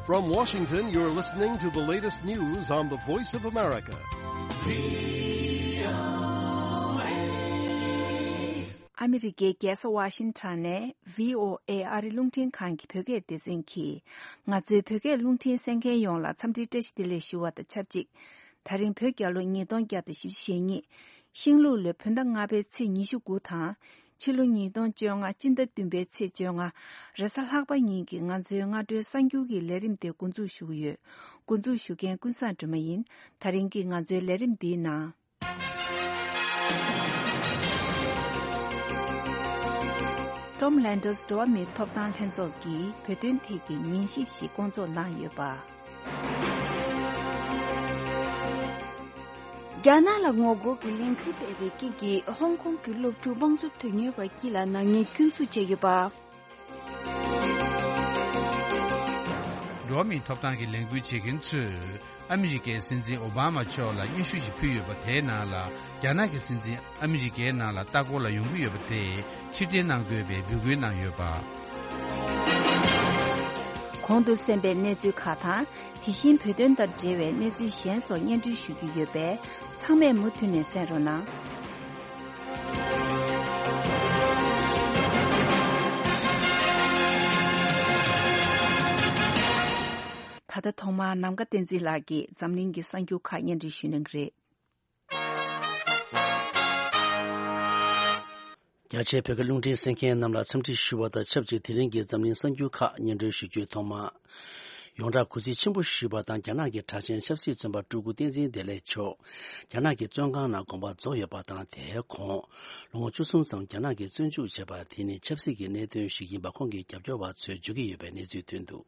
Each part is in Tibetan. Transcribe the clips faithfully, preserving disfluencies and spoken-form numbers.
From Washington, you're listening to the latest news on the Voice of America. ཨ་མི་རི་ཀའི་རྒྱལ་ས་ཝ་ཤིང་ཊོན་ནས་བྷི་ཨོ་ཨེ་ཨ་རི་རླུང་འཕྲིན་ཁང་གི་བོད་སྐད་སྡེ་ཚན་གྱིས། ང་ཚོའི་བོད་སྐད་རླུང་འཕྲིན་གསན་མཁན་ཡོངས་ལ་འཚམས་འདྲིའི་བཀྲ་ཤིས་བདེ་ལེགས་ཞུ་བ་དང་ཆབས་ཅིག་ད་རིང་བོད་རྒྱལ་ལོ་ཉིས་སྟོང་བརྒྱ་དང་བཞི་བཅུ་ཞེ་གཉིས། ཤིང་ལུག་ལོའི་བོད་ཟླ་ལྔ་པའི་ཚེས་ཉི་ཤུ་དགུ་དང་། ཕྱི་ལོ་ཉིས་སྟོང་བཅོ་ལྔ་སྤྱི་ཟླ་བདུན་པའི་ཚེས་བཅོ་ལྔ། རེས་གཟའ་ལྷག་པ་ཉིན་གྱི་ང་ཚོའི་སྔ་དྲོའི་གསར་འགྱུར་གྱི་ལས་རིམ་དེ་འགོ་འཛུགས་ཞུ་གི་ཡོད། འགོ་འཛུགས་ཞུ་མཁན་ཀུན་བཟང་སྒྲོལ་མ་ཡིན། ད་རིང་གི་ང་ཚོའི་ལས་རིམ་འདིའི་ནང་། Tom Lantos འགྲོ་བ་མིའི་ཐོབ་ཐང་ལྷན་ཚོགས་ཀྱིས་བོད་དོན་ཐད་ཀྱི་ཉན་ཞིབ་ཞིག་བསྐོང་ཚོགས་གནང་ཡོད་པ། རྒྱ་ནག་ལ་ངོ་རྒོལ་གྱི་ལས་འགུལ་སྤེལ་བའི་རྐྱེན་གྱིས་ཧོང་ཀོང་གི་སློབ་ཕྲུག་དམངས་གཙོ་དོན་གཉེར་བ་དཀྱིལ་ལ་ནག་ཉེས་སྐྱོན་འཛུགས་བྱས་ཡོད་པ། འགྲོ་བ་མིའི་ཐོབ་ཐང་གི་ལས་འགུལ་བྱེད་མཁན་ཚོས་ཨ་མི་རི་ཀའི་སྲིད་འཛིན་ཨོ་བྷ་མ་མཆོག་ལ་སྙན་ཞུ་ཞིག་ཕུལ་ཡོད་པ་དེའི་ནང་ལ། རྒྱ་ནག་གི་སྲིད་འཛིན་ཨ་མི་རི་ཀའི་ནང་ལ་ལྟ་སྐོར་ལ་ཡོང་གི་ཡོད་པ་དེ་ཕྱིར་འཐེན་གནང་དགོས་པའི་འབོད་སྐུལ་གནང་ཡོད་པ། གོང་དུ་གསན་པའི་གནས་ཚུལ་ཁག་དང་། དེ་བཞིན་བོད་དོན་དང་འབྲེལ་བའི་གནས་ཚུལ་གཞན་སོགས་སྙན་སྒྲོན་ཞུ་རྒྱུ་ཡོད་པས། ཚང་མས་མུ་མཐུད་ནས་གསན་རོགས་གནང་། ད་ལྟ་ཐོག་མར་ནམ་མཁའ་བསྟན་འཛིན་ལགས་ཀྱིས་འཛམ་གླིང་གི་གསར་འགྱུར་ཁག་སྙན་སྒྲོན་ཞུ་གནང་གི་རེད། རྒྱ་ཆེའི་བོད་སྐད་རླུང་འཕྲིན་གསན་མཁན་རྣམས་ལ་འཚམས་འདྲི་ཞུ་བ་དང་ཆབས་ཅིག་དེ་རིང་གི་འཛམ་གླིང་གསར་འགྱུར་ཁག་སྙན་སྒྲོན་ཞུ་རྒྱུའི་ཐོག་མ། ཡོངས་གྲགས་གུས་བརྩི་ཆེན་པོ་ཞུས་པ་དང་། རྒྱ་ནག་གི་གྲགས་ཆེན་ཆབ་སྲིད་བཙོན་པ་སྤྲུལ་སྐུ་བསྟན་འཛིན་བདེ་ལེགས་མཆོག་རྒྱ་ནག་གི་བཙོན་ཁང་ནང་དགོངས་པ་རྫོགས་ཡོད་པ་དང་། དེའི་གོང་ལོ་ངོ་བཅུ་གསུམ་ཙམ་རྒྱ་ནག་གིས་བཙོན་འཇུག་བྱས་པ་དེ་ནི་ཆབ་སྲིད་ཀྱི་གནད་དོན་ཞིག་ཡིན་པ་ཁོང་གི་རྒྱབ་སྐྱོར་བ་ཚོས་བརྗོད་ཀྱི་ཡོད་པའི་གནས་ཚུལ་ཐོན་འདུག།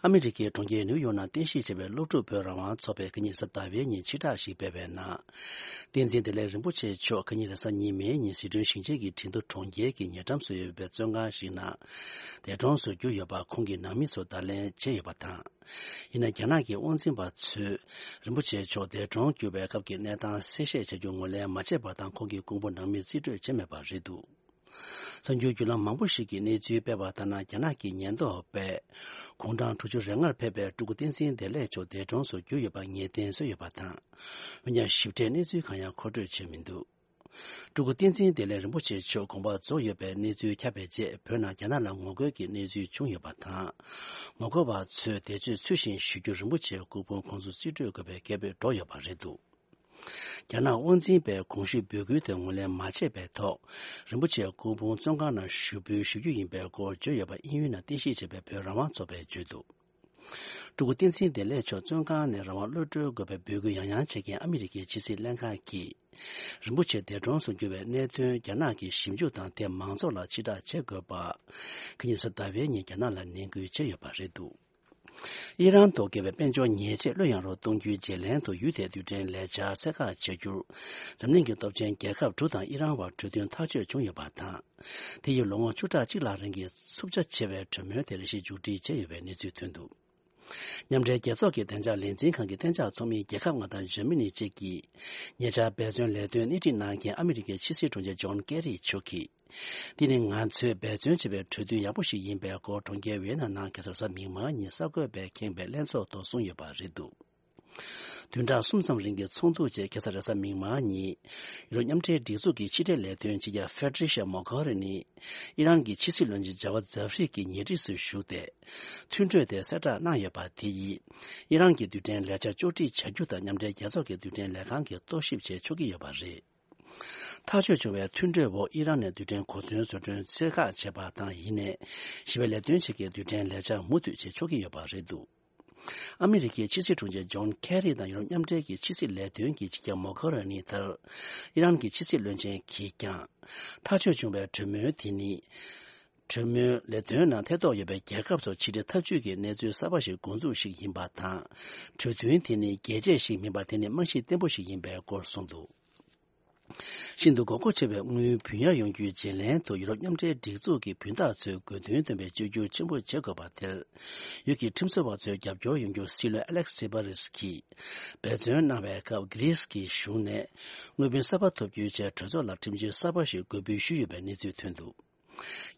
ཨ་མི་རི་ཀའི་གྲོང་ཁྱེར་ནིའུ་ཡོག་ནང་རྟེན་གཞི་བྱས་པའི་སློབ་ཕྲུག་བོད་རང་དབང་ཚོགས་པས་ཁ་ཉིན་རེས་གཟའ་ཟླ་བའི་ཉིན་ཕྱིར་བསྒྲགས་ཤིག་སྤེལ་བའི་ནང་། བསྟན་འཛིན་བདེ་ལེགས་རིན་པོ་ཆེ་མཆོག་ཁ་ཉིན་རེས་གཟའ་ཉི་མའི་ཉིན་ཟི་ཁྲོན་ཞིང་ཆེན་གྱི་ཁྲིན་ཏུ་གྲོང་ཁྱེར་གྱི་ཉེ་འགྲམ་སུ་ཡོད་པའི་བཙོན་ཁང་ཞིག་ནང་འདས་གྲོངས་སུ་གྱུར་ཡོད་པ་ཁོང་གི་ནང་མི་ཚོས་བརྡ་ལན་བྱས་ཡོད་པ་དང་། ཡིན་ན་རྒྱ་ནག་གི་དབང་འཛིན་པ་ཚོས་རིན་པོ་ཆེ་མཆོག་འདས་གྲོངས་གྱུར་བའི་སྐབས་ཀྱི་གནས་སྟངས་གསལ་བཤད་བྱ་རྒྱུ་ངོས་ལེན་མ་བྱས་པ་དང་། ཁོང་གི་སྐུ་ཕུང་ནང་མིར་རྩིས་སྤྲོད་བྱས་མེད་པ་རེད་འདུག། གསར་འགྱུར་བརྒྱུད་ལམ་མང་པོ་ཞིག་གིས་གནས་ཚུལ་སྤེལ་བ་ལྟར་ན། རྒྱ་ནག་གི་ཉེན་རྟོག་པས་དགུང་གྲངས་དྲུག་ཅུ་རེ་ལྔར་ཕེབས་པའི་སྤྲུལ་སྐུ་བསྟན་འཛིན་བདེ་ལེགས་མཆོག་འདས་གྲོངས་སུ་གྱུར་ཡོད་པ་ངེས་གཏན་བཟོས་ཡོད་པ་དང་། འོན་ཀྱང་ཞིབ་ཕྲའི་གནས་ཚུལ་གང་ཡང་མཁོ་སྤྲོད་བྱས་མི་འདུག། སྤྲུལ་སྐུ་བསྟན་འཛིན་བདེ་ལེགས་རིན་པོ་ཆེ་མཆོག་དགོངས་པ་རྫོགས་ཡོད་པའི་གནས་ཚུལ་ཁྱབ་པའི་རྗེས། བོད་ནང་རྒྱ་ནག་ལ་ངོ་རྒོལ་གྱི་གནས་ཚུལ་བྱུང་ཡོད་པ་དང་། ངོ་རྒོལ་བ་ཚོས་འདས་མཆོད་ཚུལ་བཞིན་ཞུ་རྒྱུར་རིན་པོ་ཆེའི་སྐུ་ཕུང་ཁོང་ཚོར་རྩིས་སྤྲོད་དགོས་པའི་སྐད་འབོད་སྒྲོག་ཡོད་པ་རེད་འདུག། རྒྱ་ནག་དབང་འཛིན་པས་གོང་ཞུས་འབོད་སྐུལ་དེ་ངོས་ལེན་མ་བྱས་པའི་ཐོག། རིན་པོ་ཆེའི་སྐུ་ཕུང་བཙོན་ཁང་ནང་ཞུགས་འབུལ་ཞུ་རྒྱུ་ཡིན་པའི་སྐོར་བརྗོད་ཡོད་པ་དབྱིན་ཡུལ་ནང་རྟེན་གཞི་བྱས་པའི་བོད་རང་དབང་ཚོགས་པས་བརྗོད་འདུག། སྤྲུལ་སྐུ་བསྟན་འཛིན་བདེ་ལེགས་མཆོག་བཙོན་ཁང་ནས་རང་དབང་གློད་གྲོལ་དགོས་པའི་འབོད་སྐུལ་ཡང་ཡང་བྱེད་མཁན་ཨ་མི་རི་ཀའི་ཕྱི་སྲིད་ལྷན་ཁང་གིས། རིན་པོ་ཆེ་འདས་གྲོངས་སུ་གྱུར་བའི་གནད་དོན་རྒྱ་ནག་གིས་ཞིབ་འཇུག་དང་། དེ་མང་ཚོགས་ལ་ཕྱིར་བསྒྲགས་བྱེད་དགོས་པ། ཁ་ཉིན་རེས་གཟའ་ཟླ་བའི་ཉིན་རྒྱ་ནག་ལ་ནན་སྐུལ་བྱས་ཡོད་པ་རེད་འདུག། ཨི་རན་ཐོག་བཀལ་བའི་དཔལ་འབྱོར་ཉེས་ཆད་བློས་ཡངས་རོགས་གཏོང་རྒྱུའི་བརྗེ་ལེན་དུ་ཡུལ་དེའི་རྡུལ་ཕྲན་ལས་འཆར་གསལ་ཁ་བྱ་རྒྱུར། འཛམ་གླིང་གི་སྟོབས་ཆེན་རྒྱལ་ཁབ་དྲུག་དང་ཨི་རན་བར་གྲོས་མཐུན་ཐག་གཅོད་བྱུང་ཡོད་པ་དང་། དེ་ཡིས་ལོ་ངོ་བཅུ་ཕྲག་གཅིག་ལྷག་རིང་གི་འཚུབ་ཆ་ཆེ་བའི་གྲོས་མོལ་དེར་གཞི་མཇུག་སྒྲིལ་བྱས་ཡོད་པའི་གནས་ཚུལ་ཐོན་འདུག། མཉམ་འབྲེལ་རྒྱལ་ཚོགས་ཀྱི་བདེ་འཇགས་ལས་འཛིན་ཁང་གི་གཏན་འཇགས་ཚོགས་མི་རྒྱལ་ཁབ་ལྔ་དང་འཇར་མ་ནི་བཅས་ཀྱིས། ཉེ་ཆར་འབད་བརྩོན་ལས་དོན་སྣེ་ཁྲིད་གནང་མཁན་ཨ་མི་རི་ཀའི་ཕྱི་སྲིད་དྲུང་ཆེ་ཇོན་ཀེ་རི་མཆོག་གིས། འདི་ནི་ང་ཚོས་འབད་བརྩོན་བྱས་པའི་གྲོས་མཐུན་ཡག་པོ་ཞིག་ཡིན་པའི་སྐོར། གྲོང་ཁྱེར་ཝི་ཡེ་ན་ནང་གེ་སར་གཟའ་མིག་དམར་ཉིན་གསར་འགོད་པས་ཁེངས་པའི་ལྷན་ཚོགས་ཐོག་གསུངས་ཡོད་པ་རེད་འདུག། བདུན་ཕྲག་གསུམ་ཙམ་རིང་གི་ཚོགས་འདུ་རྗེས་གེ་སར་རེས་གཟའ་མིག་དམར་ཉིན། ཡུ་རོབ་མཉམ་འབྲེལ་སྒྲིག་འཛུགས་ཀྱི་ཕྱི་འབྲེལ་ལས་དོན་སྤྱི་ཁྱབ་ཧྥེ་ཏྲི་ཤ་མོ་གྷ་རི་ནི། ཨི་རན་གྱི་ཕྱི་སྲིད་བློན་ཆེན་ཇ་ཝ་ཛ་ཧྥི་རི་གྱི་ཉེ་འཁྲིས་སུ་བཞུགས་ཏེ། མཐུན་གྲོས་དེ་གསལ་བསྒྲགས་གནང་ཡོད་པ་དེ་ཡིས། ཨི་རན་གྱི་རྡུལ་ཕྲན་ལས་འཆར་ཕྱོགས་སྒྲིག་བྱ་རྒྱུ་དང་། མཉམ་འབྲེལ་རྒྱལ་ཚོགས་ཀྱི་རྡུལ་ཕྲན་ལས་ཁང་གིས་རྟོག་ཞིབ་བྱེད་ཆོག་གི་ཡོད་པ་རེད། ཐག་གཅོད་བྱུང་བའི་མཐུན་གྲོས་འོག་ཨི་རན་ནས་རྡུལ་ཕྲན་གོ་མཚོན་བཟོ་སྐྲུན་ཚད་བཀག་བྱས་པ་དང་། ཡིན་ནའི། ཞི་བའི་ལས་དོན་བྱེད་མཁན་རྡུལ་ཕྲན་ལས་འཆར་མུ་མཐུད་བྱེད་ཆོག་གི་ཡོད་པ་རེད་འདུག། ཨ་མི་རི་ཀའི་ཕྱི་སྲིད་དྲུང་ཆེ་ཇོན་ཁེ་རི་དང་ཡུ་རོབ་མཉམ་འབྲེལ་གྱི་ཕྱི་སྲིད་ལས་དོན་གྱི་སྤྱི་ཁྱབ་མོ་གྷ་ར་ནི་ལྟར། ཨི་རན་གྱི་ཕྱི་སྲིད་བློན་ཆེན་གྱིས་ཀྱང་། ཐག་གཅོད་བྱུང་བའི་གྲོས་མོལ་དེ་ནི། གྲོས་མོལ་ལས་དོན་ནང་ཐེ་གཏོགས་ཡོད་པའི་རྒྱལ་ཁབ་ཚོར་ཕྱི་འབྲེལ་འཐབ་ཇུས་ཀྱི་གནས་ཚུལ་གསར་པ་ཞིག་འགོ་འཛུགས་ཤིག་ཡིན་པ་དང་། གྲོས་མཐུན་དེ་ནི་རྒྱས་བཅད་ཞིག་མིན་པར། དེ་ནི་རྨང་གཞི་བརྟན་པོ་ཞིག་ཡིན་པའི་སྐོར་གསུངས་འདུག། ཤིན་ཏུ་དགོས་མཁོ་ཆེ་བའི་དངུལ་བུན་གཡར་ཡོང་རྒྱུའི་བརྗེ་ལེན་དུ་ཡུ་རོབ་མཉམ་འབྲེལ་སྒྲིག་འཛུགས་ཀྱི་བུན་བདག་ཚོས་དགོས་འདུན་བཏོན་པའི་བཅོས་བསྒྱུར་ཆེན་པོ་བྱེད་དགོས་པ་དེར། ཡུལ་གྱི་ཁྲིམས་བཟོ་བ་ཚོས་རྒྱབ་སྐྱོར་ཡོང་རྒྱུར་སྲིད་བློན་ཨ་ལེག་སི་སི་པ་རིས་ཀྱིས་འབད་བརྩོན་གནང་བའི་སྐབས། གྷི་རིས་ཀྱི་གཞུང་ནས་དངུལ་བུན་གསར་པ་ཐོབ་རྒྱུའི་ཆེད་གྲོས་ཚོགས་ལ་ཁྲིམས་གཅོད་གསར་པ་ཞིག་འགོད་འབུལ་ཞུས་ཡོད་པའི་གནས་ཚུལ་ཐོན་འདུག།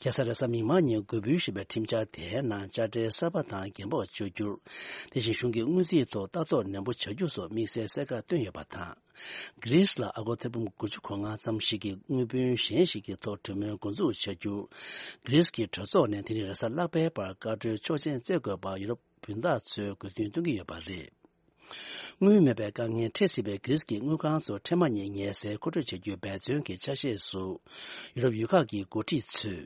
ཁ་སང་རེས་གཟའ་མིག་དམར་ཉིན་འགོད་འབུལ་ཞུས་པའི་ཁྲིམས་འཆར་དེའི་ནང་དཔྱ་ཁྲལ་གསར་པ་དང་འགན་སྤོགས་གཅོད་རྒྱུ། དེ་བཞིན་གཞུང་གི་དངུལ་རྩིས་ཐོག་ལྟ་རྟོག་ནན་པོ་བྱ་རྒྱུ་སོགས་དམིགས་བསལ་གསལ་ཁ་བཏོན་ཡོད་པ་དང་། གྷི་རིས་ལ་ཨ་སྒོར་ཐེར་འབུམ་དགུ་བཅུ་གོ་ལྔ་ཙམ་ཞིག་གི་དངུལ་བུན་གཞན་ཞིག་གི་ཐོག་གྲོས་མོལ་འགོ་འཛུགས་བྱ་རྒྱུ། གྷི་རིས་ཀྱི་གྲོས་ཚོགས་ནས་དེ་རིང་རེས་གཟའ་ལྷག་པའི་བར་བཀའ་འཁྲོལ་ཆོག་མཆན་སྩལ་དགོས་པ་ཡུ་རོབ་བུན་བདག་ཚོས་དགོས་འདུན་བཏོན་གྱི་ཡོད་པ་རེད། དངུལ་མེད་པའི་དཀའ་ངལ་འཕྲད་སྲིད་པའི་གྷི་རིས་ཀྱི་དངུལ་ཁང་ཚོར་འཕྲལ་མ་ཉིད་ངལ་སེལ་མཁོ་སྤྲོད་བྱ་རྒྱུའི་འབད་བརྩོན་གྱི་ཆ་ཤས་སུ། ཡུ་རོབ་ཡུལ་ཁག་གི་འགོ་ཁྲིད་ཚོས།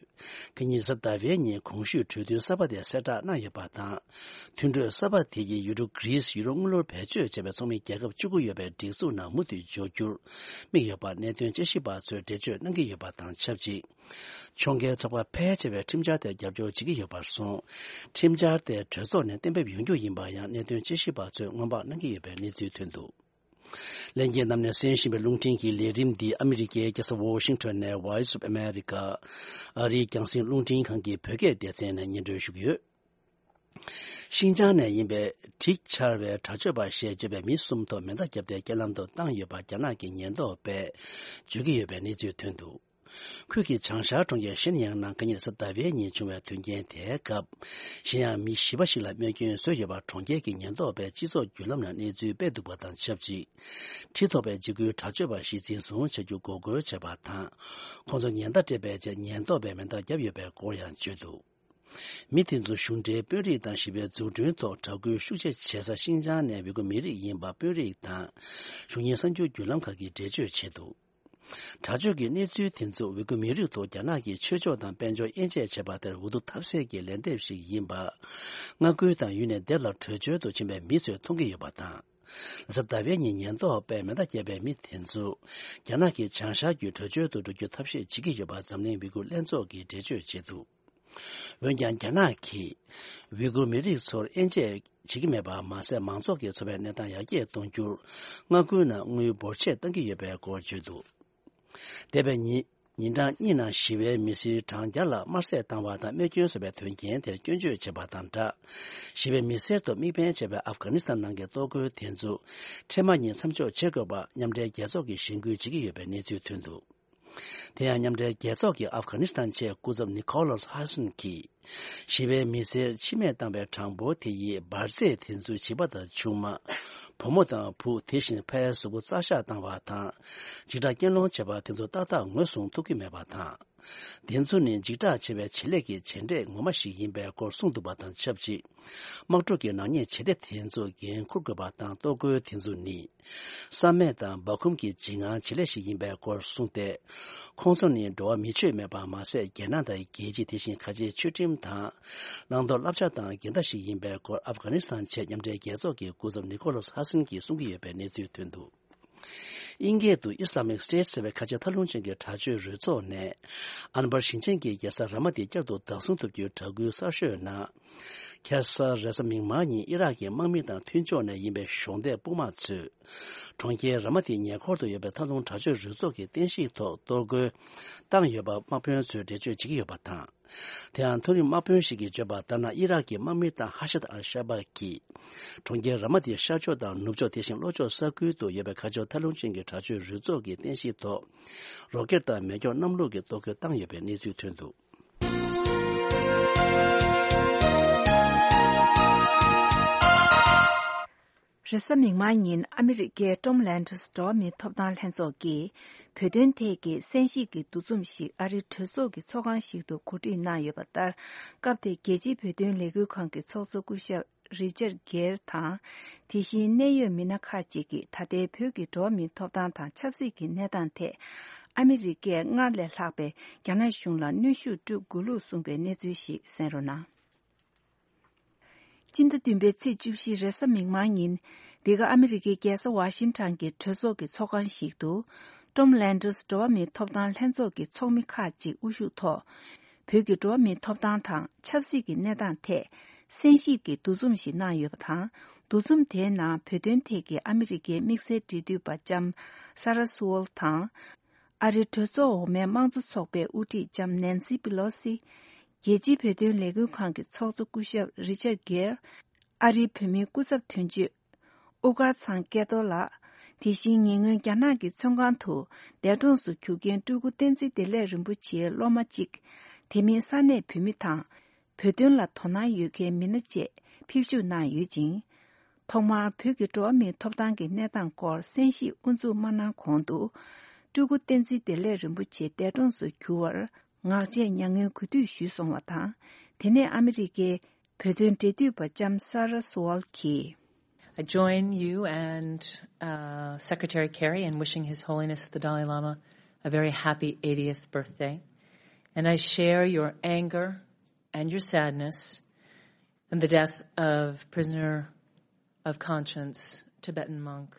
ཁ་ཉིན་རེས་གཟའ་ཟླ་བའི་ཉིན་གོང་ཞུས་གྲོས་མཐུན་གསར་པ་དེ་གསལ་བསྒྲགས་གནང་ཡོད་པ་དང་། མཐུན་གྲོས་གསར་པ་དེ་ཡིས་ཡུ་རོབ་གྷི་རིས་ཡུ་རོབ་དངུལ་ལོར་བེད་སྤྱོད་བྱས་པའི་ཚོགས་མི་རྒྱལ་ཁབ་བཅུ་དགུ་ཡོད་པའི་སྒྲིག་འཛུགས་ནང་མུ་མཐུད་འཇོག་རྒྱུར་དམིགས་ཡོད་པ་གནད་དོན་དཔྱད་ཞིབ་པ་ཚོས་འགྲེལ་བརྗོད་གནང་གི་ཡོད་པ་དང་ཆབས་ཅིག་ཕྱོགས་འགལ་ཚོགས་པ་ཕལ་ཆེ་བས་ཁྲིམས་འཆར་དེར་རྒྱབ་སྐྱོར་བྱེད་ཀྱི་ཡོད་པར་སོང་། ཁྲིམས་འཆར་དེ་གྲོས་ཚོགས་ནས་གཏན་འབེབས་ཡོང་རྒྱུ་ཡིན་པ་ཡང་གནད་དོན་དཔྱད་ཞིབ་པ་ཚོས་སྔོན་དཔག་གནང་གི་ཡོད་པའི་གནས་ཚུལ་ཐོན་འདུག་ལྷན་རྒྱས་རྣམས་ནས་གསན་བཞིན་པའི་རླུང་འཕྲིན་གྱི་ལས་རིམ་འདི་ཨ་མི་རི་ཀའི་རྒྱལ་ས་ཝོ་ཤིང་ཊོན་ནས་Voice of America ཨ་རིའི་རྒྱང་སྲིང་རླུང་འཕྲིན་ཁང་གི་བོད་སྐད་སྡེ་ཚན་ནས་སྙན་སྒྲོན་ཞུ་གི་ཡོད། ཤིན་ཅང་ནས་ཡིན་པའི་འགྲིག་ཆར་བའི་དྲག་སྤྱོད་པ་ཞེས་བརྗོད་པའི་མི་གསུམ་ཐོག་མེ་མདའ་བརྒྱབ་སྟེ་རྐྱེན་ལམ་དུ་བཏང་ཡོད་པ་རྒྱ་ནག་གི་ཉེན་རྟོག་པས་བརྗོད་ཀྱི་ཡོད་པའི་གནས་ཚུལ་ཐོན་འདུག་ཁུལ་གྱི་བྱང་ཤར་གྲོང་ཁྱེར་ཤན་ཡང་ནང་ཁ་ཉིན་རེས་གཟའ་ཟླ་བའི་ཉིན་བྱུང་བའི་དོན་རྐྱེན་དེའི་སྐབས། གཞན་ཡང་མི་བཞི་པ་ཞིག་ལ་རྨས་སྐྱོན་བཟོས་ཡོད་པ་གྲོང་ཁྱེར་གྱི་ཉེན་རྟོག་པས་སྤྱི་ཚོགས་བརྒྱུད་ལམ་ནང་གནས་ཚུལ་སྤེལ་འདུག་པ་དང་ཆབས་ཅིག་ཁྲི་ཐོག་པའི་འཇིགས་སྐུལ་དྲག་སྤྱོད་པ་ཞིག་འཛིན་བཟུང་བྱ་རྒྱུ་འགོག་རྒོལ་བྱས་པ་དང་། ཁོང་ཚོ་ཉེན་བརྡ་སྤྲད་པའི་རྗེས་ཉེན་རྟོག་པས་མེ་མདའ་བརྒྱབ་ཡོད་པའི་སྐོར་ཡང་བརྗོད་འདུག་མི་དེ་ཚོ་གཞུང་འབྲེལ་དཔོན་རིགས་དང་ཞི་བའི་འཛུགས་སྐྲུན་ཐོག་དྲག་རྒོལ་ཤུགས་ཆེ་བྱེད་ས་ཤིན་ཅང་ནས་ཝི་གུ་མི་རིགས་ཡིན་པ་དཔོན་རིགས་དང་། གཞུང་གཉེར་གསར་འགྱུར་བརྒྱུད་ལམ་ཁག་གིས་འགྲེལ་བརྗོད་བྱས་འདུག་དྲག་སྤྱོད་ཀྱི་གནས་ཚུལ་དེ་ཚོ་ཝི་གུ་མི་རིགས་ཐོག་རྒྱ་ནག་གིས་ཆོས་ཕྱོགས་དང་དཔལ་འབྱོར་དབྱེ་འབྱེད་བྱས་པ་དེར་འུ་ཐུག་ཐེབས་སའི་གི་ལན་འདེབས་ཤིག་ཡིན་པ། མངའ་ཁུལ་དང་ཡུལ་ནས་སྡེབ་ལ་བྲོས་བྱོལ་དུ་ཕྱིན་པའི་མི་ཚོས་མཐོང་གི་ཡོད་པ་དང་། རེས་གཟའ་ཟླ་བའི་ཉིན་ཉེན་རྟོག་པས་མེ་མདའ་བརྒྱབ་པའི་མི་དེ་ཚོ། རྒྱ་ནག་གི་བྱང་ཤར་རྒྱུད་བྲོས་བྱོལ་དུ་འགྲོ་རྒྱུ་ཐབས་ཤེས་བྱེད་ཀྱི་ཡོད་པ་འཛམ་གླིང་ཝི་གུ་ལྷན་ཚོགས་ཀྱིས་འགྲེལ་བརྗོད་བྱས་འདུག་འོན་ཀྱང་རྒྱ་ནག་གིས་ཝི་གུར་མི་རིགས་ཚོར་དབྱེ་འབྱེད་བྱེད་ཀྱི་མེད་པ་མ་ཟད། མང་ཚོགས་ཀྱི་འཚོ་བའི་གནས་སྟངས་ཡར་རྒྱས་གཏོང་རྒྱུར་མངའ་ཁུལ་ནང་དངུལ་འབོར་ཆད་བཏང་གི་ཡོད་པའི་སྐོར་བརྗོད་འདུག་འདས་པའི་ཉིན་ཉིན་གྲངས་གཉིས་ནང་ཞི་བའི་མི་སེར་གྲངས་བརྒྱ་ལྷག་དམར་བསད་བཏང་བ་དང་རྨས་སྐྱོན་བཟོས་པའི་དོན་རྐྱེན་དེར་སྐྱོན་བརྗོད་བྱས་པ་དང་སྦྲགས། ཞི་བའི་མི་སེར་ཐོག་དམིགས་འབེན་བྱས་པའི་ཨབ་གྷ་ནི་སི་ཐན་ནང་གི་གཏོར་རྒོལ་དེ་ཚོ་འཕྲལ་མ་ཉིད་མཚམས་འཇོག་བྱེད་དགོས་པ་མཉམ་འབྲེལ་རྒྱལ་ཚོགས་ཀྱིས་གཞེན་སྐུལ་བྱེད་ཀྱི་ཡོད་པའི་གནས་ཚུལ་ཐོན་འདུག་དེ་ཡང་མཉམ་འབྲེལ་རྒྱལ་ཚོགས་ཀྱི་ཨབ་གྷ་ནི་སི་ཐན་ཆེད་སྐུ་ཚབ་ནི་ཁོ་ལོ་སི་ཧ་སན་གྱིས། ཞི་བའི་མི་སེར་འཆི་རྨས་བཏང་བའི་གྲངས་འབོར་དེ་ཡིས་འབར་རྫས་དེ་ཚོའི་བྱིས་པ་དང་ཆུང་མ། བུ་མོ་དང་བུ། དེ་བཞིན་ཕའི་གཟུགས་པོ་རྩ་ཤག་བཏང་བ་དང་། འཇིགས་སྐྲག་རྐྱེན་སློང་བྱས་པ་དེ་ཚོ་ཏག་ཏག་ངོས་བཟུང་ཐུབ་ཀྱི་མེད་པ་དང་། དེ་ཚོ་ནི་འཇིགས་སྐྲག་ཆེ་བའི་བྱེད་ལས་ཀྱི་བྱེད་འབྲས་ངོ་མ་ཞིག་ཡིན་པའི་སྐོར་གསུངས་འདུག་པ་དང་ཆབས་ཅིག་དམག་འཁྲུག་གི་ནག་ཉེས་བྱེད་གཏེ་དེ་ཚོ་འགན་འཁུར་དགོས་པ་དང་གཏོར་རྒོལ་དེ་ཚོ་ནི། བསམ་མེད་དང་སྦ་ཁུམ་གྱི་འཇིགས་དངངས་བྱེད་ལས་ཤིག་ཡིན་པའི་སྐོར་གསུངས་ཏེ། ཁོང་ཚོ་ནི་འགྲོ་བ་མི་ཆོས་མེད་པ་མ་ཟད། རྒྱལ་ནང་དང་རྒྱལ་སྤྱི། དེ་བཞིན་ཁ་ཆེའི་ཆོས་ཁྲིམས་དང་། བླང་དོར་བསླབ་བྱ་དང་འགལ་ཟླ་ཞིག་ཡིན་པའི་སྐོར་ཨབ་གྷ་ནི་སི་ཐན་ཆེད་མཉམ་འབྲེལ་རྒྱལ་ཚོགས་ཀྱི་སྐུ་ཚབ་ནི་ཁོ་ལོ་སི་ཧ་སན་གྱིས་གསུང་གི་ཡོད་པའི་གནས་ཚུལ་ཐོན་འདུག་དབྱིན་སྐད་དུ་Islamic State ཟེར་བའི་ཁ་ཆེ་ཐལ་རླུང་ཅན་གྱི་དྲག་སྤྱོད་རུ་ཚོགས་ནས། ཨན་བར་ཞིང་ཆེན་གྱི་རྒྱལ་ས་ར་མ་ཏི་བསྐྱར་དུ་བདག་བཟུང་ཐུབ་རྒྱུའི་གྲ་སྒོའི་གསར་ཤོས་ནང་། ཁ་སང་རེས་གཟའ་མིག་དམར་ཉིན་ཨི་རག་གི་དམག་མི་དང་མཐུན་ཕྱོགས་ནས་ཡིན་པའི་གཞོགས་འདེགས་དཔུང་དམག་ཚོས། གྲོང་ཁྱེར་ར་མ་ཏིའི་ཉེ་འཁོར་དུ་ཡོད་པའི་མཐའ་སྡོམ་དྲག་སྤྱོད་རུ་ཚོགས་ཀྱི་རྟེན་གཞི་ཐོག་གཏོར་རྒོལ་བཏང་ཡོད་པ་དམག་དཔོན་ཚོས་འགྲེལ་བརྗོད་བྱེད་ཀྱི་ཡོད་པ་དང་། དེ་ཡང་མཐོ་རིམ་དམག་དཔོན་ཞིག་གིས་བརྗོད་པ་ལྟར་ན། ཨི་རག་གི་དམག་མི་དང་ཧ་ཤད་ཨལ་ཤ་བ་གིས། གྲོང་ཁྱེར་ར་མ་ཏིའི་ཤར་ཕྱོགས་དང་ནུབ་ཕྱོགས། དེ་བཞིན་ལྷོ་ཕྱོགས་ས་ཁུལ་དུ་ཡོད་པའི་ཁ་ཕྱོགས་ཐལ་རླུང་ཅན་གྱི་དྲག་སྤྱོད་རུ་ཚོགས་ཀྱི་རྟེན་གཞི་ཐོག་རོ་ཀེད་དང་མེ་སྒྱོགས་གནམ་གློག་གི་གཏོར་རྒོལ་བཏང་ཡོད་པའི་གནས་ཚུལ་ཐོན་འདུག་རེས་གཟའ་མིག་དམར་ཉིན་ཨ་མི་རི་ཀའི་ཀྲོམ་ལན་ཌོས་འགྲོ་བ་མིའི་ཐོབ་ཐང་ལྷན་ཚོགས་ཀྱིས་བོད་དོན་ཐད་ཀྱི་གསན་ཞིབ་ཀྱི་འདུ་འཛོམས་ཤིག་ཨ་རིའི་གྲོས་ཚོགས་ཀྱི་ཚོགས་ཁང་ཞིག་ཏུ་གོ་སྒྲིག་གནང་ཡོད་པ་ལྟར། སྐབས་དེར་རྒྱལ་སྤྱིའི་བོད་དོན་ལས་འགུལ་ཁང་གི་ཚོགས་གཙོ་སྐུ་ཞབས་རི་ཅར་གེར་དང་། དེ་བཞིན་གནད་ཡོད་མི་སྣ་ཁག་ཅིག་གིས་ད་ལྟའི་བོད་ཀྱི་འགྲོ་བ་མིའི་ཐོབ་ཐང་དང་ཆབ་སྲིད་ཀྱི་གནས་སྟངས་ཐད། ཨ་མི་རི་ཀས་སྔར་ལས་ལྷག་པའི་རྒྱ་ནག་གཞུང་ལ་གནོན་ཤུགས་སྤྲོད་དགོས་ལུགས་གསུངས་པའི་གནས་ཚུལ་ཞིག་གསན་རོགས་གནང་། སྤྱི་ཟླ་བདུན་པའི་ཚེས་བཅུ་བཞི་རེས་གཟའ་མིག་དམར་ཉིན། འདི་ག་ཨ་མི་རི་ཀའི་རྒྱལ་ས་ཝ་ཤིང་ཊོན་གྱི་གྲོས་ཚོགས་ཀྱི་ཚོགས་ཁང་ཞིག་ཏུ། ཀྲོམ་ལན་ཌོས་འགྲོ་བ་མིའི་ཐོབ་ཐང་ལྷན་ཚོགས་ཀྱི་ཚོགས་མི་ཁག་ཅིག་དབུ་བཞུགས་ཐོག་བོད་ཀྱི་འགྲོ་བ་མིའི་ཐོབ་ཐང་དང་ཆབ་སྲིད་ཀྱི་གནས་སྟངས་ཐད། གསན་ཞིབ་ཀྱི་འདུ་འཛོམས་ཤིག་གནང་ཡོད་པ་དང་། འདུ་འཛོམས་དེའི་ནང་བོད་དོན་ཐད་ཀྱི་ཨ་མི་རི་ཀའི་དམིགས་བསལ་འབྲེལ་མཐུད་པ་ལྕམ་ས་ར་སུ་ཝོལ་དང་། ཨ་རིའི་གྲོས་ཚོགས་འོག་མའི་དམངས་གཙོ་ཚོགས་པའི་དབུ་ཁྲིད་ལྕམ་ནན་སི་པི་ལོ་སི། རྒྱལ་སྤྱིའི་བོད་དོན་ལས་འགུལ་ཁང་གི་ཚོགས་གཙོ་སྐུ་ཞབས་རི་ཅར་གེར། ཨ་རིའི་བོད་མིའི་སྐུ་ཚབ་དོན་གཅོད། དབུ་དཀར་ཚང་སྐལ་རྡོར་ལགས། དེ་བཞིན་ཉེ་སྔོན་རྒྱ་ནག་གི་བཙོན་ཁང་དུ་འདས་གྲོངས་སུ་གྱུར་མཁན་སྤྲུལ་སྐུ་བསྟན་འཛིན་བདེ་ལེགས་རིན་པོ་ཆེའི་སློབ་མ་གཅིག་དེ་མིན་ས་གནས་བོད་མི་དང་། བོད་དོན་ལ་དོ་སྣང་ཡོད་མཁན་མི་སྣ་བཅས་ཕེབས་ཞུགས་གནང་ཡོད་ཅིང་། ཐོག་མར་བོད་ཀྱི་འགྲོ་བ་མིའི་ཐོབ་ཐང་གི་གནས་སྟངས་སྐོར་གསན་ཞིབ་དབུ་འཛུགས་མ་གནང་གོང་དུ། སྤྲུལ་སྐུ་བསྟན་འཛིན་བདེ་ལེགས་རིན་པོ་ཆེ་འདས་གྲོངས་སུ་གྱུར་བར་ངག་བཅད་མྱ་ངན་གུས་འདུད་ཞུས་སོང་བ་དང་། དེ་ནས་ཨ་མི་རི་ཀའི་བོད་དོན་འབྲེལ་མཐུད་པ་ལྕམ་Sarah Sewall གྱིས། I join you and uh, Secretary Kerry in wishing His Holiness the Dalai Lama a very happy eightieth birthday. And I share your anger and your sadness in the death of prisoner of conscience, Tibetan monk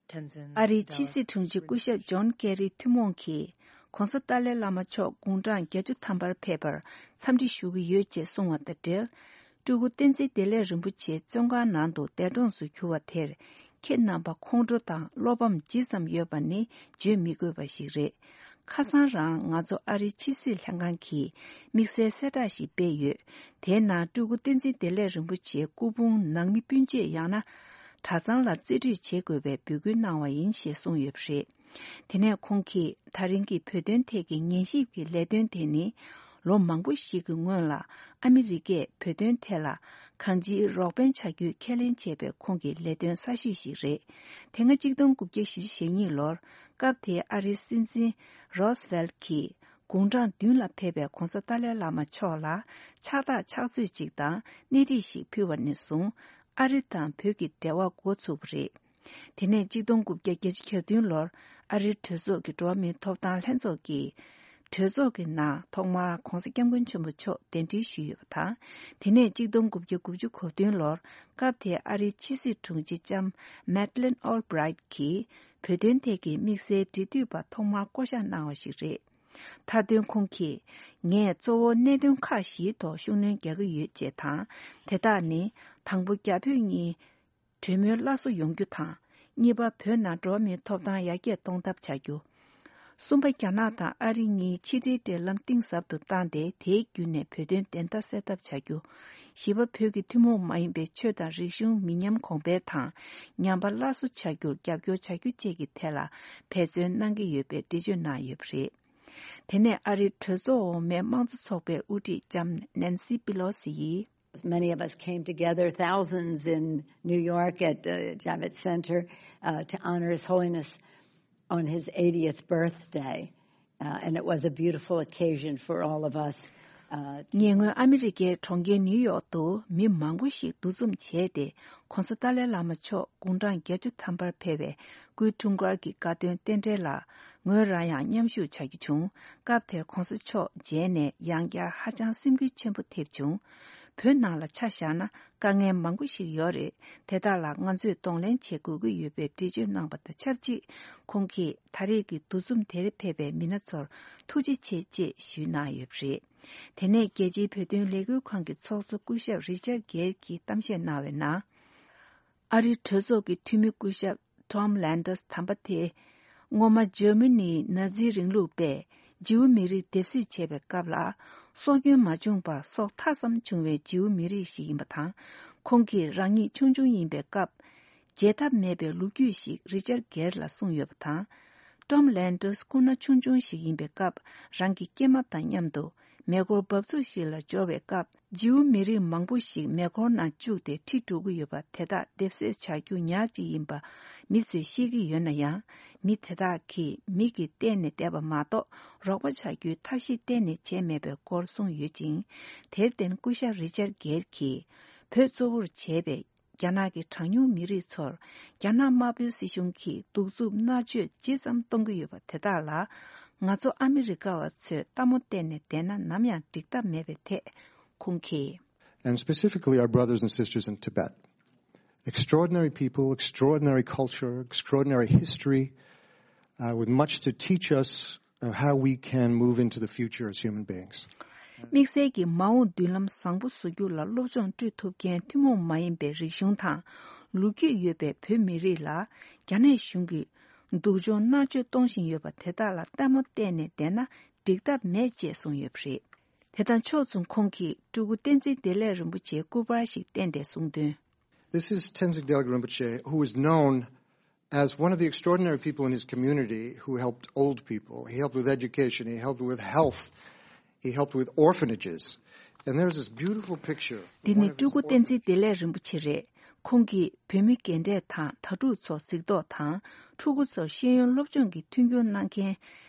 Tenzin. ཨ་རིའི་ཕྱི་སྲིད་དྲུང་ཆེ་སྐུ་ཞབས་ཇོན་ཀེ་རི་ཐུན་མོང་གིས་༸གོང་ས་ཏཱ་ལའི་བླ་མ་མཆོག་དགུང་གྲངས་བརྒྱད་ཅུ་ཐམ་པར་ཕེབས་པར་འཚམས་འདྲི་ཞུ་གི་ཡོད་ཅེས་གསུངས་བ་དང་འབྲེལ། སྤྲུལ་སྐུ་བསྟན་འཛིན་བདེ་ལེགས་རིན་པོ་ཆེ་བཙོན་ཁང་ནང་དུ་འདས་གྲོངས་སུ་གྱུར་བ་དེར་ཁྱེད་རྣམ་པ་ཁོང་ཁྲོ་དང་བློ་ཕམ་ཇི་ཙམ་ཡོད་པ་ནི་བརྗོད་མི་དགོས་པ་ཞིག་རེད། ཁ་སང་རང་ང་ཚོ་ཨ་རིའི་ཕྱི་སྲིད་ལྷན་ཁང་གིས་དམིགས་བསལ་གསལ་བསྒྲགས་ཤིག་སྤེལ་ཡོད། དེའི་ནང་སྤྲུལ་སྐུ་བསྟན་འཛིན་བདེ་ལེགས་རིན་པོ་ཆེའི་སྐུ་ཕུང་ནང་མི་སྤུན་མཆེད་ཡང་ན་གྲྭ་ཚང་ལ་རྩིས་སྤྲོད་བྱེད་དགོས་པའི་འབོད་སྐུལ་གནང་བ་ཡིན་ཞེས་གསུངས་ཡོད་པ་རེད། དེ་ནས་ཁོང་གིས་ད་རིང་གི་བོད་དོན་ཐད་ཀྱི་ཉན་ཞིབ་ཀྱི་ལས་དོན་དེ་ནི་ལོ་མང་པོ་ཞིག་གི་སྔོན་ལ་ཨ་མི་རི་ཀས་བོད་དོན་ཐད་ལ་གང་ཅིའི་རོགས་ཕན་བྱ་རྒྱུའི་ཁས་ལེན་བྱས་པའི་ཁོང་གི་ལས་དོན་གསར་ཤོས་ཤིག་རེད། དེ་སྔ་གཅིག་སྟོང་དགུ་བརྒྱ་བཞི་བཅུ་ཞེ་གཉིས་ལོར་སྐབས་དེའི་ཨ་རིའི་སྲིད་འཛིན་རོ་སི་ཝེལ་གྱིས་དགུང་གྲངས་བདུན་ལ་ཕེབས་པའི་༸གོང་ས་ཏཱ་ལའི་བླ་མ་མཆོག་ལ་ཕྱག་རྟགས་ཕྱག་ཚོད་ཅིག་དང་སྣེ་ཁྲིད་ཞིག་ཕུལ་བ་ནས་བཟུང་ཨ་རི་དང་བོད་ཀྱི་འབྲེལ་བ་འགོ་ཚུགས་པ་རེད། དེ་ནས་གཅིག་སྟོང་དགུ་བརྒྱ་བརྒྱད་ཅུ་གྱ་བདུན་ལོར་ཨ་རིའི་གྲོས་ཚོགས་ཀྱི་འགྲོ་བ་མིའི་ཐོབ་ཐང་ལྷན་ཚོགས་ཀྱིས་གྲོས་ཚོགས་ཀྱི་ནང་ཐོག་མར་༸གོང་ས་༸སྐྱབས་མགོན་ཆེན་པོ་མཆོག་གདན་འདྲེན་ཞུས་ཡོད་པ་དང་། དེ་ནས་གཅིག་སྟོང་དགུ་བརྒྱ་དགུ་བཅུ་གོ་བདུན་ལོར་སྐབས་དེའི་ཨ་རིའི་ཕྱི་སྲིད་དྲུང་ཆེ་ལྕམ་མེད་ལིན་ཨོལ་བྷི་རའིཊ་གྱིས་བོད་དོན་ཐད་ཀྱི་དམིགས་བསལ་འབྲེལ་མཐུད་པ་ཐོག་མར་བསྐོ་གཞག་གནང་བ་ཞིག་རེད། མཐའ་དོན་ཁོང་གིས་ངས་གཙོ་བོ་གནད་དོན་ཁག་བཞིའི་ཐོག་ཤུགས་སྣོན་རྒྱག་གི་ཡོད་ཅེས་དང་། དེ་དག་ནི། དང་པོ། རྒྱ་བོད་གཉིས་གྲོས་མོལ་སླར་གསོ་ཡོང་རྒྱུ་དང་། གཉིས་པ། བོད་ནང་འགྲོ་བ་མིའི་ཐོབ་ཐང་ཡར་རྒྱས་གཏོང་ཐབས་བྱ་རྒྱུ། གསུམ་པ། རྒྱ་ནག་དང་ཨ་རི་གཉིས་ཕྱི་འབྲེལ་འབྲེལ་ལམ་གཏིང་ཟབ་ཏུ་བཏང་སྟེ། དེའི་བརྒྱུད་ནས་བོད་དོན་བདེན་མཐའ་གསལ་ཐབས་བྱ་རྒྱུ། བཞི་པ། བོད་ཀྱི་ཐུན་མོང་མ་ཡིན་པའི་ཆོས་དང་རིག་གཞུང་མི་ཉམས་གོང་འཕེལ་དང་། ཉམས་པ་སླར་གསོ་བྱ་རྒྱུར་རྒྱབ་སྐྱོར་བྱ་རྒྱུ་བཅས་ཀྱི་ཐད་ལ་འབད་བརྩོན་གནང་གི་ཡོད་པའི་འགྲེལ་བརྗོད་གནང་ཡོད་པ་རེད། དེ་ནས་ཨ་རིའི་གྲོས་ཚོགས་འོག་མའི་དམངས་གཙོ་ཚོགས་པའི་དབུ་ཁྲིད་ལྕམ་ནན་སི་པི་ལོ་སི་ཡིས། Many of us came together, thousands in New York at the Javits Center, uh, to honor His Holiness on his eightieth birthday. Uh, and it was a beautiful occasion for all of us. Uh, to- ཉེ་སྔོན་ཨ་མི་རི་ཀའི་གྲོང་ཁྱེར་ནིའུ་ཡོག་ཏུ་མི་མང་པོ་ཞིག་འདུ་འཛོམས་བྱས་ཏེ། ༸གོང་ས་ཏཱ་ལའི་བླ་མ་མཆོག་དགུང་གྲངས་བརྒྱད་ཅུ་ཐམ་པར་ཕེབས་པའི་སྐུའི་འཁྲུངས་སྐར་གྱི་དགའ་སྟོན་རྟེན་འབྲེལ་ལ་ངོས་རང་ཡང་མཉམ་ཞུགས་བྱ་རྒྱུ་བྱུང་། སྐབས་དེར་༸གོང་ས་མཆོག་མཇལ་ནས་ཡང་བསྐྱར་ཧ་ཅང་སེམས་འགུལ་ཆེན་པོ་ཐེབས་བྱུང་། བོད་ནང་ལ་ཆ་བཞག་ན། དཀའ་ངལ་མང་པོ་ཞིག་ཡོད་རེད། དེ་དག་ལ་ང་ཚོས་གདོང་ལེན་བྱེད་དགོས་ཀྱི་ཡོད་པའི་འགྲེལ་བརྗོད་གནང་བ་དང་ཆབས་ཅིག་ཁོང་གིས་ད་རེས་ཀྱི་འདུ་འཛོམས་དེར་ཕེབས་པའི་མི་སྣ་ཚོར་ཐུགས་རྗེ་ཆེ་ཅེས་ཞུས་གནང་ཡོད་པ་རེད། དེ་ནས་རྒྱལ་སྤྱིའི་བོད་དོན་ལས་འགུལ་ཁང་གི་ཚོགས་གཙོ་སྐུ་ཞབས་རི་ཅར་གེར་གྱིས་གཏམ་བཤད་གནང་བའི་ནང་། ཨ་རིའི་གྲོས་ཚོགས་ཀྱི་འཐུས་མི་སྐུ་ཞབས་ཊོམ་ལན་ཌར་སི་དམ་པ་དེ། སྔོན་མ་འཇར་མ་ནིའི་ནཱ་ཛི་རིང་ལུགས་པས་ཇིའུ་མི་རིགས་སྡེབ་གསོད་བྱས་པའི་སྐབས་ལ། སྲོག་སྐྱོན་མ་བྱུང་བར་སྲོག་ཐག་ཙམ་བྱུང་བའི་ཇིའུ་མི་རིགས་ཤིག་ཡིན་པ་དང་། ཁོང་གིས་རང་ཉིད་ཆུང་ཆུང་ཡིན་པའི་སྐབས། བརྗེད་ཐབས་མེད་པའི་ལོ་རྒྱུས་ཤིག་རི་ཅར་གེར་ལ་གསུངས་ཡོད་པ་དང་། ཊོམ་ལན་ཌར་སི་སྐུ་ན་ཆུང་ཆུང་ཞིག་ཡིན་པའི་སྐབས། རང་གི་སྐྱེས་མ་དང་མཉམ་དུ་མེ་འཁོར་འབབ་ཚུགས་ཤིག་ལ་འབྱོར་བའི་སྐབས། ཇིའུ་མི་རིགས་མང་པོ་ཞིག་མེ་འཁོར་ནང་བཅུག་སྟེ་ཁྲིད་འགྲོ་གི་ཡོད་པ་དེ་དག་སྡེབ་གསོད་བྱ་རྒྱུ་ཉག་གཅིག་ཡིན་པ་མི་ཚོས་ཤེས་ཀྱི་ཡོད་ན་ཡང་། མི་དེ་དག་གིས་མིག་གིས་བལྟས་ནས་བསྡད་པ་མ་གཏོགས་རོགས་པ་བྱ་རྒྱུའི་ཐབས་ཤེས་གཏན་ནས་བྱས་མེད་པའི་སྐོར་གསུངས་ཡོད་ཅིང་། དེར་བརྟེན་སྐུ་ཞབས་རི་ཅར་གེར་གྱིས་བོད་གཙོ་བོར་བྱས་པའི་རྒྱ་ནག་གི་གྲངས་ཉུང་མི་རིགས་ཚོར་རྒྱ་ནག་དམར་པོའི་སྲིད་གཞུང་གིས་གདུག་རྩུབ་མནར་གཅོད་ཇི་ཙམ་གཏོང་གི་ཡོད་པ་དེ་དག་ལ། ང་ཚོ་ཨ་མི་རི་ཀ་བ་ཚོས་ལྟད་མོ་བལྟས་ནས་བསྡད་ན་ནམ་ཡང་འགྲིག་ཐབས་མེད་པའི་ཐད་ཁོང་གིས། And specifically our brothers and sisters in Tibet. Extraordinary people, extraordinary culture, extraordinary history, uh, with much to teach us of how we can move into the future as human beings. དམིགས་བསལ་གྱིས་མ་འོངས་མདུན་ལམ་བཟང་པོ་བཟོ་རྒྱུ་ལ་སློབ་སྦྱོང་སྤྲོད་ཐུབ་མཁན་ཐུན་མོང་མ་ཡིན་པའི་རིག་གཞུང་དང་ལོ་རྒྱུས་ཡོད་པའི་བོད་མི་རིགས་ལ་རྒྱ་ནག་གཞུང་གིས་སྡུག་སྦྱོང་མནར་གཅོད་གཏོང་བཞིན་ཡོད་པ་དེ་དག་ལ་ལྟད་མོ་བལྟས་ནས་བསྡད་ན་འགྲིག་ཐབས་མེད་ཅེས་གསུངས་ཡོད་པ་རེད། དེ་དང་ཕྱོགས་མཚུངས་ཁོང་གིས་སྤྲུལ་སྐུ་བསྟན་འཛིན་བདེ་ལེགས་རིན་པོ་ཆེའི་སྐུ་པར་ཞིག་བསྟན་ཏེ་གསུངས་དོན། This is Tenzin Gyaltsuen Rinpoche, who is known as one of the extraordinary people in his community who helped old people. He helped with education, he helped with health, He helped with orphanages. And there's this beautiful picture. འདི་ནི་སྤྲུལ་སྐུ་བསྟན་འཛིན་བདེ་ལེགས་རིན་པོ་ཆེ་རེད། ཁོང་གིས་བུད་མེད་རྒན་གྲས་དང་དྭ་ཕྲུག་ཚོ་གཟིགས་རྟོག་དང་། ཕྲུ་གུ་ཚོར་ཤེས་ཡོན་སློབ་སྦྱོང་གི་མཐུན་འགྱུར་གནང་མཁན།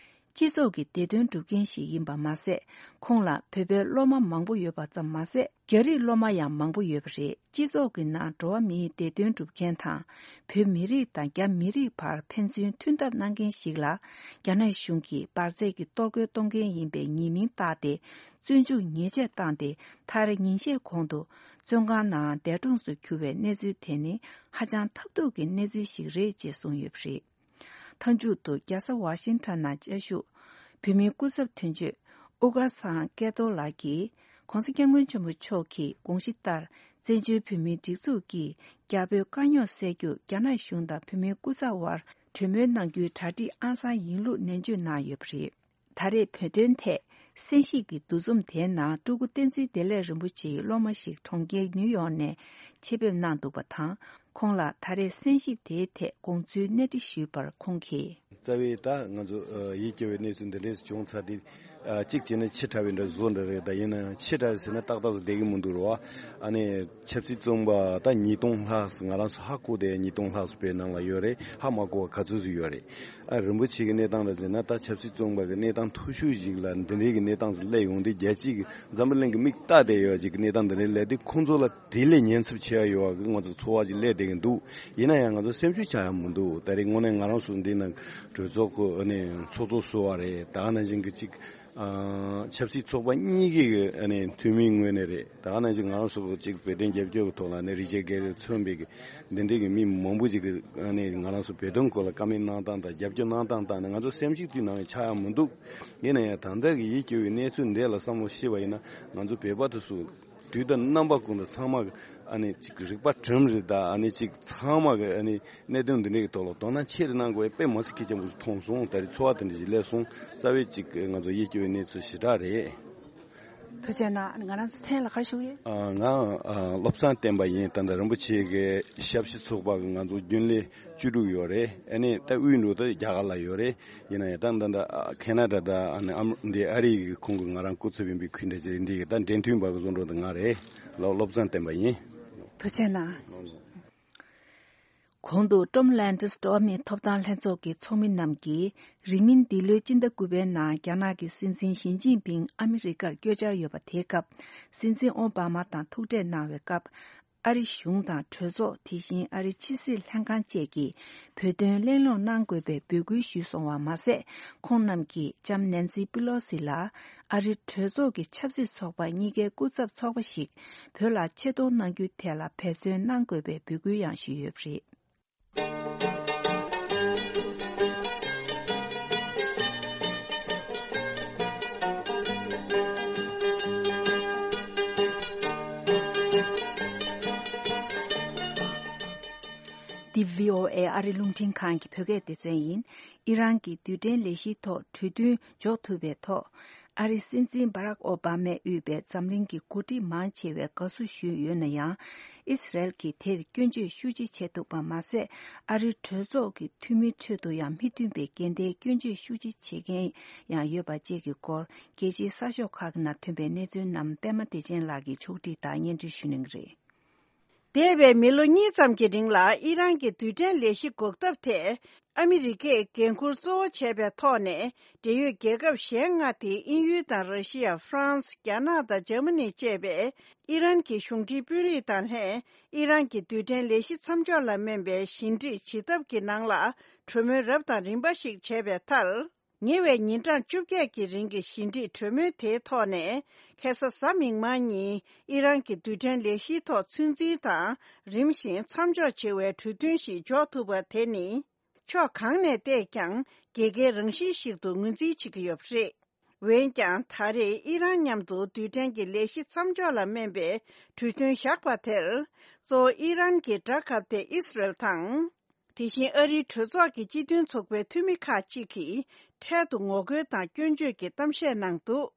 སྤྱི་ཚོགས་ཀྱི་བདེ་དོན་སྒྲུབ་མཁན་ཞིག་ཡིན་པ་མ་ཟད། ཁོང་ལ་བོད་པའི་སློབ་མ་མང་པོ་ཡོད་པ་ཙམ་མ་ཟད། རྒྱ་རིགས་སློབ་མ་ཡང་མང་པོ་ཡོད་པ་རེད། སྤྱི་ཚོགས་ཀྱི་ནང་འགྲོ་བ་མིའི་བདེ་དོན་སྒྲུབ་མཁན་དང་། བོད་མི་རིགས་དང་རྒྱ་མི་རིགས་བར་ཕན་ཚུན་མཐུན་ཐབས་གནང་མཁན་ཞིག་ལ། རྒྱ་ནག་གཞུང་གིས་འབར་རྫས་ཀྱི་གཏོར་རྒོལ་གཏོང་མཁན་ཡིན་པའི་ཉེས་མིང་བཏགས་ཏེ། བཙོན་འཇུག་ཉེས་ཆད་བཏང་སྟེ། མཐར་ཉིན་ཤས་གོང་དུ་བཙོན་ཁང་ནང་འདས་གྲོངས་སུ་གྱུར་བའི་གནས་ཚུལ་དེ་ནི་ཧ་ཅང་ཐབས་སྡུག་གི་གནས་ཚུལ་ཞིག་རེད་ཅེས་གསུངས་ཡོད་པ་རེད། མཐའ་མཇུག་ཏུ་རྒྱལ་ས་ཝ་ཤིང་ཊོན་ནང་བཅའ་བཞུགས་བོད་མིའི་སྐུ་ཚབ་དོན་གཅོད་ཨུ་དཀར་ཚང་སྐལ་རྡོར་ལགས་ཀྱིས། ྋགོང་ས་ྋསྐྱབས་མགོན་ཆེན་པོ་མཆོག་གི་དགོངས་གཞི་ལྟར། བཙན་བྱོལ་བོད་མིའི་སྒྲིག་འཛུགས་ཀྱིས་རྒྱ་བོད་དཀའ་རྙོག་སེལ་རྒྱུར་རྒྱ་ནག་གཞུང་དང་བོད་མིའི་སྐུ་ཚབ་དབར་གྲོས་མོལ་གནང་རྒྱུའི་གྲ་སྒྲིག་ཨང་གསར་ཡིན་ལུགས་ནན་བརྗོད་གནང་ཡོད་པ་རེད། ད་རེས་བོད་དོན་ཐད་གསན་ཞིབ་ཀྱི་འདུ་འཛོམས་དེའི་ནང་སྤྲུལ་སྐུ་བསྟན་འཛིན་བདེ་ལེགས་རིན་པོ་ཆེའི་སློབ་མ་ཞིག་གྲོང་ཁྱེར་ནིའུ་ཡོག་ནས་ཆེད་ཕེབས་གནང་འདུག་པ་དང་། ཁོང་ལ་ད་རེས་གསན་ཞིབ་དེའི་ཐད་དགོངས་ཚུལ་གནས་འདྲི་ཞུས་པར་ཁོང་གིས། རྩ་བའི་ད་ང་ཚོ་ཡིད་སྐྱོ་བའི་གནས་ཚུལ་འདི་འདྲས་བྱུང་ཚར་དུས། གཅིག་བྱས་ན་ཕྱི་དྲགས་པའི་འདྲ་བཟོ་འདྲ་རེད། ད་ཡིན་ན་ཕྱི་དྲགས་རེད་ཟེར་ན་ཏག་ཏག་བསྡད་ཀྱི་མི་འདུག་རོ། ཨ་ནི་ཆབ་སྲིད་བཙོན་པ་ད་ཉིས་སྟོང་ལྷག་ང་རང་ཚོ་ཧ་གོ་དེ་ཉིས་སྟོང་ལྷག་བོད་ནང་ལ་ཡོད་རེད། ཧ་མ་གོ་བ་ག་ཚོད་ཅིག་ཡོད་རེད། ཨ་རིན་པོ་ཆེ་གི་གནས་སྟངས་ལ་ཟེར་ན་ད་ཆབ་སྲིད་བཙོན་པ་གི་གནས་སྟངས་མཐོ་ཤོས་ཤིག་ལ་འདི་འདྲའི་གི་གནས་སྟངས་སུ་སླེབས་ཡོང་དུས་རྒྱལ་སྤྱི་གི་འཛམ་བུ་གླིང་གི་མིག་ལྟ་བསྡད་ཡོད་ཅིག་གི་གནས་སྟངས་འདི་འདྲའི་སླེབས་དུས་ཁོང་ཚོ་ལ་དེ་ལས་ཉེན་ཚབས་ཆེ་བ་ཡོད་བ་གི་ང་ཚོ་ཚོར་བ་ཅིག་སླེབས་བསྡད་ཀྱི་འདུག་ཡིན་ན་ཡང་ང་ཚོ་སེམས་ཤུགས་ཆག་ཡ་མི་འདུག་ད་རེས་དངོས་གནས་ང་རང་ཚོ་འདི་ནང་གྲོས་ཚོགས་ཁོ་ཨ་ནི་ཚོགས་གཙོ་བཟོ་བ་རེད། ད་ག་ནང་བཞིན་གི་ཅིག་ཨ་ཆབ་སྲིད་ཚོགས་པ་གཉིས་ཀྱི་ཨ་ནི་འཐུས་མིའི་ངོས་ནས་རེད། ད་ག་ནང་བཞིན་ང་རང་ཚོ་ཅིག་བོད་དོན་རྒྱབ་སྐྱོར་གྱི་ཐོག་ལ་ཨ་ནི་རི་ཅར་གྷེ་རི་མཚོན་པའི་གི་འདི་འདྲའི་གི་མི་མང་པོ་ཅིག་གི་ཨ་ནི་ང་རང་ཚོ་བོད་དོན་སྐོར་ལ་བཀའ་མོལ་གནང་སྟངས་དང་རྒྱབ་སྐྱོར་གནང་སྟངས་དང་ནི་ང་ཚོ་སེམས་ཤུགས་དུས་ནང་ཆག་ཡ་མི་འདུག་ཡིན་ན་ཡང་ད་ལྟ་གི་ཡིད་སྐྱོ་བའི་གནས་ཚུལ་འདི་ལ་བསམ་བློ་ཤེས་པ་ཡིན་ན་ང་ཚོ་བོད་པ་དེ་ཚོ་དུས་དང་རྣམ་པ་ཀུན་ཏུ་ཚང་མ་གི་ཨ་ནི་ཅིག་རིག་པ་གྲིམ་རེད། ད་ཨ་ནི་ཅིག་ཚང་མ་གི་ཨ་ནི་གནད་དོན་འདི་འདྲའི་གི་ཐོག་ལ་དོ་སྣང་ཆེ་རུ་གནང་དགོས་པའི་དཔེ་མ་སྲིད་གལ་ཆེན་པོ་ཞིག་མཐོང་སོང་། ད་རེས་ཚོར་བ་དེ་འདྲ་ཞིག་སླེབས་སོང་། རྩ་བའི་ཅིག་ང་ཚོ་ཡིད་སྐྱོ་བའི་གནས་ཚུལ་ཞེ་དྲག་རེད། ཐུགས་རྗེ་གནང་། ང་རང་ཚོ་མཚན་ལ་ག་ཞུ་ཡོད། ཨ་ང་ཨ་བློ་བཟང་བསྟན་པ་ཡིན། ད་ལྟ་རིན་པོ་ཆེ་གི་ཞབས་ཕྱི་ཚོགས་པ་གི་ང་ཚོ་རྒྱུན་ལས་བཅུ་དྲུག་ཡོད་རེད། ཨ་ནི་ད་དབུས་འགྲོ་ད་རྒྱ་གར་ལ་ཡོད་རེད། ཡིན་ན་ཡང་ད་ད་ད་ཁེ་ན་ཌ་དང་ཨ་ནི་ཨམ་འདི་ཨ་རི་གི་ཁོང་གི་ང་རང་སྐུ་ཚབ་ཡིན་པའི་ཁུལ་འདྲ་ཅིག་འདི་གི་ད་འབྲེལ་མཐུད་པ་གི་བཟོ་འདྲ་ད་ང་རེད། ལོ་བློ་བཟང་བསྟན་པ་ཡིན། ཐུགས་རྗེ་གནང་། གོང་དུ་ཀྲོམ་ལན་ཌིས་འགྲོ་བ་མིའི་ཐོབ་ཐང་ལྷན་ཚོགས་ཀྱི་ཚོགས་མི་རྣམས་ཀྱིས་རིང་མིན་འདི་ལོའི་སྤྱི་ཟླ་དགུ་པའི་ནང་རྒྱ་ནག་གི་སྲིད་འཛིན་ཞི་ཅིན་ཕིང་ཨ་མི་རི་ཀར་བསྐྱོད་འཆར་ཡོད་པ་དེའི་སྐབས། སྲིད་འཛིན་ཨོ་བྷ་མ་དང་ཐུག་འཕྲད་གནང་བའི་སྐབས། ཨ་རི་གཞུང་དང་གྲོས་ཚོགས། དེ་བཞིན་ཨ་རི་ཕྱི་སྲིད་ལྷན་ཁང་བཅས་ཀྱིས་བོད་དོན་གླེང་སློང་གནང་དགོས་པའི་འབོད་སྐུལ་ཞུས་སོང་བ་མ་ཟད། ཁོང་རྣམས་ཀྱིས་ལྕམ་ནན་སི་པི་ལོ་སི་ལ་ཨ་རི་གྲོས་ཚོགས་ཀྱི་ཆབ་སྲིད་ཚོགས་པ་གཉིས་ཀའི་སྐུ་ཚབ་ཚོགས་པ་ཞིག་བོད་ལ་ཆེད་གཏོང་གནང་རྒྱུའི་ཐད་ལ་འབད་བརྩོན་གནང་དགོས་པའི་འབོད་སྐུལ་ཡང་ཞུས་ཡོད་པ་རེད། འདི་བྷི་ཨོ་ཨེ་ཨ་རི་རླུང་འཕྲིན་ཁང་གི་བོད་སྐད་སྡེ་ཚན་ཡིན། ཨི་རན་གྱི་རྡུལ་ཕྲན་ལས་གཞིའི་ཐོག་གྲོས་མཐུན་འཇོག་ཐུབ་པའི་ཐོག་ཨ་རིའི་སྲིད་འཛིན་སྦ་རག་ཨོ་བྷ་མས་དབུས་པའི་འཛམ་གླིང་གི་འགོ་ཁྲིད་མང་ཆེ་བས་དགའ་བསུ་ཞུས་ཡོད་ན་ཡང་། ཨི་སི་རལ་གྱིས་དེར་སྐྱོན་བརྗོད་ཤུགས་ཆེ་བྱས་འདུག་པ་མ་ཟད། ཨ་རིའི་གྲོས་ཚོགས་ཀྱི་འཐུས་མིའི་ཁྲོད་དུ་ཡང་མི་མཐུན་པའི་འགལ་ཟླའི་སྐྱོན་བརྗོད་ཤུགས་ཆེ་བྱེད་མཁན་ཡང་ཡོད་པ་བཅས་ཀྱི་སྐོར། རྒྱལ་སྤྱིའི་གསར་ཤོག་ཁག་གི་ནང་ཐོན་པའི་གནས་ཚུལ་རྣམས་པད་མ་བདེ་ཆེན་ལགས་ཀྱིས་ཕྱོགས་སྒྲིག་དང་སྙན་སྒྲོན་ཞུ་གནང་གི་རེད། འདས་པའི་མི་ལོ་གཉིས་ཙམ་གྱི་རིང་ལ་ཨི་རན་གྱི་རྡུལ་ཕྲན་ལས་གཞི་འགོག་ཐབས་ཐད་ཨ་མི་རི་ཀས་འགན་འཁུར་གཙོ་བོ་བྱས་པའི་ཐོག་ནས། འབྲེལ་ཡོད་རྒྱལ་ཁབ་གཞན་ལྔ་སྟེ་དབྱིན་ཡུལ་དང་ར་ཤི་ཡ། ཧྥ་རན་སི། རྒྱ་ནག་དང་འཇར་མ་ནི་བཅས་པས་ཨི་རན་གྱི་གཞུང་འབྲེལ་དཔོན་རིགས་དང་ལྷན་ཨི་རན་གྱི་རྡུལ་ཕྲན་ལས་གཞི་མཚམས་འཇོག་ལ་སྨན་པའི་ཞི་འགྲིག་བྱེད་ཐབས་ཀྱི་ནང་ལ་གྲོས་མོལ་རབ་དང་རིམ་པ་ཞིག་བྱས་པའི་མཐར། ཉེ་བའི་ཉིན་གྲངས་བཅོ་བརྒྱད་ཀྱི་རིང་གི་ཞི་འགྲིག་གྲོས་མོལ་དེའི་ཐོག་ནས། ཁ་སང་གཟའ་མིག་དམར་ཉིན་ཨི་རན་གྱི་རྡུལ་ཕྲན་ལས་གཞིའི་ཐོག་ཚོད་འཛིན་དང་། རིམ་བཞིན་མཚམས་འཇོག་བྱེད་པའི་གྲོས་མཐུན་ཞིག་འཇོག་ཐུབ་པ་དེ་ནི། ཕྱོགས་གང་ནས་བལྟས་ཀྱང་རྒྱལ་ཁའི་རང་བཞིན་ཞིག་ཏུ་ངོས་འཛིན་བྱེད་ཀྱི་ཡོད་པ་རེད། འོན་ཀྱང་། ད་རེས་ཨི་རན་མཉམ་དུ་རྡུལ་ཕྲན་གྱི་ལས་གཞི་མཚམས་འཇོག་ལ་སྨན་པའི་གྲོས་མཐུན་བཞག་པ་དེར། གཙོ་བོ་ཨི་རན་གྱི་དགྲ་ཁ་གཏད་ཨི་སི་རལ་དང་། དེ་བཞིན་ཨ་རིའི་གྲོས་ཚོགས་ཀྱི་སྤྱི་མཐུན་ཚོགས་པའི་འཐུས་མི་ཁག་ཅིག་གིས་འཕྲལ་དུ་ངོ་རྒོལ་དང་སྐྱོན་བརྗོད་ཀྱི་གཏམ་བཤད་གནང་འདུག་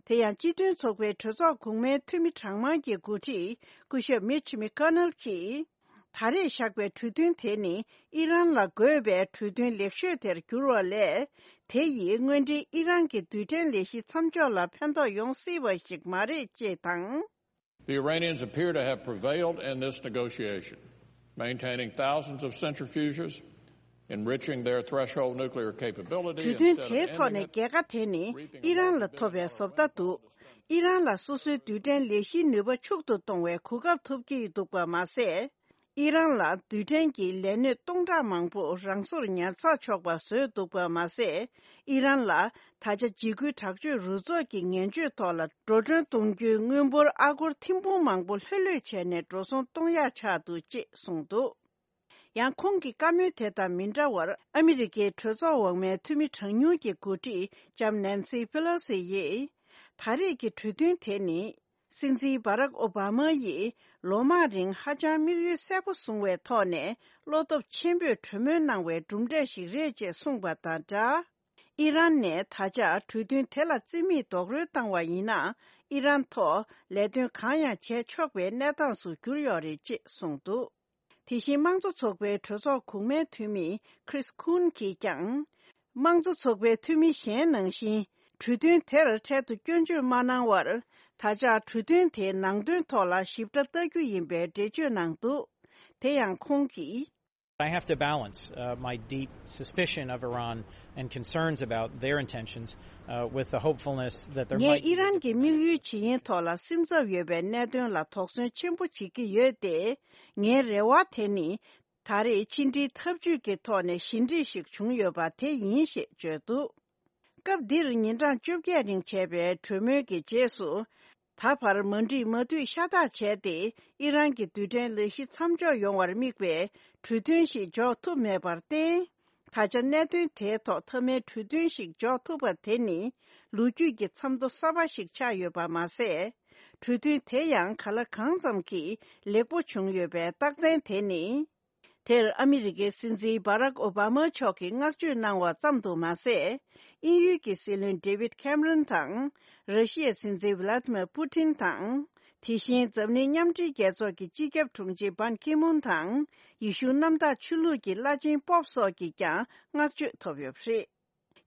དེ་ཡང་སྤྱི་མཐུན་ཚོགས་པའི་གྲོས་ཚོགས་གོང་མའི་འཐུས་མི་གྲངས་མང་གི་འགོ་ཁྲིད་སྐུ་ཞབས་མིཆ་མི་ཀ་ནལ་གྱིས། ད་རེས་བཞག་པའི་གྲོས་མཐུན་དེ་ནི་ཨི་རན་ལ་དགོས་པའི་གྲོས་མཐུན་ལེགས་ཤོས་དེར་གྱུར་བ་ལས། དེ་ཡིས་དངོས་འབྲེལ་ཨི་རན་གྱི་རྡུལ་ཕྲན་ལས་གཞི་མཚམས་འཇོག་ལ་ཕན་ཐོགས་ཡོང་སྲིད་པ་ཞིག་མ་རེད་ཅེས་དང་། The Iranians appear to have prevailed in this negotiation, maintaining thousands of centrifuges, enriching their threshold nuclear capability གྲོས་མཐུན་དེའི་ཐོག་ནས་རྒྱལ་ཁ་དེ་ནི་ཨི་རན་ལ་ཐོབ་པའི་བཟོ་ལྟ་འདུག་ཨི་རན་ལ་སོ་སོའི་རྡུལ་ཕྲན་ལས་གཞིའི་ནུས་པ་ཕྱུག་ཏུ་གཏོང་བའི་གོ་སྐབས་ཐོབ་ཀྱི་འདུག་པ་མ་ཟད། ཨི་རན་ལ་རྡུལ་ཕྲན་གྱི་ལས་སྣོད་སྟོང་ཕྲག་མང་པོ་རང་སོར་ཉར་ཚགས་ཆོག་པ་བཟོས་འདུག་པ་མ་ཟད། ཨི་རན་ལ་ད་ཆ་འཇིགས་སྐུལ་དྲག་སྤྱོད་རུ་ཚོགས་ཀྱི་ངན་སྤྱོད་ཐོག་ལ་འགྲོ་གྲོན་གཏོང་རྒྱུའི་དངུལ་འབོར་ཨ་སྒོར་ཐེར་འབུམ་མང་པོ་ལྷོད་ལྷོད་བྱས་ནས་འགྲོ་སོང་གཏོང་ཡག་ཆགས་འདུག་ཅེས་གསུངས་འདུག་ཡང་ཁོང་གི་བཀའ་མོལ་དེ་དང་མི་འདྲ་བར། ཨ་མི་རི་ཀའི་གྲོས་ཚོགས་འོག་མའི་འཐུས་མི་གྲངས་ཉུང་གི་འགོ་ཁྲིད་ལྕམ་ནན་སི་ཕེ་ལོ་སི་ཡིས། ད་རེས་ཀྱི་གྲོས་མཐུན་དེ་ནི། སྲིད་འཛིན་བྷ་རག་ཨོ་བྷ་མ་ཡིས་ལོ་མང་རིང་ཧ་ཅང་དམིགས་ཡུལ་གསལ་པོ་བཟུང་བའི་ཐོག་ནས་བློ་སྟོབས་ཆེན་པོས་གྲོས་མོལ་གནང་བའི་གྲུབ་འབྲས་ཤིག་རེད་ཅེས་གསུངས་པ་དང་སྦྲགས། ཨི་རན་ནས་ད་ཆ་གྲོས་མཐུན་དེ་ལ་རྩིས་མེད་རྡོག་རོལ་བཏང་བ་ཡིན་ན། ཨི་རན་ཐོག་ལས་དོན་གང་ཡང་བྱས་ཆོག་པའི་གནས་སྟངས་སུ་གྱུར་ཡོད་རེད་ཅེས་གསུངས་འདུག་དེ་བཞིན་དམངས་གཙོ་ཚོགས་པའི་གྲོས་ཚོགས་གོང་མའི་འཐུས་མི་Chris Coons གྱིས་ཀྱང་། དམངས་གཙོ་ཚོགས་པའི་འཐུས་མི་གཞན་ནང་བཞིན་གྲོས་མཐུན་དེར་འཕྲལ་དུ་སྐྱོན་བརྗོད་མ་གནང་བར། ད་ཆ་གྲོས་མཐུན་དེའི་ནང་དོན་ཐོག་ལ་ཞིབ་ཕྲ་ལྟ་རྒྱུ་ཡིན་པའི་འགྲེལ་བརྗོད་གནང་འདུག་དེ་ཡང་ཁོང་གིས། I have to balance, uh, my deep suspicion of Iran and concerns about their intentions, uh, with the hopefulness that there ངས་might be ཨི་རན་གྱི་དམིགས་ཡུལ་ཇི་ཡིན་ཐོག་ལ་སེམས་འཚབ་ཡོད་པའི་གནད་དོན་ལ་དོགས་ཟོན་ཆེན་པོ་བྱེད་ཀྱི་ཡོད་དེ། ངའི་རེ་བ་དེ་ནི། ད་རེས་ཕྱི་འབྲེལ་འཐབ་ཇུས་ཀྱི་ཐོག་ནས་ཞི་འགྲིག་ཞིག་བྱུང་ཡོད་པ་དེ་ཡིན་ཞེས་བརྗོད་འདུག་སྐབས་འདིར་ཉིན་གྲངས་བཅོ་བརྒྱད་རིང་བྱས་པའི་གྲོས་མོལ་གྱི་རྗེས་སུ། ད་བར་མ་འགྲིག་མ་འཐུས་ཤ་སྟག་བྱས་ཏེ། ཨི་རན་གྱི་རྡུལ་ཕྲན་ལས་གཞི་མཚམས་འཇོག་ཡོང་བར་དམིགས་པའི་གྲོས་མཐུན་ཞིག་འཇོག་ཐུབ་མེད་པར་བརྟེན། ད་ཆ་གནད་དོན་དེའི་ཐོག་མཐའ་མའི་གྲོས་མཐུན་ཞིག་འཇོག་ཐུབ་པ་དེ་ནི། ལོ་རྒྱུས་ཀྱི་མཚམས་ཐོ་གསར་པ་ཞིག་ཆགས་ཡོད་པ་མ་ཟད། གྲོས་མཐུན་དེ་ཡང་ག་ལ་གང་ཙམ་གྱིས་ལེགས་པོ་བྱུང་ཡོད་པའི་རྟགས་མཚན་དེ་ནི། དེར་ཨ་མི་རི་ཀའི་སྲིད་འཛིན་བྷ་རག་ཨོ་བྷ་མ་མཆོག་གིས་བསྔགས་བརྗོད་གནང་བ་ཙམ་དུ་མ་ཟད། དབྱིན་ཡུལ་གྱི་སྲིད་བློན་ཌེ་ཝིད་ཁེམ་རོན་དང་། ར་ཤི་ཡའི་སྲིད་འཛིན་ཝི་ལ་ཏི་མེར་པུ་ཏིན་དང་། དེ་བཞིན་འཛམ་གླིང་མཉམ་འབྲེལ་རྒྱལ་ཚོགས་ཀྱི་སྤྱི་ཁྱབ་དྲུང་ཆེ་བན་ཁི་མུན་དང་། ཡེ་ཤུ་གནམ་བདག་ཆོས་ལུགས་ཀྱི་བླ་ཆེན་པོབ་སོགས་ཀྱིས་ཀྱང་བསྔགས་བརྗོད་ཐོབ་ཡོད་པ་རེད།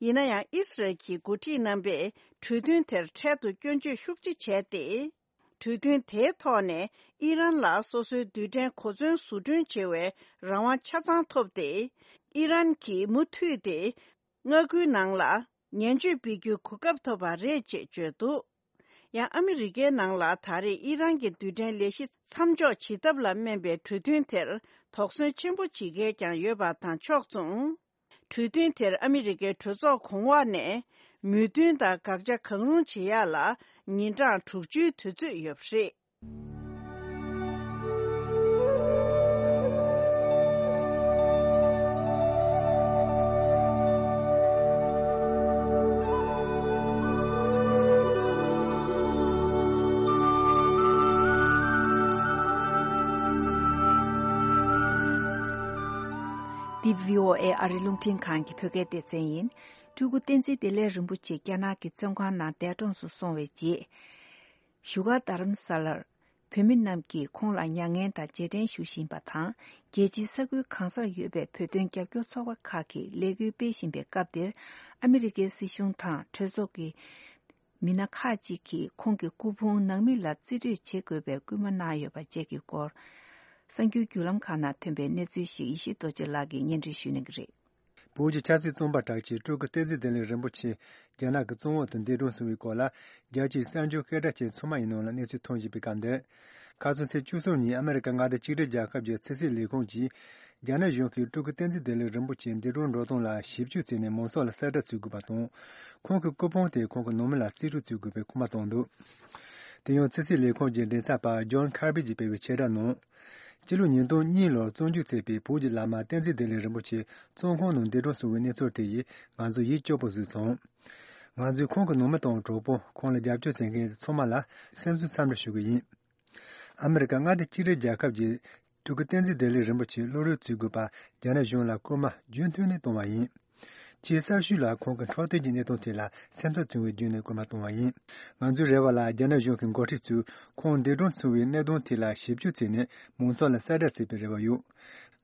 ཡིན་ན་ཡང་ཨི་སི་རལ་གྱི་འགོ་ཁྲིད་རྣམ་པས་གྲོས་མཐུན་དེར་འཕྲལ་དུ་སྐྱོན་བརྗོད་ཤུགས་ཆེ་བྱས་ཏེ། གྲོས་མཐུན་དེའི་ཐོག་ནས་ཨི་རན་ལ་སོ་སོའི་རྡུལ་ཕྲན་གོ་མཚོན་བཟོ་སྐྲུན་བྱེད་པའི་རང་དབང་ཆ་ཚང་ཐོབ་སྟེ། ཨི་རན་གྱིས་མུ་མཐུད་དེ་མངའ་ཁུལ་ནང་ལ་ཉེན་བཅོལ་སྤེལ་རྒྱུའི་གོ་སྐབས་ཐོབ་པ་རེད་ཅེས་བརྗོད་འདུག་ཡང་ཨ་མི་རི་ཀའི་ནང་ལ་ད་རེས་ཨི་རན་གྱི་རྡུལ་ཕྲན་ལས་གཞི་མཚམས་འཇོག་བྱེད་ཐབས་ལ་སྨན་པའི་གྲོས་མཐུན་དེར་དོགས་ཟོན་ཆེན་པོ་བྱེད་མཁན་ཀྱང་ཡོད་པ་དང་ཕྱོགས་མཚུངས། གྲོས་མཐུན་དེར་ཨ་མི་རི་ཀའི་གྲོས་ཚོགས་གོང་འོག་ནས་མོས་མཐུན་དང་དགག་བྱ་གང་རུང་བྱེད་ཡག་ལ་ཉིན་གྲངས་དྲུག་ཅུའི་དུས་ཚོད་ཡོད་པ་རེད། འདི་བྷི་ཨོ་ཨེ་ཨ་རི་རླུང་འཕྲིན་ཁང་གི་བོད་སྐད་སྡེ་ཚན་ཡིན། སྤྲུལ་སྐུ་བསྟན་འཛིན་བདེ་ལེགས་རིན་པོ་ཆེ་རྒྱ་ནག་གི་བཙོན་ཁང་ནང་འདས་གྲོངས་སུ་སོང་བའི་རྗེས། བཞུགས་སྒར་རྡ་རམ་ས་ལར་བོད་མི་རྣམས་ཀྱིས་ཁོང་ལ་མྱ་ངན་དང་རྗེས་དྲན་ཞུ་བཞིན་པ་དང་། རྒྱལ་སྤྱིའི་ས་ཁུལ་གང་སར་ཡོད་པའི་བོད་དོན་རྒྱབ་སྐྱོར་ཚོགས་པ་ཁག་གིས་ལས་འགུལ་སྤེལ་བཞིན་པའི་སྐབས་འདིར། ཨ་མི་རི་ཀའི་སྲིད་གཞུང་དང་གྲོས་ཚོགས་ཀྱི་མི་སྣ་ཁག་ཅིག་གིས་ཁོང་གི་སྐུ་ཕུང་ནང་མི་ལ་རྩིས་སྤྲོད་བྱེད་དགོས་པའི་སྐུལ་མ་གནང་ཡོད་པ་བཅས་ཀྱི་སྐོར། གསར་འགྱུར་བརྒྱུད་ལམ་ཁག་ནང་ཐོན་པའི་གནས་ཚུལ་ཞིག་ཡེ་ཤེས་རྡོ་རྗེ་ལགས་ཀྱིས་སྙན་སྒྲོན་ཞུ་གནང་གི་རེད། བོད་ཀྱི་ཆབ་སྲིད་བཙོན་པ་གྲགས་ཆེ་སྤྲུལ་སྐུ་བསྟན་འཛིན་བདེ་ལེགས་རིན་པོ་ཆེ་རྒྱ་ནག་གི་བཙོན་འོག་ཏུ་འདས་གྲོངས་སོང་བའི་སྐོར་ལ། རྒྱལ་སྤྱིའི་གསར་འགྱུར་སྐད་གྲགས་ཅན་ཚང་མ་ཡི་ནང་ལ་གནས་ཚུལ་ཐོན་བཞིན་པའི་སྐབས་འདིར། ཁ་སང་ཚེས་བཅུ་གསུམ་ཉིན་ཨ་མེ་རི་ཀ་མངའ་སྡེ་གཅིག་སྒྲིལ་རྒྱལ་ཁབ་ཀྱི་ཕྱི་སྲིད་ལས་ཁུངས་ཀྱིས། རྒྱ་ནག་གཞུང་གིས་སྤྲུལ་སྐུ་བསྟན་འཛིན་བདེ་ལེགས་རིན་པོ་ཆེ་འདས་གྲོངས་འགྲོ་སྟངས་ལ་ཞིབ་འཇུག་བྱས་ནས་མང་ཚོགས་ལ་གསལ་བསྒྲགས་བྱེད་དགོས་པ་དང་། ཁོང་གི་སྐུ་ཕུང་དེ་ཁོང་གི་ནང་མི་ལ་རྩིས་སྤྲོད་བྱེད་དགོས་པའི་སྐུལ་མ་བཏང་འདུག་དེ་ཡང་ཕྱི་སྲིད་ལས་ཁུངས་ཀྱི་མགྲིན་ཚབ་པ་ཇོན་ཁར་བི་གྱིས་སྤེལ་བའི་ཕྱིར་བསྒྲགས་ནང་། སྤྱི་ལོ་ཉིས་སྟོང་གཉིས་ལོར་བཙོན་འཇུག་བྱས་པའི་བོད་ཀྱི་བླ་མ་བསྟན་འཛིན་བདེ་ལེགས་རིན་པོ་ཆེ་བཙོན་ཁང་ནང་འདས་གྲོངས་སོང་བའི་གནས་ཚུལ་དེ་ཡིས་ང་ཚོ་ཡིད་སྐྱོ་པོ་བཟོས་སོང་། ང་ཚོས་ཁོང་གི་ནང་མི་དང་གྲོགས་པོ། ཁོང་ལ་རྒྱབ་སྐྱོར་བྱེད་མཁན་ཚང་མ་ལ་སེམས་གསོ་འཚམས་འདྲི་ཞུ་གི་ཡིན། ཨ་མེ་རི་ཀ་མངའ་སྡེ་གཅིག་སྒྲིལ་རྒྱལ་ཁབ་ཀྱིས་སྤྲུལ་སྐུ་བསྟན་འཛིན་བདེ་ལེགས་རིན་པོ་ཆེའི་བློ་རོགས་བྱེད་དགོས་པ་རྒྱ་ནག་གཞུང་ལ་སྐུལ་མ་རྒྱུན་མཐུད་ནས་བཏང་བ་ཡིན། ཅེས་གསར་ཞུས་ལ་ཁོང་གིས་འཕྲོད་བསྟེན་གྱི་གནད་དོན་ཐད་ལ་སེམས་འཚབ་བྱུང་བའི་བརྒྱུད་ནས་སྐུལ་མ་གཏོང་བ་ཡིན། ང་ཚོའི་རེ་བ་ལ་རྒྱ་ནག་གཞུང་གི་འགོ་ཁྲིད་ཚོས་ཁོང་འདས་གྲོངས་སོང་བའི་གནད་དོན་ཐད་ལ་ཞིབ་འཇུག་བྱས་ནས་མང་ཚོགས་ལ་གསལ་བསྒྲགས་བྱེད་པའི་རེ་བ་ཡོད།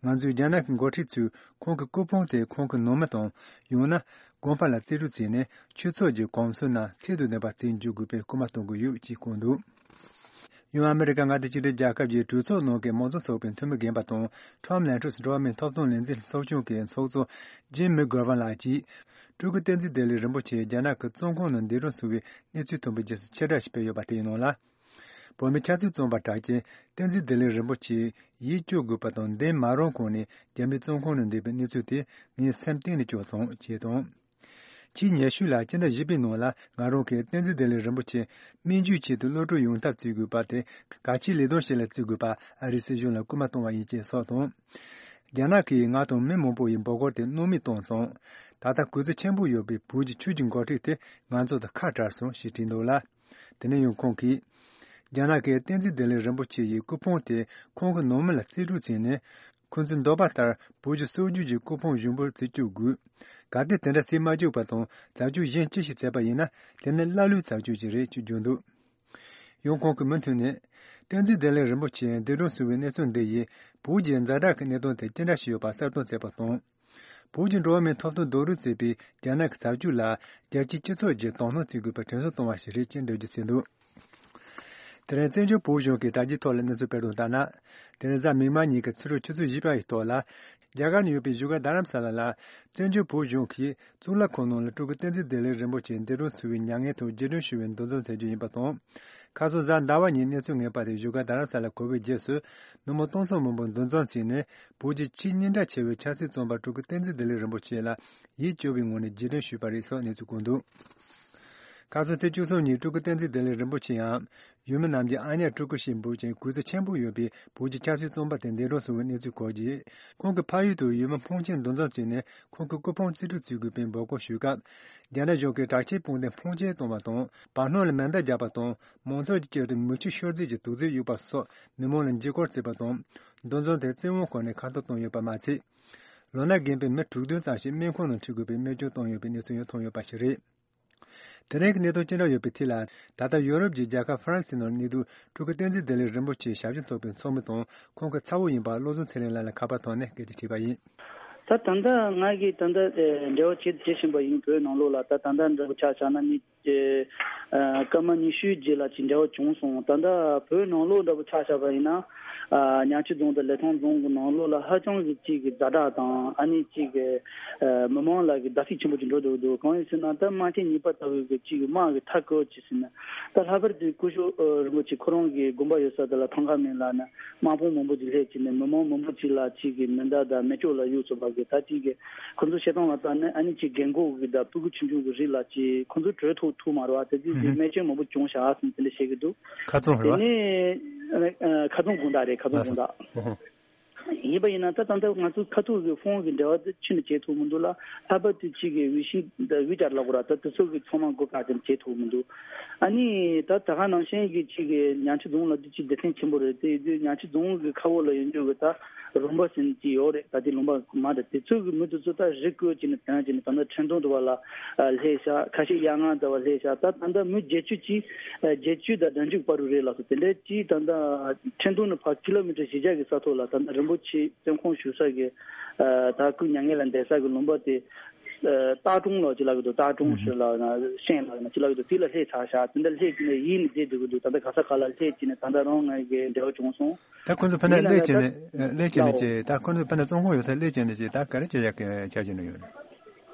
ང་ཚོས་རྒྱ་ནག་གི་འགོ་ཁྲིད་ཚོས་ཁོང་གི་སྐུ་ཕུང་དེ་ཁོང་གི་ནང་མི་དང་ཡང་ན་དགོན་པ་ལ་རྩིས་སྤྲོད་བྱས་ནས་ཆོས་ཚོགས་ཀྱི་གོམས་སྲོལ་རྣམས་ཚད་དང་ལྡན་པ་བརྩིས་འཇུག་དགོས་པའི་སྐུལ་མ་གཏོང་དགོས་ཡོད་ཅེས་བཀོད་འདུག། ཡང་ཨ་མི་རི་ཀ་མངའ་སྡེ་གཅིག་སྒྲིལ་རྒྱལ་ཁབ་ཀྱི་གྲོས་ཚོགས་ནང་གི་མང་གཙོ་ཚོགས་པའི་འཐུས་མི་རྒན་པ་དང་Trump་ལན་གྲོས་སུ་འགྲོ་བ་མིའི་ཐོབ་ཐང་ལས་འཛིན་ཚོགས་ཆུང་གི་ཚོགས་གཙོ་Jim McGovern་ལགས་ཀྱིས། སྤྲུལ་སྐུ་བསྟན་འཛིན་བདེ་ལེགས་རིན་པོ་ཆེ་རྒྱ་ནག་གི་བཙོན་ཁང་ནང་འདས་གྲོངས་སོང་བའི་གནས་ཚུལ་ཐོན་པའི་རྗེས་སུ་ཕྱིར་བསྒྲགས་ཤིག་སྤེལ་ཡོད་པ་དེའི་ནང་ལ། བོད་མི་ཆབ་སྲིད་བཙོན་པ་གྲགས་ཅན་བསྟན་འཛིན་བདེ་ལེགས་རིན་པོ་ཆེ་ཡིད་སྐྱོ་དགོས་པ་དང་འདས་མ་རུངས་གོང་ནས་རྒྱ་མིའི་བཙོན་ཁང་ནང་འདས་པའི་གནས་ཚུལ་དེ་ངའི་སེམས་གཏིང་ནས་སྐྱོ་སོང་ཅེས་དང་། ཕྱིའི་ཉེ་ཤུལ་ལ་སྤྱི་ཟླ་བཞི་པའི་ནང་ལ་ང་རང་གིས་བསྟན་འཛིན་བདེ་ལེགས་རིན་པོ་ཆེ་སྨན་བཅོས་ཆེད་དུ་གློད་གྲོལ་ཡོང་ཐབས་བྱེད་དགོས་པ་དེ་གལ་ཆེའི་ལས་དོན་ཞིག་ལ་བརྩི་དགོས་པ་ཨ་རིའི་སྲིད་གཞུང་ལ་སྐུལ་མ་གཏོང་བ་ཡིན་ཅེས་སོགས་དང་། རྒྱ་ནག་གིས་ང་དང་མི་མང་པོ་ཡི་འབོད་སྐུལ་དེ་སྣང་མེད་བཏང་སོང་། ད་ལྟ་གུས་བརྩི་ཆེན་པོ་ཡོད་པའི་བོད་ཀྱི་ཆོས་ཀྱི་འགོ་ཁྲིད་དེ་ང་ཚོ་དང་ཁ་བྲལ་སོང་ཞེས་བྲིས་འདུག་ལ། དེ་ནས་ཡང་ཁོང་གིས། རྒྱ་ནག་གིས་བསྟན་འཛིན་བདེ་ལེགས་རིན་པོ་ཆེ་ཡི་སྐུ་ཕུང་དེ་ཁོང་གི་ནང་མི་ལ་རྩིས་སྤྲོད་བྱས་ནས། ཁོང་ཚོའི་འདོད་པ་ལྟར་བོད་ཀྱི་སྲོལ་རྒྱུན་གྱི་སྐུ་ཕུང་བཞེངས་འབུལ་རྩིས་སྤྲོད་དགོས། གལ་ཏེ་དེ་འདྲ་རྩིས་མ་སྤྲོད་པ་དང་རྩད་གཅོད་གཞན་ཅི་ཞིག་བྱས་པ་ཡིན་ན་དེ་ནི་ཀླ་ཀློའི་རྩད་གཅོད་ཅིག་རེད་ཅེས་བརྗོད་འདུག། ཡང་ཁོང་གིས་མུ་མཐུད་ནས། བསྟན་འཛིན་བདེ་ལེགས་རིན་པོ་ཆེ་འདས་གྲོངས་སོང་བའི་གནས་ཚུལ་འདི་ཡིས་བོད་ཀྱི་ཛ་དྲག་གི་གནད་དོན་དེ་ཅི་འདྲ་ཞིག་ཡོད་པ་གསལ་སྟོན་བྱས་པ་དང་། བོད་ཀྱི་འགྲོ་བ་མིའི་ཐོབ་ཐང་རྡོག་རོལ་བྱེད་པའི་རྒྱ་ནག་གི་བྱ་སྤྱོད་ལ་རྒྱལ་སྤྱིའི་སྤྱི་ཚོགས་ཀྱིས་དོ་སྣང་བྱེད་དགོས་པའི་དྲན་གསོ་གཏོང་བ་ཞིག་རེད་ཅེས་འགྲེལ་བརྗོད་བྱས་འདུག། དེ་རིང་བཙན་བྱོལ་བོད་གཞུང་གི་དྲ་རྒྱའི་ཐོག་ལ་གནས་ཚུལ་སྤེལ་དོན་ལྟར་ན། དེ་རིང་གཟའ་མིག་དམར་ཉིན་གྱི་ཕྱི་དྲོ་ཆུ་ཚོད་བཞི་པ་ཡི་ཐོག་ལ། རྒྱ་གར་ནང་ཡོད་པའི་བཞུགས་སྒར་རྡ་རམ་ས་ལ་ལ། བཙན་བྱོལ་བོད་གཞུང་གིས་གཙུག་ལག་ཁང་ནང་ལ་སྤྲུལ་སྐུ་བསྟན་འཛིན་བདེ་ལེགས་རིན་པོ་ཆེ་འདས་གྲོངས་སོང་བའི་མྱ་ངན་ཐོག་རྗེས་དྲན་ཞུ་བའི་འདུ་འཛོམས་མཛད་རྒྱུ་ཡིན་པ་དང་། ཁ་སང་གཟའ་ཟླ་བ་ཉིན་གནས་ཚུལ་ངེས་པ་དེ་བཞུགས་སྒར་རྡ་རམ་ས་ལ་གོ་བའི་རྗེས་སུ། མི་མང་སྟོང་ཚོ་མང་པོ་འདུ་འཛོམས་བྱས་ནས། བོད་ཀྱི་ཆེས་སྙིང་གྲགས་ཆེ་བའི་ཆབ་སྲིད་བཙོན་པ་སྤྲུལ་སྐུ་བསྟན་འཛིན་བདེ་ལེགས་རིན་པོ་ཆེ་ལ་ཡིད་སྐྱོ་བའི་ངང་ནས་རྗེས་དྲན་ཞུས་པ་རེད་སོགས་གནས་ཚུལ་བཀོད་འདུག། ཁ་སང་ཚེས་བཅུ་གསུམ་ཉིན་སྤྲུལ་སྐུ་བསྟན་འཛིན་བདེ་ལེགས་རིན་པོ་ཆེའམ། ཡུལ་མི་རྣམས་ཀྱིས་ཨ་ཉག་སྤྲུལ་སྐུ་ཞེས་འབོད་ཅིང་གུས་བརྩི་ཆེན་པོ་ཡོད་པའི་བོད་ཀྱི་ཆབ་སྲིད་བཙོན་པ་དེ་འདས་གྲོངས་སོང་བའི་གནས་ཚུལ་གོ་རྗེས། ཁོང་གི་ཕ་ཡུལ་དུ་ཡུལ་མི་ཕོན་ཆེན་འདུ་འཛོམས་བྱས་ནས་ཁོང་གི་སྐུ་ཕུང་རྩིས་སྤྲོད་བྱེད་དགོས་པའི་འབོད་སྐུལ་ཞུས་སྐབས། རྒྱ་ནག་གཞུང་གིས་དྲག་ཆས་དཔུང་སྡེ་ཕོན་ཆེན་བཏང་བ་དང་བར་སྣང་ལ་མེ་མདའ་བརྒྱབ་པ་དང་མང་ཚོགས་ཀྱི་དཀྱིལ་དུ་མེ་མཆོད་ཤོར་རྫས་ཀྱི་དུག་རྫས་གཡུགས་པ་སོགས་མི་མང་ལ་འཇིགས་སྐུལ་བྱས་པ་དང་། འདུ་འཛོམས་དེ་བཙན་དབང་ཁང་ནས་ཁ་འཐོར་བཏང་ཡོད་པ་མ་ཚད། ལོ་ན་རྒན་པའི་མི་དྲུག་བདུན་ཙམ་ཞིག་སྨན་ཁང་ནང་འཁྲིད་དགོས་པའི་རྨས་སྐྱོན་བཏང་ཡོད་པའི་གནས་ཚུལ་ཡང་ཐོན་ཡོད་པ་ཞིག་རེད། དེ་རིང་གི་གནད་དོན་ཅི་འདྲ་ཡོད་པའི་ཐད་ལ། ད་ལྟ་ཡོ་རོབ་ཀྱི་རྒྱལ་ཁབ་ཧྥ་རན་སིའི་ནང་གནས་སྡོད་སྤྲུལ་སྐུ་བསྟན་འཛིན་བདེ་ལེགས་རིན་པོ་ཆེའི་ཞབས་ཕྱི་ཚོགས་པའི་ཚོགས་མི་དང་ཁོང་གི་ཚ་བོ་ཡིན་པ་བློ་བཟང་ཚེ་རིང་ལགས་ལ་ཁ་པར་ཐོག་ནས་སྐད་ཆ་དྲིས་པ་ཡིན། ད་ད་ལྟ་ང་གིས་ད་ལྟ་འབྲེལ་བ་བྱེད་བྱེད་བཞིན་པ་ཡིན། བོད་ནང་ལོགས་ལ་ད་ད་ལྟ་འདྲ་པོ་ཆ་བཞག་ན་ནི་སྐར་མ་ཉི་ཤུའི་རྗེས་ལ་ཅིག་འབྲེལ་བ་བྱུང་སོང་། ད་ལྟ་བོད་ནང་ལོགས་འདྲ་པོ་ཆ་བཞག་པ་ཡིན་ན། ཉང་ཆི་རྫོང་དང་ལི་ཐང་རྫོང་གི་ནང་ལོགས་ལ་ཧ་ཅང་གི་ཅིག་གི་ཛ་དྲག་དང་ཨ་ནི་ཅིག་གི་མི་མང་ལ་གི་བརྡབ་གསིག་ཆེན་པོ་ཅིག་འགྲོ་འདུག་འདུག། གང་ཡིན་ཟེར་ན་ད་དམག་ཆེན་གཉིས་པ་ལྟ་བུའི་གི་ཅིག་གི་དམག་གི་མཐའ་བསྐོར་ཅིག་ཟེར་ན། ད་ལྷག་པར་དུ་སྐུ་ཞབས་རིན་པོ་ཆེ་ཁོ་རང་གི་དགོན་པ་ཡོད་ས་དེ་ལ་ཐང་ཀ་མེད་ལ་ནི་དམག་དཔུང་མང་པོ་ཅིག་སླེབས་ཅིག་ནས་མི་མང་མང་པོ་ཅིག་ལ་ཅིག་གི་མེ་མདའ་དང་མེ་སྒྱོགས་ལ་གཡུགས་ཚུགས་པ་གི་ད་ཅིག་གི་ཁོ་ཚོ་བཤད་སྟངས་ལ་ལྟ་ན་ཨ་ནི་ཅིག་རྒན་གོག་གི་དང་སྤུ་གུ་ཆུང་ཆུང་གི་རིགས་ལ་ཅིག་ཁོ་ཚོ་བྲོས་ཐུབ་ཐུབ་མ་རེད་བ། དེ་དུས་ཅིག་རྨས་སྐྱོན་མང་པོ་བྱུང་ཤག་ཟེར་ནས་དེ་འདྲ་བཤད་གི་འདུག། ཁ་རྩང་རེད་བ། དེ་ནས་ཁ་རྩང་དགོང་དག་རེད། ཁ་རྩང་དགོང་དག། ཡིན་པ་ཡིན་ན་ད་ད་ལྟ་ང་ཚོ་ཁ་ཐུག་གི་ཕོན་གྱི་འབྲེལ་བ་དེ་ཕྱི་ནས་བྱེད་ཐུབ་མི་འདུག་ལ། ལྷག་པར་དུ་ཅིག་གི་ཝི་ཤིང་དང་ཝི་ཅར་ལབ་དགོས་ར། ད་དེ་ཚོ་གི་ཚང་མ་སྒོ་བཀག་ཅིག་བྱེད་ཐུབ་མི་འདུག། ཨ་ནི་ད་ད་ག་ནང་བཞིན་གྱི་ཅིག་གི་ཉང་ཆི་རྫོང་ལ་དེ་ཅིག་སྡེ་ཚན་ཆེན་པོ་རེད། དེ་ཡིན་དུས་ཉང་ཆི་རྫོང་གི་ཁ་འོག་ལ་ཡོད་འཇོག་གི་ད་རོང་པ་ཟེར་ཅིག་ཡོད་རེད། ད་དེ་ལུང་པ་མ་རེད། དེ་ཚོ་གི་མི་དེ་ཚོ་ད་རི་བརྐོས་ཅིག་ནས་དོན་ཅིག་ནས་ད་ལྟ་ཁྲེང་ཏུང་དུ་བ་ལ་སླེབས་ཤག། ཁ་ཤས་གཡང་ལྔ་དུ་བ་སླེབས་ཤག། ད་ད་ལྟ་མི་བརྒྱད་ཅུ་ཅིག་བརྒྱད་ཅུ་དང་བདུན་ཅུ་བར་དུ་རེད་ལགས་སོ། དེ་འདྲའི་ཅིག་ད་ལྟ་ཁྲེང་ཏུང་ནས་ཕར་ཀི་ལོ་མི་ཊར་བཞི་བརྒྱ་གི་ས་ཐོག་ལ་ད་ལྟ་རིན་པོ་ཆེ་བཙོན་ཁང་བཞུགས་ས་གི་ད་སྐུ་མྱ་ངན་ལ་འདས་ས་གི་ལུང་པ་དེ། སྟག་གྲོང་ལ་ཅི་ལབ་ཀྱི་འདུག། སྟག་གྲོང་ཞིག་ལ་ཤན་ལ་ཅི་ལབ་ཀྱི་འདུག། དེ་ལ་སླེབས་ཚར་ཤག། དེ་འདྲ་སླེབས་ཀྱི་ནས་ཡིད་ནས་བསྡད་འདུག་གི་འདུག། ད་ལྟ་ག་ས་ག་ལ་སླེབས་ཀྱི་ནས་ད་ལྟ་རང་ང་གི་འབྲེལ་བ་བྱུང་སོང་། ད་ཁོང་ཚོ་ཕ་ནས་སླེབས་ཀྱི་ནས་སླེབས་ཀྱི་ནས་ཅི་ད་ཁོང་ཚོ་ཕ་ནས་བཙོན་ཁང་ཡོད་ས་སླེབས་ཀྱི་ནས་ཅི་ད་ག་རེ་བྱེད་ཡག་གི་ཆ་བཞག་ནས་ཡོད་རེད།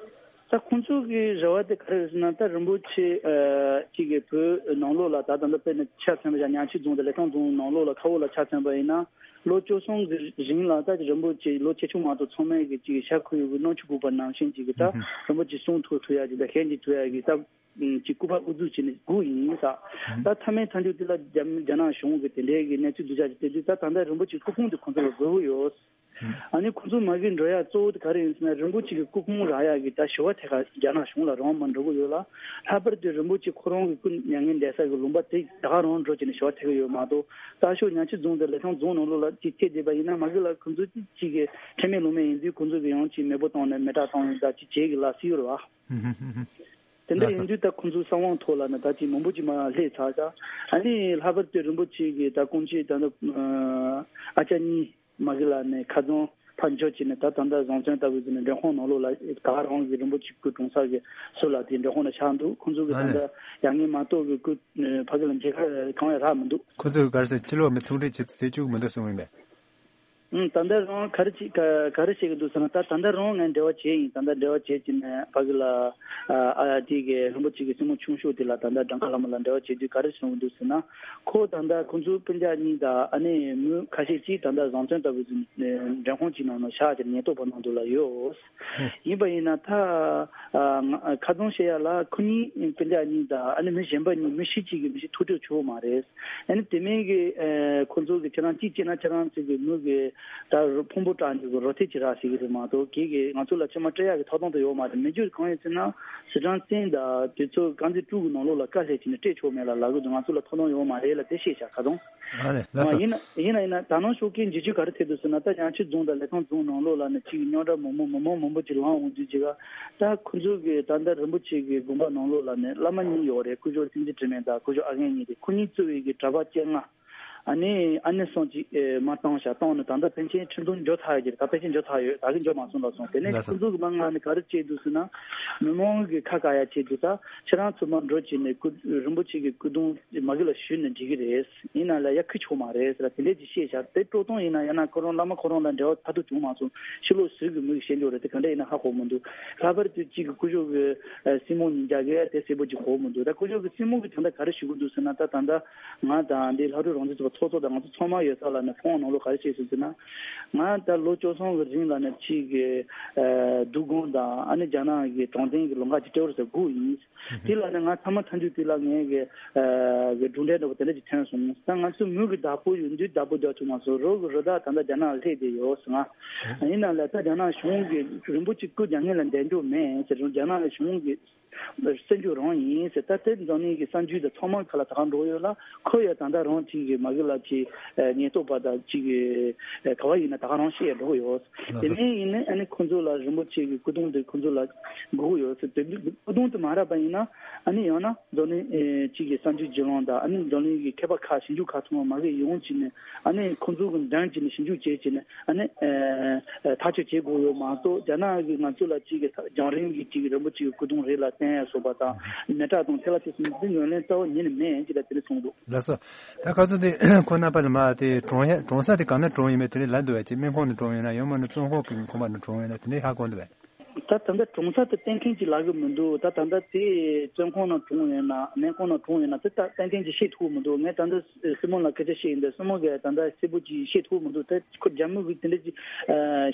ད་ཁོང་ཚོ་གི་རེ་བ་དེ་ག་རེ་རེད་ཟེར་ན། ད་རིན་པོ་ཆེ་ཅིག་གི་བོད་ནང་ལོགས་ལ་ད་ད་ལྟ་དཔེར་ན་ཆ་མཚོན་པ་ཡང་ཉང་ཆི་རྫོང་དང་ལི་ཐང་རྫོང་ནང་ལོགས་ལ་ཁ་འོག་ལ་ཆ་མཚོན་པ་ཡིན་ན། ལོ་བཅུ་གསུམ་གི་རིང་ལ་ད་རིན་པོ་ཆེ་ལོ་ཆེ་ཆུང་མ་གཏོགས་ཚང་མས་ཀྱི་ཅིག་ཤ་ཁུ་ཡོད་གི་སྣུམ་ཆུ་བསྐོལ་པ་ནང་བཞིན་ཅིག་གི་ད་རིན་པོ་ཆེ་གསུང་ཐུབ་ཐུབ་ཡ་ཅིག་ད་ཤན་ཅིག་ཐུབ་ཡ་གི་ད་ཅིག་སྐུ་པར་དབུ་འཛུགས་བྱས་ནས་སྒུག་ཡིན་ས། ད་མཐའ་མའི་མཐའ་མཇུག་དེ་ལ་རྒྱ་རྒྱ་ནག་གཞུང་གི་དེ་འདྲའི་གི་གནས་ཚུལ་སྡུག་ཅག་ཅིག་སྤེལ་དུས་ད་ད་ལྟ་རིན་པོ་ཆེ་སྐུ་ཕུང་དེ་ཁོང་ཚོ་ལ་དགོས་ཀྱི་ཡོད། ཨ་ནི་ཁོང་ཚོ་མ་གི་འགྲོ་ཡ་གཙོ་བོ་དེ་ག་རེ་ཡིན་ཟེར་ན། རིན་པོ་ཆེ་གི་སྐུ་ཕུང་རག་ཡ་གི་ད་ཞུ་བ་ཐད་ཀ་རྒྱ་ནག་གཞུང་ལ་རང་མ་འགྲོ་གི་ཡོད་ལ། ལྷག་པར་དུ་རིན་པོ་ཆེ་ཁོ་རང་གི་སྐུ་མྱ་ངན་འདས་ས་གི་ལུང་པ་དེ་ད་ག་རང་འགྲོ་བྱས་ནས་ཞུ་བ་ཐད་ཀྱི་ཡོད་མ་གཏོགས། རྟ་མཆོག་ཉག་ཆུ་རྫོང་དང་ལི་ཐང་རྫོང་ནང་ལོགས་ལ་ཅིག་ཆེད་བསྡད་པ་ཡིན་ན། མ་གི་ལ་ཁོང་ཚོ་ཅིག་གི་ཁྲེལ་མེད་ལོང་མེད་ཡིན་དུས། ཁོང་ཚོ་གི་ཡང་ཅིག་མེ་འབོད་བཏང་ནས་མེ་སྲེག་བཏང་ཡིན་ད་ཅིག་བྱེད་གི་ལ་སྲིད་ཡོད་རེད་བ། དེ་འདྲ་ཡིན་དུས་ད་ཁོང་ཚོའི་གསང་བའི་ཐོག་ལ་ནི་ད་ཅིག་མང་པོ་ཅིག་མར་སླེབས་ཚར་ཤག་ཨ་ནི་ལྷག་པར་དུ་རིན་པོ་ཆེ་གི་ད་སྐུ་མཆེད་ད་ནི་ཨ་ཅག་གཉིས་མ་གི་ལ་ནི་ཁ་རྫོང་ཕར་འབྱོར་བྱས་ནས། ད་ད་ལྟ་བཟང་བཙོན་ལྟ་བུ་ཟེར་ནས་མགྲོན་ཁང་ནང་ལོགས་ལ་ད་ག་རང་གི་རིན་པོ་ཆེ་སྐུ་གྲོངས་ས་གི་ཟུར་ལ་དེ་མགྲོན་ཁང་ལ་བཞག་འདུག་ཁོང་ཚོ་གི་ད་ལྟ་ཡ་ངན་མ་གཏོགས་གི་སྐུ་ཕ་གི་ལ་མཇལ་ཁ་གང་ཡང་རག་མི་འདུག་ཁོང་ཚོ་གི་ག་རེ་ཟེར། ཕྱི་ལོགས་མི་ཐུག་འཕྲད་བྱེད་ཟེར་བཅུག་མི་འདུག་གསུངས་ཡིན་པས། ཨང་། ད་ལྟ་རང་ག་རེ་བྱེད་ག་ག་རེ་བྱེད་ཀྱི་འདུག་ཟེར་ན། ད་ད་ལྟ་རང་ངས་འབྲེལ་བ་བྱས་ཡིན། ད་ལྟ་འབྲེལ་བ་བྱས་ཀྱི་ནས་ཕ་གི་ལ་ཨ་ཨ་དེ་གི་རིན་པོ་ཆེ་གི་སྲིང་མོ་ཆུང་ཤོས་དེ་ལ་ད་ལྟ་སྒྲོལ་དཀར་ལྷ་མོ་ལ་འབྲེལ་བ་བྱས་དུས་ག་རེ་གསུངས་ཀྱི་འདུག་ཟེར་ན། ཁོ་ད་ལྟ་ཁོང་ཚོ་སྤུན་ཀྱག་གཉིས་དང་ཨ་ནེ་མོ་ཁ་ཤས་ཅིག་ད་ལྟ་བཟང་བཙོན་ལྟ་བུ་ཟིན་མགྲོན་ཁང་གཅིག་ནང་ན་བཞག་ཅིག་ཉེན་རྟོག་པ་ནང་དུ་ལ་ཡོད། ཡིན་པ་ཡིན་ན་ད་ཨ་ང་ཁ་རྡུང་བཤད་ཡ་ལ་ཁོ་གཉིས་སྤུན་ཀྱག་གཉིས་དང་ཨ་ནེ་མི་གཞན་པ་གཉིས་མི་ཤི་གཅིག་གི་མི་ཤི་ཐུག་འཕྲད་བྱུང་མ་རེད། ཨ་ནི་དེ་མིན་གྱི་ཨ་ཁོང་ཚོ་གི་ཁྱེད་རང་གཅིག་བྱས་ན་ཁྱེད་རང་ཚོ་གི་མི་གི་ད་ཕུང་པོ་དྲངས་འཇུག་གི་རོ་ཐེ་ཅི་ར་ཟེར་གི་རེད་མ་གཏོགས། གི་གི་ང་ཚོ་ལ་ཕྱི་མ་སྤྲད་ཡག་གི་ཐོབ་ཐང་དུ་ཡོད་མ་རེད། མི་རྒྱུ་གང་ཡིན་ཟེར་ན། སི་ཁྲོན་བཙན་དང་དེ་ཚོ་དཀར་མཛེས་ཀྲུའུ་གི་ནང་ལོགས་ལ་དཀའ་ལས་བྱས་ནས་སྤྲད་ཆོག་མེད་ལ་ལབ་གི་འདུག་ང་ཚོ་ལ་ཐོབ་ཐང་ཡོད་མ་རེད་ལ་དེ་བཤད་བཞག་ཁ་ཐོང་། ཨ་ནི་ལགས་སོ། ཡིན་ན་ཡིན་ན་ཡིན་ན་ད་ནང་ཤོག་གི་འཇིགས་སྐུལ་ག་རེ་ཐེབས་འདུག་ཟེར་ན། ད་ཉག་ཆུ་རྫོང་དང་ལི་ཐང་རྫོང་ནང་ལོགས་ལ་ནི་གཅིག་རྙོག་དྲ་མང་པོ་མི་མང་མང་པོ་ཅིག་ལངས་འོང་དུས་ཅིག་ག་ད་ཁོ་ཚོ་གི་ད་ལྟ་རིན་པོ་ཆེ་གི་དགོན་པ་ནང་ལོགས་ལ་ནི་བླ་མ་གཉིས་ཡོད་རེད། སྐུ་ཞབས་བསྟན་འཛིན་དྲི་མེད་དང་སྐུ་ཞབས་ཨ་རྒན་གཉིས་དེ། ཁོ་གཉིས་གཙོས་པའི་གི་གྲྭ་པ་བཅོ་ལྔ། ཨ་ནི་ཨ་ནེ་སོང་ཅིག་ཨེ་མ་བཏང་བཞག་བཏང་ནས་ད་ལྟ་པཎ་ཆེན་ཁྲི་འདོན་འཇོག་ཚར་ཡོད་ཀྱི་རེད། ད་པཎ་ཆེན་འཇོག་ཚར་ཡོད། ད་གི་འཇོག་མ་སོང་ལབ་སོང་། དེ་ནས་ལགས་སོ། ཁོ་ཚོ་གི་མ་ང་ནི་ག་རེ་བྱས་འདུག་ཟེར་ན། མི་མང་གི་ཁ་བཀག་ཡ་བྱས་འདུག་ད་ཁྱེད་རང་ཚོ་མར་འགྲོ་བྱས་ནས་སྐུ་རིན་པོ་ཆེ་གི་སྐུ་གདུང་མ་གི་ལ་ཞུས་ནས་འགྲིག་གི་རེད། ཡིན་ན་ལ་ཡ་ཁི་ཆོག་མ་རེད་ཟེར་ལ་དེ་འདྲས་ཅིག་བཤད་བཞག་དེ་སྤྲོ་སྟོང་ཡིན་ན་ཡང་ན་ཁོ་རང་བླ་མ་ཁོ་རང་ལ་འབྲེལ་བ་ཐ་དུ་བྱུང་མ་སོང་། ཕྱི་ལོགས་ཟུར་གི་མི་གི་བཤད་འཇོག་རེད། དེ་ག་འདྲ་ཡིན་ན་ཧ་གོ་མི་འདུག་ལྷག་པར་དུ་གཅིག་གི་སྐུ་ཞབས་གི་སྲིང་མོ་གཉིས་རྒྱ་གི་དེ་གསལ་པོ་ཅིག་གོ་མི་འདུག་ད་སྐུ་ཞབས་ཀྱི་སྲིང་མོ་གི་དོན་དག་ག་རེ་ཞུ་གི་འདུག་ཟེར་ན། ད་ད་ལྟ་ང་དང་འདི་ལྷ་སྒྲོལ་རང་བཙན་ཚོགས་པ་ཚོགས་གཙོ་དང་ང་ཚོ་ཚང་མ་ཡོད་ས་ལ་ནི་ཁོང་ནང་ལོགས་ག་རེ་བཤད་སོང་ཟེར་ན། ང་ད་ལོ་བཅུ་གསུམ་གི་རིང་ལ་ནི་ཅིག་གི་ཨ་རྡོ་སྒང་དང་ཨ་ནི་རྒྱ་ནག་གི་དྲང་བདེན་གི་ལམ་ཁ་ཅིག་སྤྲད་རོགས་ཟེར་སྒུག་ཡིན། དེ་ལ་ནི་ང་ཐ་མ་ཐམས་ཅད་དེ་ལ་ངས་གི་ཨ་གི་གྲུབ་འབྲས་འདྲ་པོ་དེ་འདྲ་ཅིག་ཐོན་སོང་། ད་ང་ཚོ་མི་གི་བདག་པོ་ཡོད་དུས་བདག་པོ་རྒྱག་ཐུབ་མ་སོང་། རོགས་གི་རི་དྭགས་ད་ལྟ་རྒྱ་ནག་ལ་སླེབས་བསྡད་ཡོད་ཟེར། ང་ཡིན་ན་ལ་ད་རྒྱ་ནག་གཞུང་གི་རིན་པོ་ཆེ་སྐུ་རྒྱ་ངན་ལ་འདེད་འཇོག་མེད་ཟེར། རྒྱ་ནག་གཞུང་གི་སྲིད་འཇུག་རང་ཡིན་ཟེར། ད་དེ་འཛམ་གླིང་གི་གསར་འགྱུར་དང་ཚང་མ་ཁ་ལ་ད་ག་འགྲོ་ཡོད་ལ། ཁོ་ཡ་ད་ལྟ་རང་གཅིག་གི་མ་གི་ལ་ཅིག་ཉེན་རྟོག་པ་དང་གཅིག་གི་ག་བ་ཡིན་ན་ད་ག་རང་བཤད་འགྲོ་གི་ཡོད། དེ་ནས་ཡིན་ནའི་ཨ་ནི་ཁོ་ཚོ་ལ་རིན་པོ་ཆེ་གི་སྐུ་གདུང་དེ་ཁོ་ཚོ་ལ་དགོས་ཀྱི་ཡོད་ཟེར། དེ་སྐུ་གདུང་དེ་མ་རག་པ་ཡིན་ན་ཨ་ནི་ཡང་ན་འཛམ་གླིང་གཅིག་གི་གསར་འགྱུར་བརྒྱུད་ལམ་དང་ཨ་ནི་འཛམ་གླིང་གི་མཁས་པ་ཁག་ཞིབ་འཇུག་ཁག་ཚང་མ་མ་གི་ཡོང་བྱས་ནས་ཨ་ནི་ཁོ་ཚོ་གི་འགྲེམས་བྱས་ནས་ཞིབ་འཇུག་བྱས་བྱས་ནས། ཨ་ནི་ཨ་ཐག་གཅོད་བྱེད་དགོས་ཡོད་མ་གཏོགས། རྒྱ་ནག་གིས་ང་ཚོ་ལ་གཅིག་གི་རྒྱང་རིང་གི་གཅིག་གི་རིན་པོ་ཆེ་གི་སྐུ་གདུང་རེད་ལ་བསྟན་ཡ་སོགས་པ་དང་། མེ་སྲེག་དང་ཐལ་བ་དེ་ཚོ་འདི་ངོས་ལེན་རྩ་བ་ཉིད་ནས་མེད་ཅེས་ལ་དེ་འདྲ་གསུངས་འདུག་ལགས་སོ། ད་ཁ་སང་དེ་ཁོང་རྣམ་པ་ལ་མ་དེ་གྲོངས་ཡ་གྲོངས་ས་དེ་ག་ན་གྲོངས་ཡིན་མིན་དེ་འདྲ་ལབ་འདུག་བས། ཅིག་སྨན་ཁང་ནང་གྲོངས་ཡོད་ན་ཡང་མིན་ན་བཙོན་ཁང་གི་ཁང་པ་ནང་གྲོངས་ཡོད་ན་དེ་འདྲ་ཧ་གོ་འདུག་བས། ད་ད་ལྟ་གྲོངས་ས་དེ་གཏན་འཁེལ་ཅིག་ལབ་གི་མི་འདུག་ད་ད་ལྟ་དེ་བཙོན་ཁང་ནང་གྲོངས་ཡོད་ན་སྨན་ཁང་ནང་གྲོངས་ཡོད་ན་དེ་ད་གཏན་འཁེལ་ཅིག་བཤད་ཐུབ་མི་འདུག་ངས་ད་ལྟ་སྲིང་མོ་ལ་སྐད་ཆ་བཤད་ཡིན་དུས་སྲིང་མོ་གིས་ད་ལྟ་གསལ་པོ་ཅིག་བཤད་ཐུབ་མི་འདུག་ད་ཁོ་རྒྱ་མི་གི་དེ་འདྲ་ཅིག་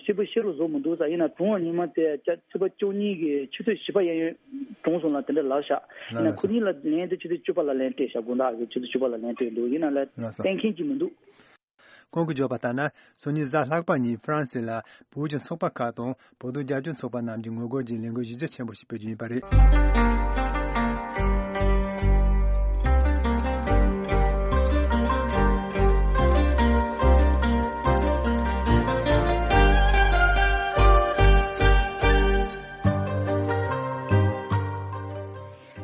གསལ་པོ་བཤད་རོགས་བཟོ་མི་འདུག་ས། ཡིན་ན་གྲོངས་པ་ཉི་མ་དེ་ཚེས་པ་བཅུ་གཉིས་གི་ཆུ་ཚོད་བཞི་པ་གཡས་གཡོན་གྲོངས་སོང་ལ་དེ་འདྲ་ལབ་ཤག་ཡིན་ན་ཁོ་གཉིས་ལ་ལན་དེ་ཆུ་ཚོད་བཅུ་པ་ལ་ལན་སྤྲད་ཤག་དགོང་དག་གི་ཆུ་ཚོད་བཅུ་པ་ལ་ལན་སྤྲད་འདུག་ཡིན་ན་ལ་གཏན་འཁེལ་ཅིག་མི་འདུག་ཁོང་གིས་བརྗོད་པ་ལྟར་ན། སང་ཉིན་གཟའ་ལྷག་པ་ཉིན་ཧྥ་རན་སི་ལ་བོད་ཀྱི་ཚོགས་པ་ཁག་དང་བོད་དོན་རྒྱབ་སྐྱོར་ཚོགས་པ་རྣམས་ཀྱིས་ངོ་རྒོལ་གྱི་ལས་འགུལ་གཞི་རྒྱ་ཆེན་པོ་ཞིག་སྤེལ་རྒྱུ་ཡིན་པ་རེད།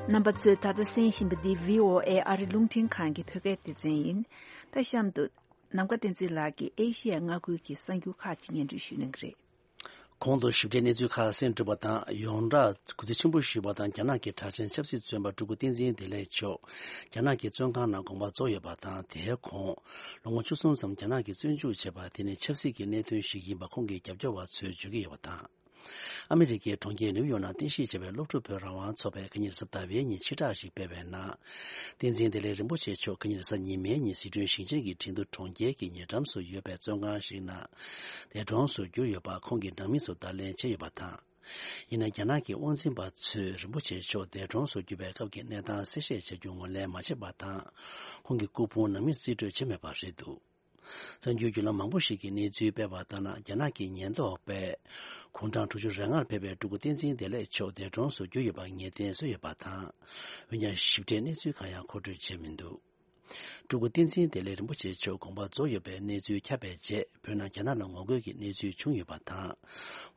རྣམ་པ་ཚོས་ད་ལྟ་གསན་བཞིན་པ་འདི་བྷི་ཨོ་ཨེ་ཨ་རི་རླུང་འཕྲིན་ཁང་གི་བོད་སྐད་སྡེ་ཚན་ཡིན། ད་གཤམ་དུ། ནམ་མཁའ་བསྟན་འཛིན་ལགས་ཀྱིས་ཨེ་ཤི་ཡ་མངའ་ཁུལ་གྱི་གསར་འགྱུར་ཁག་ཅིག་སྙན་སྒྲོན་ཞུ་གནང་གི་རེད། གོང་དུ་ཞིབ་ཕྲའི་གནས་ཚུལ་ཁག་གསན་གྲུབ་པ་དང་། ཡོངས་གྲགས་གུས་བརྩི་ཆེན་པོ་ཞུས་པ་དང་། རྒྱ་ནག་གི་གྲགས་ཅན་ཆབ་སྲིད་བཙོན་པ་སྤྲུལ་སྐུ་བསྟན་འཛིན་བདེ་ལེགས་མཆོག་རྒྱ་ནག་གི་བཙོན་ཁང་ནང་དགོངས་པ་རྫོགས་ཡོད་པ་དང་། དེའི་གོང་ལོ་ངོ་བཅུ་གསུམ་ཙམ་རྒྱ་ནག་གིས་བཙོན་འཇུག་བྱས་པ་དེ་ནི་ཆབ་སྲིད་ཀྱི་གནད་དོན་ཞིག་ཡིན་པ་ཁོང་གི་རྒྱབ་སྐྱོར་བ་ཚོས་བརྗོད་ཀྱི་ཡོད་པ་དང་། ཨ་མི་རི་ཀའི་གྲོང་ཁྱེར་ནིའུ་ཡོག་ནང་རྟེན་གཞི་བྱས་པའི་སློབ་ཕྲུག་བོད་རང་དབང་ཚོགས་པས་ཁ་ཉིན་གཟའ་ཟླ་བའི་ཉིན་ཕྱིར་བསྒྲགས་ཤིག་སྤེལ་བའི་ནང་། བསྟན་འཛིན་བདེ་ལེགས་རིན་པོ་ཆེ་མཆོག་ཁ་ཉིན་གཟའ་ཉི་མའི་ཉིན་སི་ཁྲོན་ཞིང་ཆེན་གྱི་ཁྲིན་ཏུ་གྲོང་ཁྱེར་གྱི་ཉེ་འགྲམ་སུ་ཡོད་པའི་བཙོན་ཁང་ཞིག་ནང་འདས་གྲོངས་སུ་གྱུར་ཡོད་པ་ཁོང་གིས་ནང་མི་ཚོར་བརྡ་ལན་བྱས་ཡོད་པ་དང་། ཡིན་ན་རྒྱ་ནག་གི་དབང་འཛིན་པ་ཚོས་རིན་པོ་ཆེ་མཆོག་འདས་གྲོངས་སུ་གྱུར་པའི་སྐབས་ཀྱི་གནས་སྟངས་གསལ་བཤད་བྱ་རྒྱུ་ངོས་ལེན་མ་བྱས་པ་དང་། ཁོང་གི་སྐུ་ཕུང་ནང་མིས་རྩིས་སྤྲོད་བྱས་མེད་པ་རེད་འདུག་གསར་འགྱུར་བརྒྱུད་ལམ་མང་པོ་ཞིག་གིས་གནས་ཚུལ་སྤེལ་བ་ལྟར་ན། རྒྱ་ནག་གི་ཉེན་རྟོག་པས་དགུང་གྲངས་དྲུག་ཅུ་རེ་ལྔར་ཕེབས་པའི་སྤྲུལ་སྐུ་བསྟན་འཛིན་བདེ་ལེགས་མཆོག་འདས་གྲོངས་སུ་གྱུར་ཡོད་པར་ངེས་གཏན་བཟོས་ཡོད་པ་དང་། འོན་ཀྱང་ཞིབ་ཕྲའི་གནས་ཚུལ་གང་ཡང་མཁོ་སྤྲོད་བྱས་མི་འདུག་སྤྲུལ་སྐུ་བསྟན་འཛིན་བདེ་ལེགས་རིན་པོ་ཆེ་མཆོག་དགོངས་པ་རྫོགས་ཡོད་པའི་གནས་ཚུལ་ཁྱབ་པའི་རྗེས། བོད་ནང་རྒྱ་ནག་ལ་ངོ་རྒོལ་གྱི་གནས་ཚུལ་བྱུང་ཡོད་པ་དང་།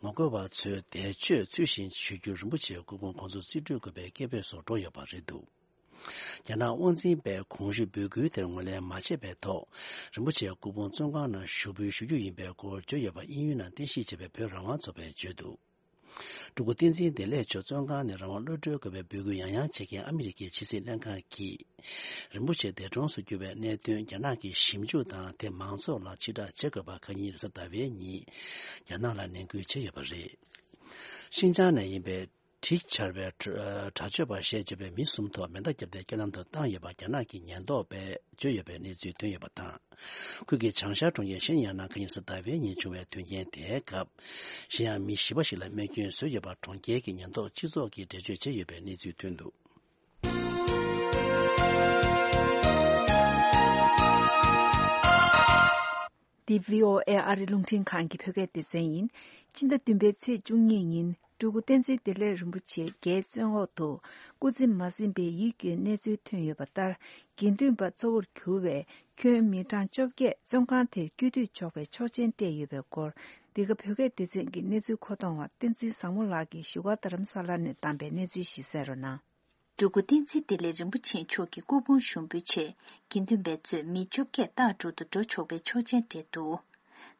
ངོ་རྒོལ་བ་ཚོས་འདས་མཆོད་ཚུལ་བཞིན་ཞུ་རྒྱུར་རིན་པོ་ཆེའི་སྐུ་ཕུང་ཁོང་ཚོ་རྩིས་སྤྲོད་དགོས་པའི་སྐད་འབོད་སོགས་འགྲོ་ཡོད་པ་རེད་འདུག་རྒྱ་ནག་དབང་འཛིན་པས་གོང་ཞུས་འབོད་སྐུལ་དེར་ངོས་ལེན་མ་བྱས་པའི་ཐོག་རིན་པོ་ཆེའི་སྐུ་ཕུང་བཙོན་ཁང་ནང་ཞུགས་འབུལ་ཞུ་རྒྱུ་ཡིན་པའི་སྐོར་བརྗོད་ཡོད་པ་དབྱིན་ཡུལ་ནང་རྟེན་གཞི་བྱས་པའི་བོད་རང་དབང་ཚོགས་པས་བརྗོད་འདུག་སྤྲུལ་སྐུ་བསྟན་འཛིན་བདེ་ལེགས་མཆོག་བཙོན་ཁང་ནས་རང་དབང་གློད་གྲོལ་དགོས་པའི་འབོད་སྐུལ་ཡང་ཡང་བྱེད་མཁན་ཨ་མི་རི་ཀའི་ཕྱི་སྲིད་ལྷན་ཁང་གིས། རིན་པོ་ཆེ་འདས་གྲོངས་སུ་གྱུར་བའི་གནད་དོན་རྒྱ་ནག་གིས་ཞིབ་འཇུག་དང་། དེ་མང་ཚོགས་ལ་ཕྱིར་བསྒྲགས་བྱེད་དགོས་པ་ཁ་ཉིན་རེས་གཟའ་ཟླ་བའི་ཉིན་རྒྱ་ནག་ལ་ནན་སྐུལ་བྱས་ཡོད་པ་རེད། ཤིན་ཅང་ནས་ཡིན་པའི་གྲི་འཕྱར་བའི་དྲག་སྤྱོད་པ་ཞེས་བརྗོད་པའི་མི་གསུམ་ཐོག་མེ་མདའ་བརྒྱབ་སྟེ་རྐྱེན་ལམ་དུ་བཏང་ཡོད་པ་རྒྱ་ནག་གི་ཉེན་རྟོག་པས་བརྗོད་ཡོད་པའི་གནས་ཚུལ་ཐོན་ཡོད་པ་དང་། ཁུལ་གྱི་བྱང་ཤར་གྲོང་ཁྱེར་ཤིན་ཡང་ནང་ཁ་ཉིན་རེས་གཟའ་ཟླ་བའི་ཉིན་བྱུང་བའི་དོན་རྐྱེན་དེའི་སྐབས། ཤིན་ཡང་མི་བཞི་པ་ཞིག་ལ་རྨས་སྐྱོན་བཟོས་ཡོད་པ་གྲོང་ཁྱེར་གྱི་ཉེན་རྟོག་སྤྱི་ཚོགས་ཀྱིས་འགྲེལ་བརྗོད་བྱས་ཡོད་པའི་གནས་ཚུལ་ཐོན་འདུག་འདི་བྷི་ཨོ་ཨེ་ཨ་རི་རླུང་འཕྲིན་ཁང་གི་བོད་སྐད་སྡེ་ཚན་ཡིན། སྤྱི་ཟླ་བདུན་པའི་ཚེས་བཅུ་གཉིས་ཉིན་སྤྲུལ་སྐུ་བསྟན་འཛིན་བདེ་ལེགས་རིན་པོ་ཆེ་རྒྱའི་བཙོན་འོག་ཏུ་སྐུ་ཚེ་མ་ཟིན་པའི་ཡིད་སྐྱོའི་གནས་ཚུལ་ཐོན་ཡོད་པ་ལྟར། དགེ་འདུན་པ་གཙོ་བོར་གྱུར་བའི་ཁྱོན་མི་གྲངས་བཅོ་བརྒྱད་བཙོན་ཁང་དེར་སྐྱོད་དུ་འཇོག་པའི་ཆོག་མཆན་སྤྲད་ཡོད་པའི་སྐོར། འདི་ག་བོད་སྐད་སྡེ་ཚན་གྱི་གནས་ཚུལ་མཁོ་གཏོང་བ་བསྟན་འཛིན་བཟང་མོ་ལགས་ཀྱིས་བཞུགས་སྒར་རྡ་རམ་ས་ལ་ནས་བདམས་པའི་གནས་ཚུལ་ཞིག་གསན་རོགས་གནང་། སྤྲུལ་སྐུ་བསྟན་འཛིན་བདེ་ལེགས་རིན་པོ་ཆེ་མཆོག་གི་སྐུ་ཕུང་ཞུགས་འབུལ་ཆེད་དགེ་འདུན་པས་གཙོས་མི་བཅོ་བརྒྱད་སྟག་འབྲུག་ཏུ་འགྲོ་ཆོག་པའི་ཆོག་མཆན་སྤྲད་འདུག་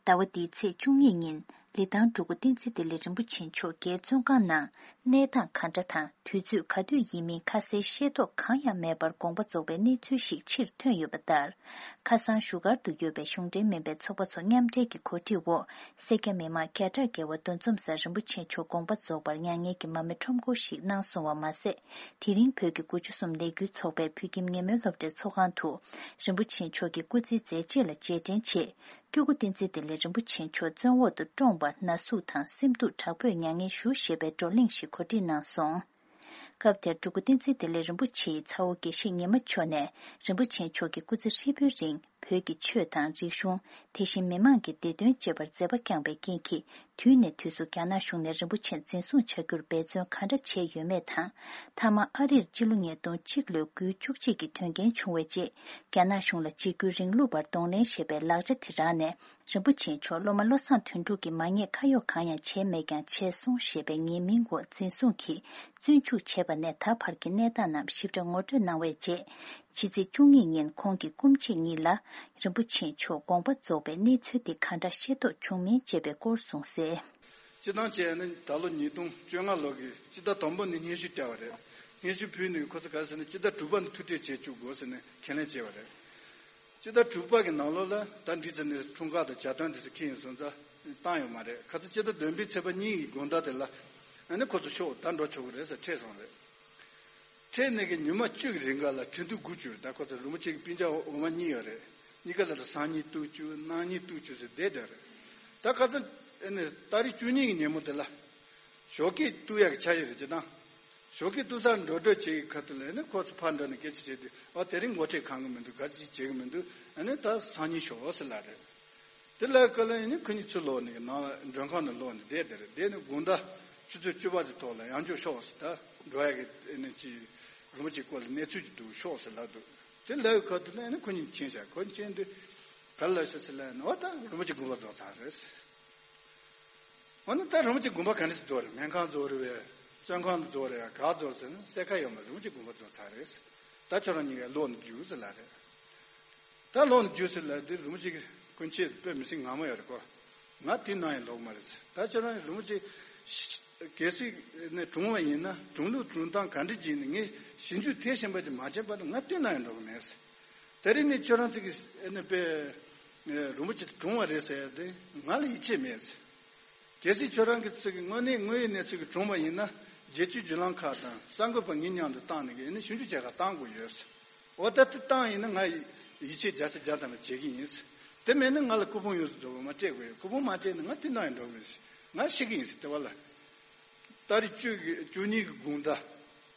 ཟླ་བ་འདིའི་ཚེས་བཅུ་གཉིས་ཉིན་ལི་ཐང་སྤྲུལ་སྐུ་བསྟན་འཛིན་བདེ་ལེགས་རིན་པོ་ཆེ་མཆོག་རྒྱའི་བཙོན་ཁང་ནང་གནས་སྟངས་ག་འདྲ་དང་དུས་ཚོད་ག་དུས་ཡིན་མིན་ཁ་གསལ་ཤེས་རྟོགས་གང་ཡང་མེད་པར་དགོངས་པ་རྫོགས་པའི་གནས་ཚུལ་ཞིག་ཕྱིར་ཐོན་ཡོད་པ་ལྟར། ཁ་སང་བཞུགས་སྒར་དུ་ཡོད་པའི་གཞུང་འབྲེལ་མིན་པའི་ཚོགས་པ་ཚོ་མཉམ་འབྲེལ་གྱི་གོ་སྒྲིག་འོག་སེར་སྐྱ་མི་མང་བརྒྱ་ཕྲག་བརྒལ་བ་འདུ་འཛོམས་སར་རིན་པོ་ཆེ་མཆོག་དགོངས་པ་རྫོགས་པར་མྱ་ངན་གྱི་མར་མེ་ཁྲོམ་སྐོར་ཞིག་གནང་སོང་བ་མ་ཟད། དེ་རིང་བོད་ཀྱི་དགུ་བཅུ་གསུམ་ལས་འགུལ་ཚོགས་པའི་བོད་ཁྱིམ་ཉེ་མོལ་སློབ་གྲྭའི་ཚོགས་ཁང་དུ་རིན་པོ་ཆེ་མཆོག་གི་སྐུ་ཚེའི་མཛད་རྗེས་ལ་རྗེས་དྲན་ཆེད། སྤྲུལ་སྐུ་བསྟན་འཛིན་བདེ་ལེགས་རིན་པོ་ཆེ་མཆོག་བཙོན་འོག་ཏུ་བཀྲོངས་པར་ན་ཟུག་དང་སེམས་སྡུག་དྲག་པོས་མྱ་ངན་ཞུ་ཞེས་པའི་བགྲོ་གླེང་ཞིག་གོ་སྒྲིག་གནང་སོང་། སྐབས་དེར་སྤྲུལ་སྐུ་བསྟན་འཛིན་བདེ་ལེགས་རིན་པོ་ཆེའི་ཚ་བོ་དགེ་བཤེས་ཉི་མ་མཆོག་ནས་རིན་པོ་ཆེ་མཆོག་གི་སྐུ་ཚེ་ཧྲིལ་པོའི་རིང་བོད་ཀྱི་ཆོས་དང་རིག་གཞུང་། དེ་བཞིན་མི་མང་གི་བདེ་དོན་གཅེས་པར་མཛད་པ་བསྐྱངས་པའི་རྐྱེན་གྱིས། དུས་ནས་དུས་སུ་རྒྱ་ནག་གཞུང་ནས་རིན་པོ་ཆེ་འཛིན་བཟུང་བྱ་རྒྱུར་འབད་བརྩོན་ག་འདྲ་བྱས་ཡོད་མེད་དང་། མཐའ་མ་ཨ་རིར་སྤྱི་ལོ་ཉིས་སྟོང་གཅིག་ལོའི་དགུའི་བཅུ་གཅིག་གི་དོན་རྐྱེན་བྱུང་བའི་རྗེས། རྒྱ་ནག་གཞུང་ལ་འཇིགས་སྐུལ་རིང་ལུགས་པར་གདོང་ལེན་ཞེས་པའི་ལག་ཆ་དེ་རག་ནས། རིན་པོ་ཆེ་མཆོག་སློབ་མ་བློ་བཟང་དོན་གྲུབ་ཀྱིས་མ་ཉེས་ཁ་གཡོགས་གང་ཡང་བྱས་མེད་ཀྱང་བྱས་སོང་ཞེས་པའི་ཉེས་མིང་འོག་འཛིན་བཟུང་གིས་བཙོན་འཇུག་བྱས་པ་ནས་ད་བར་གྱི་གནས་སྟངས་རྣམས་ཞིབ་ཕྲ་ངོ་སྤྲོད་གནང་བའི་རྗེས། ཕྱི་ཚེས་བཅུ་གཉིས་ཉིན་ཁོང་གི་སྐུ་མཆེད་གཉིས་ལ་རིན་པོ་ཆེ་མཆོག་དགོངས་པ་རྫོགས་པའི་གནས་ཚུལ་དེ་ག་འདྲ་ཤེས་རྟོགས་བྱུང་མིན་བཅས་པའི་སྐོར་གསུངས་གསལ། སྤྱི་བཏང་བྱས་ནས་ད་ལོ་ཉིས་སྟོང་བཅོ་ལྔ་ལོ་གི་སྤྱི་ཟླ་དང་པོ་ནས་སྙན་ཞུ་སྤྲད་པ་རེད། སྙན་ཞུ་ཕུལ་ནས་ཁོ་ཚོ་ག་རེ་ཟེར་ན་སྤྱི་ཟླ་དྲུག་པ་ནས་ཐུག་འཕྲད་བྱེད་བཅུག་དགོས་ཟེར་ནས་ཁས་ལེན་བྱས་པ་རེད། སྤྱི་ཟླ་དྲུག་པ་གི་ནང་ལོགས་ལ་ད་འདི་ཚོ་ནས་འཁྲུངས་སྐར་དང་གྱ་སྟོན་དེ་ཚོ་འཁེལ་ཡོང་སོང་ཙང་བཏང་ཡོད་མ་རེད། ཁ་སང་སྤྱི་ཟླ་བདུན་པའི་ཚེས་པ་གཉིས་ཀྱི་དགོང་དག་དེ་ལ་ཨ་ནི་ཁོ་ཚོ་ཤོག་ད་འགྲོ་ཆོག་གི་རེད་ཟེར་འཕྲད་སོང་རེད། འཕྲད་ནས་ཀྱི་ཉི་མ་བཅུ་གི་རིང་ག་ལ་ཁྲི་འདུ་དགུ་བཅུ་རེད། ད་ཁོ་ཚོ་རིན་པོ་ཆེ་གི་སྤུན་ཀྱག་འོ་མ་གཉིས་ཡོད་རེད། གཉིས་ཀ་ལ་ལ་སང་ཉིན་གཏུག་བཅུག་གནངས་ཉིན་གཏུག་བཅུག་ཟེར་བསྡད་བསྡད་རེད། ད་ཁ་སང་ཨ་ནི་ཏ་རིག་བཅུ་གཉིས་ཀྱི་ཉིན་མོ་དེ་ལ་ཞོགས་ཀས་གཏུག་ཡག་གི་འཆར་ཡིག་རེད་ཅེ་དང་། ཞོགས་ཀས་གཏུག་སར་འགྲོ་གྲབས་བྱེད་ཀྱི་ཁ་ཐུག་ལ་ཨ་ནི་ཁོ་ཚོ་ཕར་འགྲོ་ནས་སྐད་ཆ་བྱས་དུས་ཨ་དེ་རིང་འགོ་ཁྲིད་གང་གི་མི་འདུག་ག་ཅི་བྱེད་ཀྱི་མི་འདུག་ཨ་ནི་ད་སང་ཉིན་ཞོགས་ཟེར་ལབ་རེད། དེ་ལ་ཀ་ལ་ཡིན་ནི་ཁོ་གཉིས་ཚུར་ལོག་ནས་ནང་ལ་མགྲོན་ཁང་ནང་ལོག་ནས་བསྡད་དེ་རེད། བསྡད་ནས་དགོང་དག་ཆུ་ཚོད་བཅུ་པ་གི་ཐོག་ལ་ཡང་བསྐྱར་ཤོག་ཟེར། ད་འགྲོ་ཡག་གི་ཨེ་ནི་ཅི་རིན་པོ་ཆེའི་སྐོར་ལ་གནས་ཚུལ་ཅིག་འདུག་ཤོག་ཟེར་ལབ་འདུག་དེ་ལབ་ཡོད་ཁ་ཐུག་ལ་ཨེ་ནི་ཁོ་གཉིས་ཕྱིན་བཞག་ཁོ་གཉིས་ཕྱིན་དུས་ག་རེ་ལབ་ཤག་ཟེར་ལབ་ན། འོ་ད་རིན་པོ་ཆེ་དགོངས་པ་རྫོགས་ཚར་རེད་ཟེར། འོ་ན་ད་རིན་པོ་ཆེ་དགོངས་པ་ག་འདྲ་ཞིག་རྫོགས་རེད། སྨན་ཁང་རྫོགས་རེད་པས། བཙོན་ཁང་རྫོགས་རེད་ཡ་ག་རྫོགས་ཟེར་ན་གསལ་ཁ་ཡོད་མ་རེད། རིན་པོ་ཆེ་དགོངས་པ་རྫོགས་ཚར་རེད་ཟེར། ད་ཁྱོད་རང་གཉིས་ཀ་ལོག་ནས་རྒྱུགས་ཟེར་ལབ་རེད། ད་ལོག་ནས་རྒྱུགས་ཟེར་ལབ་དུས་རིན་པོ་ཆེ་གི་སྐུ་མཆེད་དཔེ་མི་སྲིད་ངར་མོ་ཡོད་རེད་ཁོ། ང་དེ་ནང་ཡང་ལོག་མ་རེད་ཟེར། ད་ཁྱོད་རང་རིན་པོ་ཆེ་གལ་སྲིད་ནས་གྲོངས་པ་ཡིན་ན་གྲོངས་ལུགས་གྲོངས་སྟངས་ག་འདྲ་ཅིག་ཡིན་ན་ངས་ཞིབ་འཇུག་མཐིལ་ཕྱིན་པ་ཅིག་མ་བྱས་བར་དུ་ང་དེ་ནང་ཡང་འགྲོ་གི་མེད་ཟེར། དེ་རིང་ནས་ཁྱོད་རང་ཚོ་གི་ཨ་ནི་དཔེ་རིན་པོ་ཆེ་དེ་གྲོངས་པ་རེད་ཟེར་ཡ་དེ་ང་ལ་ཡིད་ཆེས་མེད་ཟེར། གལ་སྲིད་ཁྱོད་རང་གི་ཚོ་གི་དངོས་གནས་དངོས་ཡོད་གནས་ཚུལ་གྱི་གྲོངས་པ་ཡིན་ན་རྒྱལ་སྤྱིའི་བརྒྱུད་ལམ་ཁག་དང་གསར་འགོད་པ་ངའི་མཉམ་དུ་བཏང་ནས་ཨ་ནི་ཞིབ་འཇུག་བྱེད་གར་བཏང་དགོས་ཡོད་ཟེར། འོ་ད་དེ་བཏང་ཡིན་ན་ང་ཡིད་ཆེས་བརྒྱ་ཆ་བརྒྱ་ཐམ་པ་བྱེད་ཀྱི་ཡིན་ཟེར། དེ་མེད་ན་ང་ལ་སྐུ་ཕུང་ཡོངས་སུ་རྫོགས་པ་མ་སྤྲད་དགོས་ཡོད། སྐུ་ཕུང་མ་སྤྲད་ན་ང་དེ་ནང་ཡང་འགྲོ་གི་མེད་ཟེར། ང་ཤི་གི་ཡིན་ཟེར་དེ་བ་ལ། ཏ་རིག་བཅུ་གི་བཅུ་གཉིས་ཀྱི་དགོང་དག་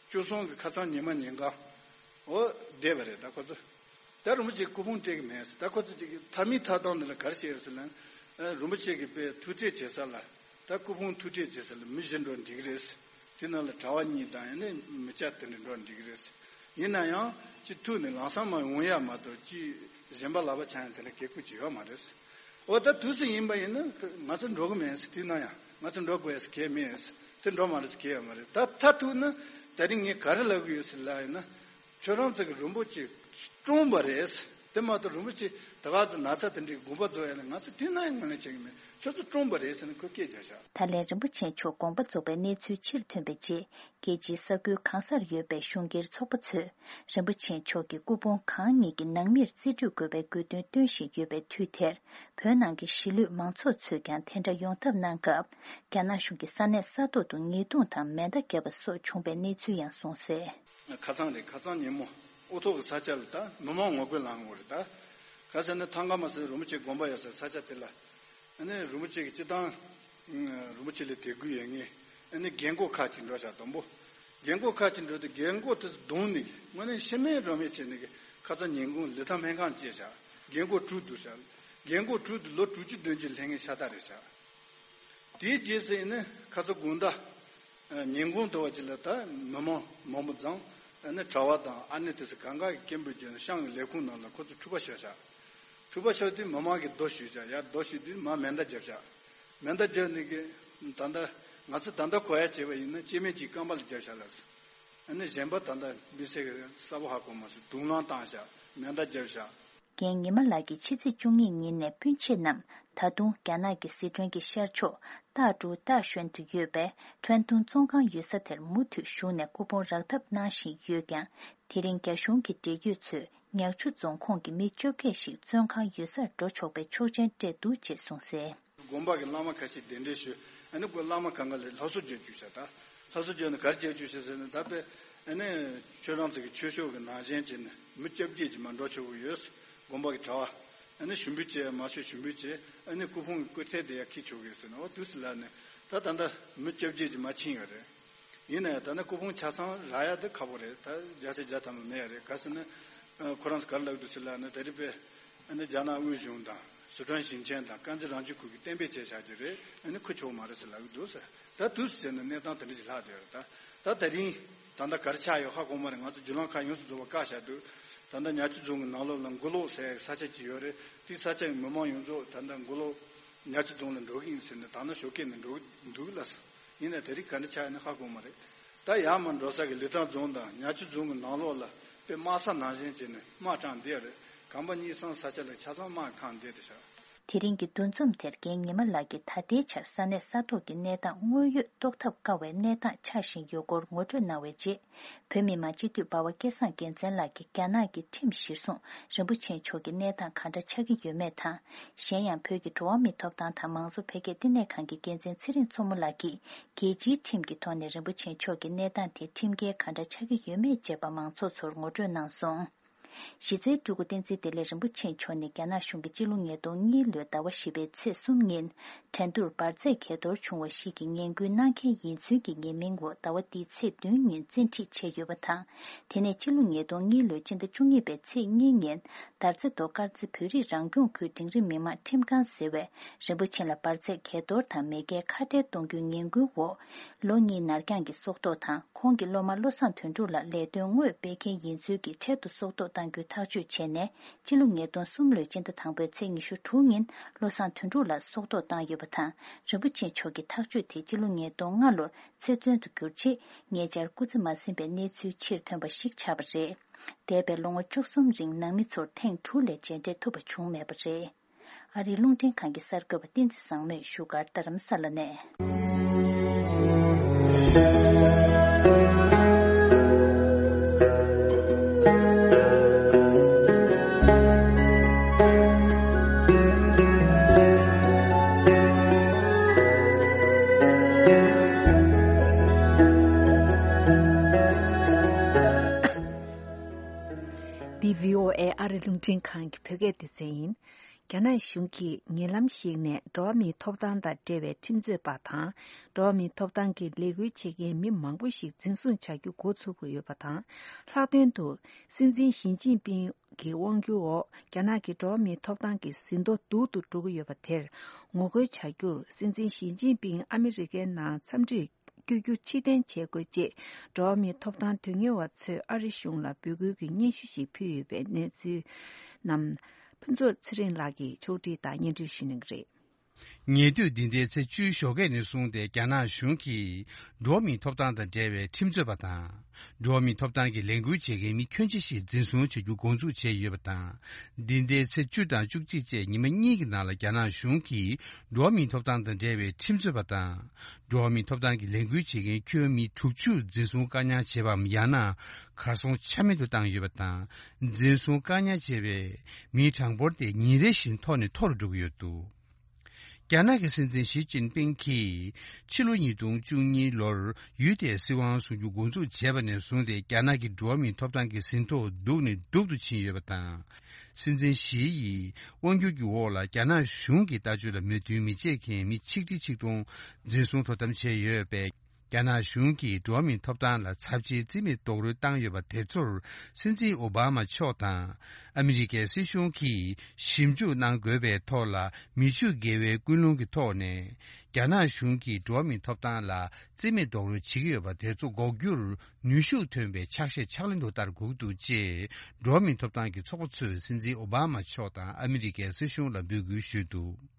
བཅུ་གསུམ་གྱི་ཁ་སང་ཉི་མ་ཉིན་གང་། འོ་བསྡད་པ་རེད་ད་ཁོ་ཚོ། ད་རིན་པོ་ཆེ་སྐུ་ཕུང་སྤྲད་གི་མེད་ཟེར། ད་ཁོ་ཚོ་ཅིག་མཐའ་མའི་མཐའ་སྟངས་འདི་ལ་ག་རེ་བཤད་ཡོད་ཟེར་ན། ཨ། རིན་པོ་ཆེ་གི་དཔེ་ཐུག་འཕྲད་བྱེད་ས་ལ། ད་སྐུ་ཕུང་ཐུག་འཕྲད་བྱེད་ས་ལ་མི་བཞི་འགྲོ་འགྲིག་གི་རེད་ཟེར། དེ་ནང་ལ་གྲྭ་བ་གཉིས་དང་ཡང་ན་མི་སྐྱ་དེ་འདྲ་འགྲོ་འགྲིག་གི་རེད་ཟེར། ཡིན་ན་ཡང་ཅིག་ཐུག་ནས་ལམ་སང་མར་ཡོང་ཡ་མ་གཏོགས་ཅིག་གཞན་པ་ལག་པ་འཆང་ཡ་དེ་འདྲ་གེ་ཁུལ་ཅིག་ཡོད་མ་རེད་ཟེར། འོ། ད་དུས་སུ་ཡིན་པ་ཡིན་ན་ང་ཚོ་འགྲོ་གི་མེད་ཟེར། དེ་ན་ཡང་ང་ཚོ་འགྲོ་དགོས་ཟེར་གལ་མེད་ཟེར། དེ་འགྲོ་མ་རེད་ཟེར་གལ་ཡོད་མ་རེད། ད་མཐའ་ཐུག་ན་ད་རིང་ངས་ག་རེ་ལབ་གི་ཡོད་ཟེར་ལབ་ཡིན་ན། ཁྱོད་རང་ཚོ་གི་རིན་པོ་ཆེ་བཀྲོངས་པ་རེད་ཟེར། དེ་མ་གཏོགས་རིན་པོ་ཆེ་ད་ག་ཚོད་ན་ཚ་དེ་འདྲའི་དགོངས་པ་རྫོགས་ཡ་ལ་ང་ཚོ་དེ་ན་ཡང་ངོས་ལེན་བྱེད་གི་མེད། ཁྱོད་ཚོ་བཀྲོངས་པ་རེད་ཟེར་ནས་ཁོས་སྐད་རྒྱག་ཤག་ད་ལན་རིན་པོ་ཆེ་མཆོག་དགོངས་པ་རྫོགས་པའི་གནས་ཚུལ་ཕྱིར་ཐོན་པའི་རྗེས། རྒྱལ་སྤྱིའི་ས་ཁུལ་གང་སར་ཡོད་པའི་གཞུང་སྒེར་ཚོགས་པ་ཚོས་རིན་པོ་ཆེ་མཆོག་གི་སྐུ་ཕུང་གང་ཉིད་ཀྱི་ནང་མིར་རྩིས་སྤྲོད་དགོས་པའི་དགོས་འདུན་བཏོན་བཞིན་ཡོད་པའི་དུས་དེར། བོད་ནང་གི་གཞིས་ལུས་མང་ཚོགས་ཚོས་ཀྱང་དེ་འདྲ་ཡོང་ཐབས་གནང་སྐབས། རྒྱ་ནག་གཞུང་གིས་ས་གནས་ས་ཐོག་ཏུ་ཉེས་རྡུང་དང་མེ་མདའ་བརྒྱབ་པ་སོགས་བྱུང་པའི་གནས་ཚུལ་ཡང་གསུངས་གསལ། ཁ་སང་རེད། ཁ་སང་ཉིན་མོ་ཨོ་ཐོག་གི་ས་ཆ་ལ་ད་མི་མང་ངོ་རྒོལ་ལངས་ཡོད་རེད། ད་ག་ཟེར་ན་ཐང་ག་མ་ཟེར་རིན་པོ་ཆེ་དགོན་པ་ཡོད་ས་ས་ཆ་དེ་ལ། ཨ་ནི་རིན་པོ་ཆེ་གི་སྤྱི་བཏང་། ཨ། རིན་པོ་ཆེ་ལ་དད་གུས་ཡོད་མཁན། ཨ་ནི་རྒན་གོག་ཁག་ཅིག་འགྲོ་ཤག་དང་པོ། རྒན་གོག་ཁག་ཅིག་འགྲོ་དུས་རྒན་གོག་དེ་ཚོ་རྡུང་ནས་དངོས་གནས་ཤི་མེད་རོ་མེད་བྱས་ནས་ཁ་སང་ཉིན་གུང་ལི་ཐང་སྨན་ཁང་བཅད་ཤག་རྒན་གོག་དྲུག་འདུག་ཤག་རྒན་གོག་དྲུག་དེ་ལོ་དྲུག་ཅུ་བདུན་ཅུ་སླེབས་མཁན་ཤ་སྟག་རེད་ཤག་དེའི་རྗེས་སུ་ཡིན་ན་ཁ་སང་དགོང་དག་ཨ། ཉིན་གུང་དུ་བ་ཅིག་ལ་ད་མི་མང་མང་པོ་འཛོམས། ཨ་ནི་གྲྭ་བ་དང་ཨ་ནེ་དེ་ཚོ་གང་ག་གི་སྐད་འབོད་བརྒྱབ་ནས་ཤང་གི་ལས་ཁུངས་ནང་ལ་ཁོ་ཚོ་འཁྲུག་པ་ཤོར་ཤག་འཁྲུག་པ་ཤོར་དུས་མི་མང་གིས་རྡོ་གཞུས་ཤག་ཡར་རྡོ་གཞུས་དུས་མར་མེ་མདའ་བརྒྱབ་ཤག་མེ་མདའ་བརྒྱབ་ནས་གི་ད་ལྟ་ང་ཚོ་ད་ལྟ་གོ་ཡ་བྱས་པ་ཡིན་ན་སྐྱེ་དམན་གྱིས་རྐང་པ་ལ་བརྒྱབ་ཤག་ལབ་སོང་། ཨ་ནི་གཞན་པ་ད་ལྟ་མི་སེར་གྱིས་གསལ་པོ་ཧ་གོ་མ་སོང་། དུག་རླངས་བཏང་ཤག་མེ་མདའ་བརྒྱབ་ཤག་རྒན་ཉི་མ་ལགས་ཀྱིས་ཕྱི་ཚེས་བཅུ་གཉིས་ཉིན་ནས་སྤུན་མཆེད་རྣམས་ད་དུང་རྒྱ་ནག་གི་སི་ཁྲོན་གྱི་ཤར་ཕྱོགས་ཏཱ་ཀྲུའུ་ཏཱ་ཤོན་དུ་ཡོད་པའི་ཁྲོན་ཏུང་བཙོན་ཁང་ཡོད་ས་དེར་མུ་མཐུད་བཞུགས་ནས་སྐུ་ཕུང་རག་ཐབས་གནང་བཞིན་ཡོད་ཀྱང་། དེ་རིང་རྒྱ་གཞུང་གི་འབྲེལ་ཡོད་ཚོས་ཉག་ཆུ་རྫོང་ཁོངས་ཀྱི་མི་བཅོ་བརྒྱད་ཞིག་བཙོན་ཁང་ཡོད་སར་འགྲོ་ཆོག་པའི་ཆོག་མཆན་སྤྲད་འདུག་ཅེས་གསུངས་གསལ། དགོན་པ་གི་བླ་མ་ཁ་ཤས་གདན་འདྲེན་ཞུས། ཨ་ནི་ཁོ་བླ་མ་གང་ག་ལ་སླར་གསོ་བརྒྱབ་བཅུག་ཤག་ད་སླར་གསོ་བརྒྱབ་ནས་ག་རེ་བྱས་བཅུག་ཤག་ཟེར་ན། ད་དཔེ་ཨ་ནི་ཁྱོད་རང་ཚོ་གི་ཆོས་ཕྱོགས་ཀྱི་ནང་བཞིན་བྱས་ནས་མི་བཅོ་བརྒྱད་ཅིག་མར་འགྲོ་ཆོག་གི་ཡོད། དགོན་པ་གི་གྲྭ་བ། ཨ་ནི་ཞུ་འབུལ་བྱས། མ་ཞུ་ཞུ་འབུལ་བྱས། ཨ་ནི་སྐུ་ཕུང་གི་སྐུ་ཐལ་དེ་ཡར་འཁྱེར་ཆོག་གི་ཟེར་ནས། འོ་དུས་སུ་ལ་ནི་ད་ད་ལྟ་མི་བཅོ་བརྒྱད་ཅིག་མར་ཕྱིན་ཡོད་རེད། ཡིན་ན་ཡང་ད་ནི་སྐུ་ཕུང་ཆ་ཚང་རག་ཡ་དེ་ཁག་པོ་རེད། ད་བརྒྱ་ཆ་བརྒྱ་ཐམ་པ་མེད་ཡ་རེད། ག་ཟེར་ན། ཨ། ཁོ་རང་ཚོ་ག་རེ་ལབ་ཀྱི་འདུག་ཟེར་ལབ་ན། ད་རེས་དཔེ་ཨ་ནི་རྒྱ་ནག་དབུས་གཞུང་དང་སི་ཁྲོན་ཞིང་ཆེན་དང་དཀར་མཛེས་རང་སྐྱོང་ཁུལ་གྱིས་གཏན་འབེབས་བྱས་བཞག་རྒྱུ་རེད། ཨ་ནི་འཁུར་ཆོག་མ་རེད་ཟེར་ལབ་ཀྱི་འདུག་ཟེར། ད་དུས་སུ་བྱས་ན་གནས་སྟངས་དེ་འདྲ་ཞིག་ལྷག་བསྡད་ཡོད་རེད། ད་ད་ད་རིང་ད་ལྟ་ག་རེ་ཆགས་ཡོད་ཧ་གོ་མ་རེད། ང་ཚོ་བརྒྱུད་ལམ་ཁག་ཡོངས་སུ་རྫོགས་པ་བཀག་བཞག་འདུག་ད་ལྟ་ཉག་ཆུ་རྫོང་གི་ནང་ལོགས་ལ་མགོ་ལོག་ཟེར་ཡག་ས་ཆ་ཅིག་ཡོད་རེད། དེའི་ས་ཆ་གི་མི་མང་ཡོངས་རྫོགས་ད་ལྟ་མགོ་ལོག་ཉག་ཆུ་རྫོང་ལ་འགྲོ་གི་ཡིན་ཟེར་ནས་དག་སྣང་ཞོགས་ཀས་ནས་འགྲོ་གི་འདུག་ལབ་སོང་། ཡིན་ནའི་ད་རེས་ག་འདྲ་ཆགས་ཡོད་ན་ཧ་གོ་མ་རེད། ད་ཡར་མར་འགྲོ་ས་གི་ལི་ཐང་རྫོང་དང་ཉག་ཆུ་རྫོང་གི་ནང་ལོགས་ལ་དཔེ་དམག་ས་ནང་བཞིན་བྱས་ནས་དམག་དྲངས་བསྡད་ཡོད་རེད། གམ་པ་གཉིས་གསུམ་ས་ཆ་ལ་ཆ་ཚང་དམག་གིས་ཁེངས་བསྡད་བསྡད་ཤག་དེ་རིང་གི་འདུ་འཛོམས་དེར་རྒན་ཉི་མ་ལགས་ཀྱིས་ད་ལྟའི་ཆར་ས་གནས་ས་ཐོག་གི་གནས་སྟངས་དངོས་ཡོད་རྟོགས་ཐབས་དཀའ་བའི་གནས་སྟངས་ཆགས་བཞིན་ཡོད་སྐོར་ངོ་སྤྲོད་གནང་བའི་རྗེས། བོད་མི་མང་སྤྱི་འཐུས་འབའ་བ་སྐལ་བཟང་རྒྱལ་མཚན་ལགས་ཀྱིས་རྒྱ་ནག་གི་ཁྲིམས་གཞིར་བཟུང་རིན་པོ་ཆེ་མཆོག་གི་གནས་སྟངས་ག་འདྲ་ཆགས་ཀྱི་ཡོད་མེད་དང་། གཞན་ཡང་བོད་ཀྱི་འགྲོ་བ་མིའི་ཐོབ་ཐང་དང་མང་གཙོ་འཕེལ་རྒྱས་བསྟི་གནས་ཁང་གི་འགན་འཛིན་ཚེ་རིང་མཚོ་མོ་ལགས་ཀྱིས་རྒྱལ་སྤྱིའི་ཁྲིམས་ཀྱི་ཐོག་ནས་རིན་པོ་ཆེ་མཆོག་གི་གནས་སྟངས་དེ་ཁྲིམས་འགལ་ག་འདྲ་ཆགས་ཀྱི་ཡོད་མེད་བཅས་པ་མང་ཚོགས་ཚོར་ངོ་སྤྲོད་གནང་སོང་། གཞི་རྩའི་སྤྲུལ་སྐུ་བསྟན་འཛིན་བདེ་ལེགས་རིན་པོ་ཆེ་མཆོག་ནི་རྒྱ་ནག་གཞུང་གིས་སྤྱི་ལོ་ཉིས་སྟོང་གཉིས་ལོའི་ཟླ་བ་བཞི་པའི་ཚེས་གསུམ་ཉིན། འགྲན་བསྡུར་འབར་རྫས་གས་གཏོར་བྱུང་བ་ཞིག་གི་ངན་སྐུལ་གནང་མཁན་ཡིན་ཚུལ་གྱི་ཉེས་མིང་འོག་ཟླ་བ་འདིའི་ཚེས་བདུན་ཉིན་བཙན་ཁྲིད་བྱས་ཡོད་པ་དང་། དེ་ནས་ཕྱི་ལོ་ཉིས་སྟོང་གཉིས་ལོའི་སྤྱི་ཟླ་བཅུ་གཉིས་པའི་ཚེས་གཉིས་ཉིན། དར་རྩེ་མདོ་དཀར་རྩེ་བོད་རིགས་རང་སྐྱོང་ཁུལ་འབྲིང་རིམ་མི་དམངས་ཁྲིམས་ཁང་ཟེར་བས། རིན་པོ་ཆེ་ལ་འབར་རྫས་གས་གཏོར་དང་མེས་རྒྱལ་ཁ་བྲལ་གཏོང་རྒྱུའི་ངན་སྐུལ་འོག་ལོ་གཉིས་ནར་འགྱངས་ཀྱི་སྲོག་ཐོག་དང་། ཁོང་གི་སློབ་མ་བློ་བཟང་དོན་གྲུབ་ལ་ལས་དོན་དངོས་སྤེལ་མཁན་ཡིན་ཚུལ་གྱི་འཕྲལ་དུ་སྲོག་ཐོག་གཏང་རྒྱུའི་ཐག་གཅོད་བྱས་ནས། སྤྱི་ལོ་ཉིས་སྟོང་གསུམ་ལོའི་སྤྱི་ཟླ་དང་པོའི་ཚེས་ཉི་ཤུ་དྲུག་ཉིན་བློ་བཟང་དོན་གྲུབ་ལ་སྲོག་ཐོག་བཏང་ཡོད་པ་དང་། རིན་པོ་ཆེ་མཆོག་གི་ཐག་གཅོད་དེ་སྤྱི་ལོ་ཉིས་སྟོང་ལྔ་ལོར་ཚེ་བཙོན་དུ་གྱུར་རྗེས། ཉེ་ཆར་སྐུ་ཚེ་མ་ཟིན་པའི་གནས་ཚུལ་ཕྱིར་ཐོན་པ་ཞིག་ཆགས་པ་རེད། འདས་པའི་ལོ་ངོ་བཅུ་གསུམ་རིང་ནང་མི་ཚོར་ཐེངས་དྲུག་ལས་མཇལ་འཕྲད་ཐུབ་པ་བྱུང་མེད་པ་རེད། ཨ་རིའི་རླུང་འཕྲིན་ཁང་གི་གསར་འགོད་པ་བསྟན་འཛིན་བཟང་མོས་བཞུགས་སྒར་རྡ་རམ་ས་ལ་ནས། འདི་བྷི་ཨོ་ཨེ་ཨ་རི་རླུང་འཕྲིན་ཁང་གི་བོད་སྐད་སྡེ་ཚན་ཡིན། རྒྱ་ནག་གཞུང་གིས་ཉེ་ལམ་ཞིག་ནས་འགྲོ་བ་མིའི་ཐོབ་ཐང་དང་འབྲེལ་བའི་ཁྲིམས་རྩོད་པ་དང་། འགྲོ་བ་མིའི་ཐོབ་ཐང་གི་ལས་འགུལ་བྱེད་མཁན་མི་མང་པོ་ཞིག་འཛིན་བཟུང་བྱ་རྒྱུ་འགོ་ཚུགས་ཀྱི་ཡོད་པ་དང་། ལྷག་དོན་དུ། སྲིད་འཛིན་ཞི་ཅིན་ཕིང་ གི་དབང་སྒྱུར་འོག་རྒྱ་ནག་གི་འགྲོ་བ་མིའི་ཐོབ་ཐང་གི་ཟིན་ཐོ་སྡུག་ཏུ་འགྲོ་གི་ཡོད་པ་དེར་ངོ་རྒོལ་བྱ་རྒྱུར། སྲིད་འཛིན་ཞི་ཅིན་ཕིང་ཨ་མི་རི་ཀའི་ནང་འཚམས་འདྲིར་བསྐྱོད་རྒྱུ་ཕྱིར་འཐེན་བྱེད་དགོས་ཅེས། འགྲོ་བ་མིའི་ཐོབ་ཐང་དོན་གཉེར་བ་ཚོས་ཨ་རི་གཞུང་ལ་འབོད་སྐུལ་གྱི་སྙན་ཞུ་ཞིག་ཕུལ་ཡོད་པའི་གནས་ཚུལ་རྣམས། ཕུན་ཚོགས་ཚེ་རིང་ལགས་ཀྱིས་ཕྱོགས་སྒྲིག་དང་སྙན་སྒྲོན་ཞུ་གནང་གི་རེད། ཉེ་དུས་འདི་ཟླའི་ཚེས་བཅུའི་ཞོགས་ཀས་ནས་བཟུང་སྟེ། རྒྱ་ནག་གཞུང་གིས་འགྲོ་བ་མིའི་ཐོབ་ཐང་དང་འབྲེལ་བའི་ཁྲིམས་རྩོད་པ་དང་། འགྲོ་བ་མིའི་ཐོབ་ཐང་གི་ལས་འགུལ་བྱེད་མཁན་མི་ཁྱོན་ཆེ་ཞིག་འཛིན་བཟུང་བྱ་རྒྱུ་འགོ་འཛུགས་བྱས་ཡོད་པ་དང་། འདི་ཟླའི་ཚེས་བཅུ་དང་བཅུ་གཅིག་བཅས་ཉི་མ་གཉིས་ཀྱི་ནང་ལ། རྒྱ་ནག་གཞུང་གིས་འགྲོ་བ་མིའི་ཐོབ་ཐང་དང་འབྲེལ་བའི་ཁྲིམས་རྩོད་པ་དང་། འགྲོ་བ་མིའི་ཐོབ་ཐང་གི་ལས་འགུལ་བྱེད་མཁན་ཁྱོན་མི་དྲུག་ཅུ་འཛིན་བཟུང་བཀག་ཉར་བྱས་པའམ། ཡང་ན་གར་སོང་ཆ་མེད་དུ་བཏང་ཡོད་པ་དང་། འཛིན་བཟུང་བཀག་ཉར་བྱས་པའི་མིའི་གྲངས་འབོར་དེ་ཉིན་རེ་བཞིན་མཐོ་ནས་མཐོ་རུ་འགྲོ་གི་ཡོད་འདུག། རྒྱ་ནག་གི་སྲིད་འཛིན་ཞི་ཅིན་ཕིང་གིས་ཕྱི་ལོ་ཉིས་སྟོང་བཅུ་གཉིས་ལོར་ཡུལ་དེའི་སྲིད་དབང་བཟུང་རྒྱུ་འགོ་འཛུགས་བྱས་པ་ནས་བཟུང་སྟེ། རྒྱ་ནག་གི་འགྲོ་བ་མིའི་ཐོབ་ཐང་གི་ཟིན་ཐོ་སྡུག་ནས་སྡུག་ཏུ་ཕྱིན་ཡོད་པ་དང་། སྲིད་འཛིན་ཞི་ཡི་དབང་སྒྱུར་གྱི་འོག་ལ། རྒྱ་ནག་གཞུང་གི་ལྟ་སྤྱོད་ལ་མོས་མཐུན་མི་བྱེད་མཁན་མི་ཆིག་ཁྲི་ཆིག་སྟོང་འཛིན་བཟུང་དོ་དམ་བྱས་ཡོད་པས། རྒྱ་ནག་གཞུང་གིས་འགྲོ་བ་མིའི་ཐོབ་ཐང་ལ་ཚབས་ཆེའི་རྩིས་མེད་རྡོག་རོལ་བཏང་ཡོད་པ་དེ་ཚོར། སྲིད་འཛིན་ཨོ་བྷ་མ་མཆོག་དང་ཨ་མི་རི་ཀའི་སྲིད་གཞུང་གིས་ཞིབ་འཇུག་གནང་དགོས་པའི་ཐོག་ལ། མི་ཆོས་དགེ་བའི་ཀུན་སློང་གི་ཐོག་ནས། རྒྱ་ནག་གཞུང་གིས་འགྲོ་བ་མིའི་ཐོབ་ཐང་ལ་རྩིས་མེད་རྡོག་རོལ་བྱེད་ཀྱི་ཡོད་པ་དེ་ཚོ་འགོག་རྒྱུར་ནུས་ཤུགས་ཐོན་པའི་ཕྱག་བཞེས་ཕྱག་ལེན་དུ་བསྟར་དགོས་འདུག་ཅེས། འགྲོ་བ་མིའི་ཐོབ་ཐང་གི་ཚོགས་པ་ཚོས་སྲིད་འཛིན་ཨོ་བྷ་མ་མཆོག་དང་ཨ་མི་རི་ཀའི་སྲིད་གཞུང་ལ་འབོད་སྐུལ་ཞུས་འདུག།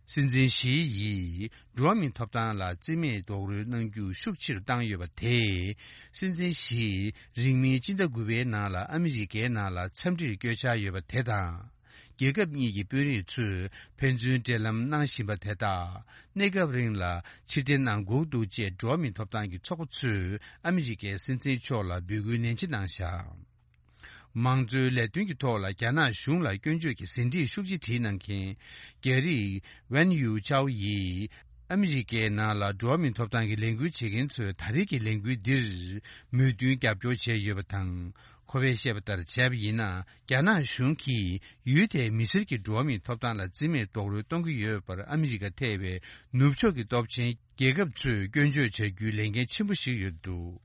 སྲིད་འཛིན་ཞི་ཡིས་འགྲོ་བ་མིའི་ཐོབ་ཐང་ལ་རྩིས་མེད་རྡོག་རོལ་གནང་རྒྱུ་ཤུགས་ཆེ་རུ་བཏང་ཡོད་པ་དེས། སྲིད་འཛིན་ཞི་རིང་མིན་སྤྱི་ཟླ་དགུ་པའི་ནང་ལ་ཨ་མི་རི་ཀའི་ནང་ལ་འཚམས་འདྲིར་བསྐྱོད་འཆར་ཡོད་པ་དེ་དང་། རྒྱལ་ཁབ་གཉིས་ཀྱི་དཔོན་རིགས་ཚོས་ཕན་ཚུན་འབྲེལ་ལམ་གནང་བཞིན་པ་དེ་དག་གནས་སྐབས་རིང་ལ་ཕྱིར་འཐེན་གནང་དགོས་འདུག་ཅེས། འགྲོ་བ་མིའི་ཐོབ་ཐང་གི་ཚོགས་པ་ཚོས་ཨ་མི་རི་ཀའི་སྲིད་འཛིན་མཆོག་ལ་འབོད་སྐུལ་ནན་ཆེ་གནང་བཞག། མང་གཙོའི་ལས་དོན་གྱི་ཐོག་ལ་རྒྱ་ནག་གཞུང་ལ་སྐྱོན་བརྗོད་ཀྱི་ཟིན་བྲིས་ཤུགས་ཆེ་བྲིས་གནང་མཁན། རྒྱ་རིགས་ཝན་ཡུའུ་ཅའོ་ཡིས་ཨ་མི་རི་ཀའི་ནང་ལ་འགྲོ་བ་མིའི་ཐོབ་ཐང་གི་ལས་འགུལ་བྱེད་མཁན་ཚོས་ད་རེས་ཀྱི་ལས་འགུལ་འདིར་མོས་མཐུན་རྒྱབ་སྐྱོར་བྱས་ཡོད་པ་དང་། ཁོ་པས་བཤད་པ་ལྟར་བྱས་པ་ཡིན་ན། རྒྱ་ནག་གཞུང་གིས་ཡུལ་དེའི་མི་སེར་གྱི་འགྲོ་བ་མིའི་ཐོབ་ཐང་ལ་རྩིས་མེད་རྡོག་རོལ་གཏོང་གི་ཡོད་པར། ཨ་མི་རི་ཀ་ཐེ་བའི་ནུབ་ཕྱོགས་ཀྱི་སྟོབས་ཆེན་རྒྱལ་ཁབ་ཚོས་སྐྱོན་བརྗོད་བྱ་རྒྱུའི་ལས་འགན་ཆེན་པོ་ཞིག་ཡོད་འདུག།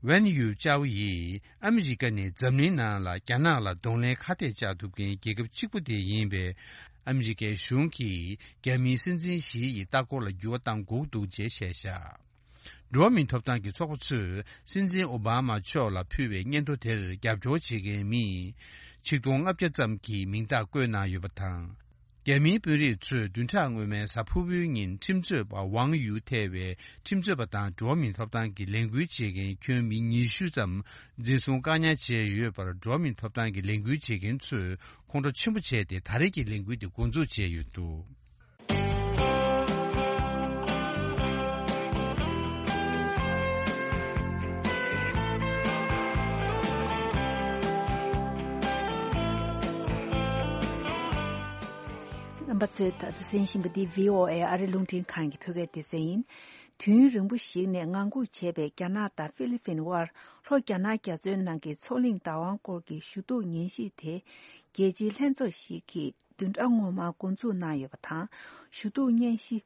ཝན་ཡུའུ་ཅའོ་ཡིས་ཨ་མི་རི་ཀ་ནས་འཛམ་གླིང་ནང་ལ་རྒྱ་ནག་ལ་གདོང་ལེན་ཁ་གཏད་བཅག་ཐུབ་མཁན་རྒྱལ་ཁབ་གཅིག་པུ་དེ་ཡིན་པས། ཨ་མི་རི་ཀའི་གཞུང་གིས་རྒྱ་མིའི་སྲིད་འཛིན་ཞི་ཡི་ལྟ་སྐོར་ལ་འགྱུར་བ་གཏང་དགོས་འདུག་ཅེས་བཤད་བཞག། འགྲོ་བ་མིའི་ཐོབ་ཐང་གི་ཚོགས་པ་ཚོས་སྲིད་འཛིན་ཨོ་བྷ་མ་མཆོག་ལ་ཕུལ་བའི་སྙན་ཐོ་དེར་རྒྱབ་སྐྱོར་བྱེད་མཁན་མི་ཆིག་སྟོང་ལྔ་བརྒྱ་ཙམ་གྱི་མིང་རྟགས་བཀོད་གནང་ཡོད་པ་དང་། རྒྱ་མིའི་དཔོན་རིགས་ཚོས་བདུན་ཕྲག་སྔོན་མའི་གཟའ་ཕུར་བུའི་ཉིན་ཁྲིམས་རྩོད་པ་ཝང་ཡུའུ་ཐེ་བའི་ཁྲིམས་རྩོད་པ་དང་འགྲོ་བ་མིའི་ཐོབ་ཐང་གི་ལས་འགུལ་བྱེད་མཁན་ཁྱོན་མི་ཉི་ཤུ་ཙམ་འཛིན་བཟུང་བཀག་ཉར་བྱས་ཡོད་པར། འགྲོ་བ་མིའི་ཐོབ་ཐང་གི་ལས་འགུལ་བྱེད་མཁན་ཚོས་ཁོང་ཁྲོ་ཆེན་པོ་བྱས་ཏེ། ད་རེས་ཀྱི་ལས་འགུལ་དེ་འགོ་འཛུགས་བྱས་ཡོད་འདུག། རྣམ་པ་ཚོས་ད་ལྟ་གསན་བཞིན་པ་འདི་བྷི་ཨོ་ཨེ་ཨ་རི་རླུང་འཕྲིན་ཁང་གི་བོད་སྐད་སྡེ་ཚན་ཡིན། དུས་ཡུན་རིང་པོ་ཞིག་ནས་ངང་སྒུག་བྱས་པའི་རྒྱ་ནག་དང་ཧྥི་ལི་ཕིན་དབར་ལྷོ་རྒྱ་ནག་རྒྱ་མཚོའི་ནང་གི་མཚོ་གླིང་བདག་དབང་སྐོར་གྱི་ཞུ་གཏུག་ཉན་ཞིབ་དེ། རྒྱལ་སྤྱིའི་ལྷན་ཚོགས་ཤིག་གིས་བདུན་ཕྲག་སྔོན་མར་འགོ་འཛུགས་གནང་ཡོད་པ་དང་། ཞུ་གཏུག་ཉན་ཞིབ།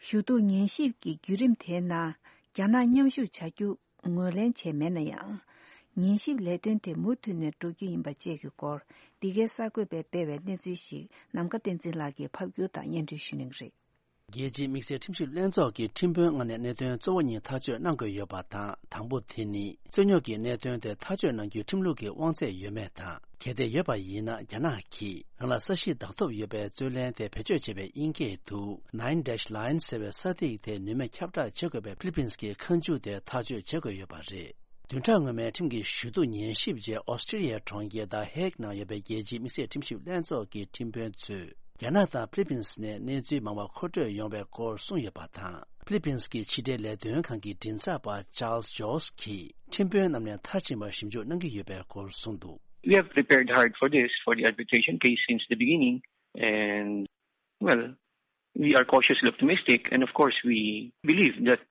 ཞུ་གཏུག་ཉན་ཞིབ་ཀྱི་བརྒྱུད་རིམ་དེའི་ནང་རྒྱ་ནག་མཉམ་ཞུགས་བྱ་རྒྱུ་ངོས་ལེན་བྱས་མེད་ན་ཡང་། ཉན་ཞིབ་ལས་དོན་དེ་མུ་མཐུད་ནས་འགྲོ་རྒྱུ་ཡིན་པ་བཅས་ཀྱི་སྐོར། འདི་གའི་གསར་འགོད་པས་སྤེལ་བའི་གནས་ཚུལ་ཞིག་ནམ་མཁའ་བསྟན་འཛིན་ལགས་ཀྱིས་ཕབ་སྒྱུར་དང་སྙན་སྒྲོན་ཞུ་གནང་གི་རེད། རྒྱལ་སྤྱིའི་དམིགས་བསལ་ཁྲིམས་ཞིབ་ལྷན་ཚོགས་ཀྱིས་ཁྲིམས་དཔོན་ལྔ་ནས་གནད་དོན་གཙོ་བོ་གཉིས་ཐག་གཅོད་གནང་དགོས་ཡོད་པ་དང་། དང་པོ་དེ་ནི། རྩོད་རྙོག་གི་གནད་དོན་དེ་ཐག་གཅོད་གནང་རྒྱུའི་ཁྲིམས་ལུགས་ཀྱི་དབང་ཚད་ཡོད་མེད་དང་། གལ་ཏེ་ཡོད་པ་ཡིན་ན། རྒྱ་ནག་གིས་རང་ལ་ས་གཞི་བདག་ཐོབ་ཡོད་པའི་རྩོད་ལེན་དེ་བེད་སྤྱོད་བྱེད་པའི་དབྱིན་སྐད་དུ། Nine Dash Line ཟེར་བའི་ས་ཐིག་དེ་ནུས་མེད་ཁྱབ་བསྒྲགས་བྱེད་དགོས་པའི་ཧྥི་ལི་ཕིན་གྱི་ཁ་མཆུ་དེ་ཐག་གཅོད་བྱེད་དགོས་ཡོད་པ་རེད། བདུན་ཕྲག་སྔོན་མའི་ཁྲིམས་ཀྱི་ཞུ་གཏུག་ཉན་ཞིབ་རྗེས་ཨོ་སི་ཀྲི་ལི་ཡའི་གྲོང་ཁྱེར་The Hague ནང་ཡོད་པའི་རྒྱལ་སྤྱིའི་དམིགས་བསལ་ཁྲིམས་ཞིབ་ལྷན་ཚོགས་ཀྱི་ཁྲིམས་དཔོན་ཚོས། རྒྱ་ནག་དང་ཧྥི་ལི་ཕིན་ནས་གནས་ཚུལ་མང་བ་མཁོ་སྤྲོད་ཡོང་བའི་སྐོར་གསུངས་ཡོད་པ་དང་། ཧྥི་ལི་ཕིན་གྱི་ཕྱི་འབྲེལ་ལས་དོན་ཁང་གི་མགྲིན་ཚབ་པ་Charles Jost གྱིས་ཁྲིམས་དཔོན་རྣམས་ནས་མཐར་ཕྱིན་པར་ཞིབ་འཇུག་གནང་གི་ཡོད་པའི་སྐོར་གསུངས་འདུག། We have prepared hard for this, for the arbitration case since the beginning, and, well, we are cautiously optimistic, and of course, we believe that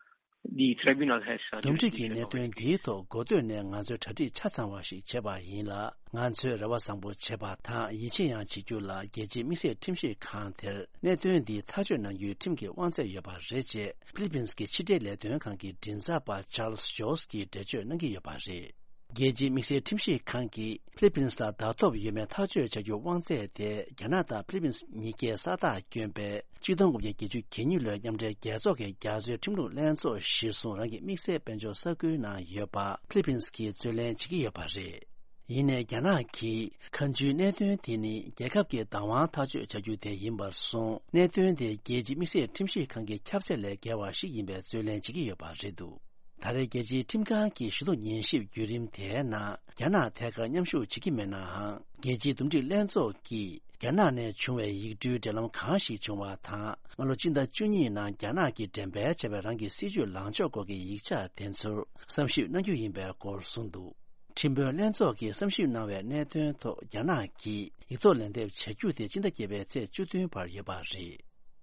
the tribunal has, uh, འདུམ་འགྲིག་གི་གནད་དོན་འདིའི་ཐོག་འགོ་སྟོད་ནས་ང་ཚོས་གྲ་སྒྲིག་ཆ་ཚང་བ་ཞིག་བྱས་པ་ཡིན་ལ། ང་ཚོས་རེ་བ་བཟང་པོ་བྱེད་པ་དང་། ཡིད་ཆེས་ཡང་བྱེད་རྒྱུ་ལ། རྒྱལ་སྤྱིའི་དམིགས་བསལ་ཁྲིམས་ཞིབ་ཁང་དེར་གནད་དོན་འདི་ཐག་གཅོད་གནང་རྒྱུའི་ཁྲིམས་ཀྱི་དབང་ཚད་ཡོད་པ་རེད་ཅེས་ཧྥི་ལི་ཕིན་གྱི་ཕྱི་འབྲེལ་ལས་དོན་ཁང་གི་མགྲིན་ཚབ་པ་Charles Jost གྱིས་འགྲེལ་བརྗོད་གནང་གི་ཡོད་པ་རེད། རྒྱལ་སྤྱིའི་དམིགས་བསལ་ཁྲིམས་ཞིབ་ཁང་གིས་ཕི་ལི་པིན་ལ་བརྡ་ཐོ་ཡོད་མེད་ཐག་གཅོད་བྱ་རྒྱུའི་དབང་ཚད་དེ་རྒྱ་ནག་དང་ཕི་ལི་པིན་གཉིས་ཀས་ས་རྟགས་བསྐྱོན་པའི་ཆིག་སྟོང་དགུ་བརྒྱ་བརྒྱད་ཅུ་གྱ་གཉིས་ལོའི་མཉམ་འབྲེལ་རྒྱལ་ཚོགས་ཀྱི་རྒྱ་མཚོའི་ཁྲིམས་ལུགས་ལྷན་ཚོགས་གཞིར་བཟུང་རང་གི་དམིགས་བསལ་དཔལ་འབྱོར་ས་ཁུལ་ནང་ཡོད་པ་ཕི་ལི་པིན་གྱིས་རྩོད་ལེན་བྱེད་ཀྱི་ཡོད་པ་རེད། ཡིན་ནའི་རྒྱ་ནག་གིས་ཁ་མཆུའི་གནད་དོན་དེ་ནི་རྒྱལ་ཁབ་ཀྱི་བདག་དབང་ཐག་གཅོད་བྱ་རྒྱུ་དེ་ཡིན་པར་སོང་། གནད་དོན་དེ་རྒྱལ་སྤྱིའི་དམིགས་བསལ་ཁྲིམས་ཞིབ་ཁང་གི་ཁྱབ་ཚད་ལས་བརྒལ་བ་ཞིག་ཡིན་པའི་རྩོད་ལེན་བྱེད་ཀྱི་ཡོད་པ་རེད་འདུག་ད་རེས་རྒྱལ་སྤྱིའི་ཁྲིམས་ཁང་གི་ཞུ་གཏུག་ཉན་ཞིབ་བརྒྱུད་རིམ་དེའི་ནང་རྒྱ་ནག་ཐད་ཀར་མཉམ་ཞུགས་བྱེད་ཀྱི་མེད་ནའང་། རྒྱལ་སྤྱིའི་འདུམ་འགྲིག་ལྷན་ཚོགས་ཀྱིས་རྒྱ་ནག་ནས་བྱུང་བའི་ཡིག་འབྲེལ་འབྲེལ་ལམ་གང་ཞིག་བྱུང་བ་དང་། སྔ་ལོ་སྤྱི་ཟླ་བཅུ་གཉིས་ནང་རྒྱ་ནག་གིས་འགྲེམས་སྤེལ་བྱས་པའི་རང་གི་སྲིད་ཇུས་ལངས་ཕྱོགས་སྐོར་གྱི་ཡིག་ཆ་དེ་ཚོར་བསམ་ཞིབ་གནང་རྒྱུ་ཡིན་པའི་སྐོར་གསུངས་འདུག་ཁྲིམས་དཔོན་ལྷན་ཚོགས་ཀྱིས་བསམ་ཞིབ་གནང་བའི་གནད་དོན་ཐོག་རྒྱ་ནག་གིས་ཡིག་ཐོག་ལན་འདེབས་བྱ་རྒྱུ་དེ་སྤྱི་ཟླ་བརྒྱད་པའི་ཚེས་བཅུ་བདུན་བར་ཡོད་པ་རེད།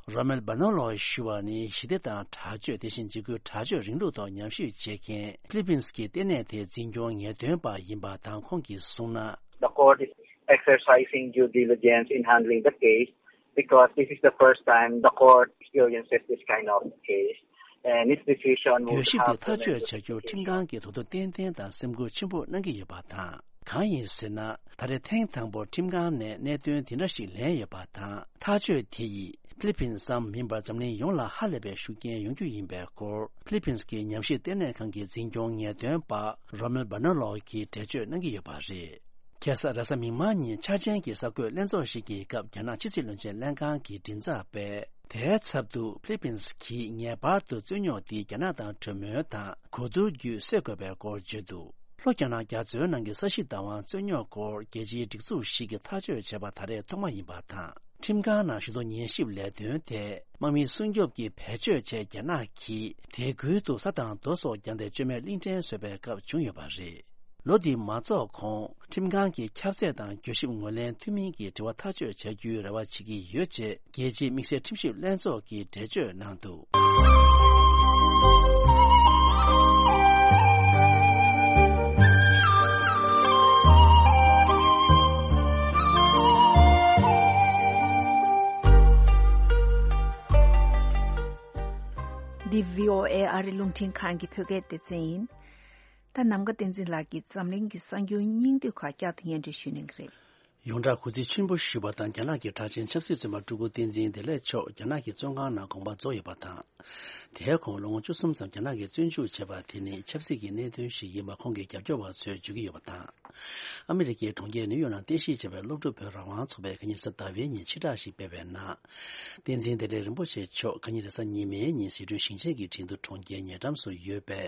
རོ་མེལ་བྷ་ནོ་ལོ་ཞུ་བ་ནི་ཞི་བདེ་དང་དྲག་སྤྱོད། དེ་བཞིན་འཇིགས་སྐུལ་དྲག་སྤྱོད་རིང་ལུགས་ཐོག་ཉམས་ཞིབ་བྱེད་མཁན་ཕི་ལི་པིན་གྱི་ལྟེ་གནས་དེའི་འཛིན་སྐྱོང་ངེས་སྟོན་པ་ཡིན་པ་དང་། ཁོང་གིས་གསུངས་ན། The court is exercising due diligence in handling the case because this is the first time the court experiences this kind of case. And its decision would གྱོད་གཞི་དེ་have to ཐག་གཅོད་བྱ་རྒྱུར་ཁྲིམས་ཁང་གིས་དོ་དོ་ཏན་ཏན་དང་སེམས་ཁུར་ཆེན་པོ་གནང་གི་ཡོད་པ་དང་། གང་ཡིན་ཟེར་ན། ད་རེས་ཐེངས་དང་པོར་ཁྲིམས་ཁང་ནས་གནད་དོན་དེ་འདྲ་ཞིག་ལེན་ཡོད་པ་དང་། ཐག་གཅོད་དེ་ཡིས་ཕི་ལི་པིན་ཙམ་མིན་པར་འཛམ་གླིང་ཡོངས་ལ་ཧ་ལས་པའི་ཤུགས་རྐྱེན་ཡོང་རྒྱུ་ཡིན་པའི་སྐོར། ཕི་ལི་པིན་གྱི་ཉམས་ཞིབ་ལྟེ་གནས་ཁང་གི་འཛིན་སྐྱོང་ངེས་སྟོན་པ་རོ་མེལ་བྷ་ནོ་ལོ་གིས་འགྲེལ་བརྗོད་གནང་གི་ཡོད་པ་རེད། ཁ་སང་རེས་གཟའ་མིག་དམར་ཉིན་འཆར་ཅན་གྱི་གསར་འགོད་ལྷན་ཚོགས་ཤིག་གི་སྐབས། རྒྱ་ནག་ཕྱི་སྲིད་བློན་ཆེན་ལྷན་ཁང་གི་མགྲིན་ཚབ་པས། དེའི་ཚབ་ཏུ་ཕི་ལི་པིན་གྱིས་ངེས་པར་དུ་རྩོད་རྙོག་འདི་རྒྱ་ནག་དང་གྲོས་མོལ་དང་གོ་བསྡུར་བརྒྱུད་སེལ་དགོས་པའི་སྐོར་བརྗོད་འདུག་ལྷོ་རྒྱ་ནག་རྒྱ་མཚོའི་ནང་གི་ས་གཞི་བདག་དབང་རྩོད་རྙོག་སྐོར་རྒྱལ་སྤྱིའི་སྒྲིག་འཛུགས་ཤིག་གིས་ཐག་གཅོད་བྱས་པ་ད་རེས་ཐོག་མ་ཡིན་པ་དང་། ཁྲིམས་ཁང་ནང་ཞུ་གཏུག་ཉན་ཞིབ་ལས་དོན་དེ་དམག་མིའི་སྲུང་སྐྱོབ་ཀྱི་བེད་སྤྱོད་ཆེད་རྒྱ་ནག་གིས་དེ་ཁུལ་དུ་ས་དང་རྡོ་སོགས་རྒྱང་བསྡད་བཅོས་མའི་གླིང་ཕྲན་བཟོས་པའི་སྐབས་བྱུང་ཡོད་པ་རེད། ལོ་འདི་མ་རྫོགས་གོང་ཁྲིམས་ཁང་གི་ཁྱབ་ཚད་དང་གྱོད་ཞིབ་ངོས་ལེན་མཐུན་མིན་གྱི་དྲི་བ་ཐག་གཅོད་བྱ་རྒྱུའི་རེ་བ་བྱེད་ཀྱི་ཡོད་ཅེས་རྒྱལ་སྤྱིའི་དམིགས་བསལ་ཁྲིམས་ཞིབ་ལྷན་ཚོགས་ཀྱིས་འགྲེལ་བརྗོད་གནང་འདུག་འདི་བྷི་ཨོ་ཨེ་ཨ་རི་རླུང་འཕྲིན་ཁང་གི་བོད་སྐད་སྡེ་ཚན་ཡིན། ད་ནམ་མཁའ་བསྟན་འཛིན་ལགས་ཀྱིས་འཛམ་གླིང་གི་གསར་འགྱུར་སྙིང་བསྡུས་ཁག་བསྐྱར་དུ་སྙན་སྒྲོན་ཞུ་གནང་གི་རེད། ཡོངས་གྲགས་གུས་བརྩི་ཆེན་པོ་ཞུས་པ་དང་། རྒྱ་ནག་གི་གྲགས་ཅན་ཆབ་སྲིད་བཙོན་པ་སྤྲུལ་སྐུ་བསྟན་འཛིན་བདེ་ལེགས་མཆོག་རྒྱ་ནག་གི་བཙོན་ཁང་ནང་དགོངས་པ་རྫོགས་ཡོད་པ་དང་། དེའི་གོང་ལོ་ངོ་བཅུ་གསུམ་ཙམ་རྒྱ་ནག་གིས་བཙོན་འཇུག་བྱས་པ་དེ་ནི་ཆབ་སྲིད་ཀྱི་གནད་དོན་ཞིག་ཡིན་པ་ཁོང་གི་རྒྱབ་སྐྱོར་བ་ཚོས་བརྗོད་ཀྱི་ཡོད་པ་དང་། ཨ་མི་རི་ཀའི་གྲོང་ཁྱེར་ནིའུ་ཡོག་ནང་རྟེན་གཞི་བྱས་པའི་སློབ་ཕྲུག་བོད་རང་དབང་ཚོགས་པས་ཁ་ཉིན་རེས་གཟའ་ཟླ་བའི་ཉིན་ཕྱིར་བསྒྲགས་ཤིག་སྤེལ་བའི་ནང་། བསྟན་འཛིན་བདེ་ལེགས་རིན་པོ་ཆེ་མཆོག་ཁ་ཉིན་རེས་གཟའ་ཉི་མའི་ཉིན་ཟི་ཁྲོན་ཞིང་ཆེན་གྱི་ཁྲིན་ཏུ་གྲོང་ཁྱེར་ཉེ་འགྲམ་སུ་ཡོད་པའི་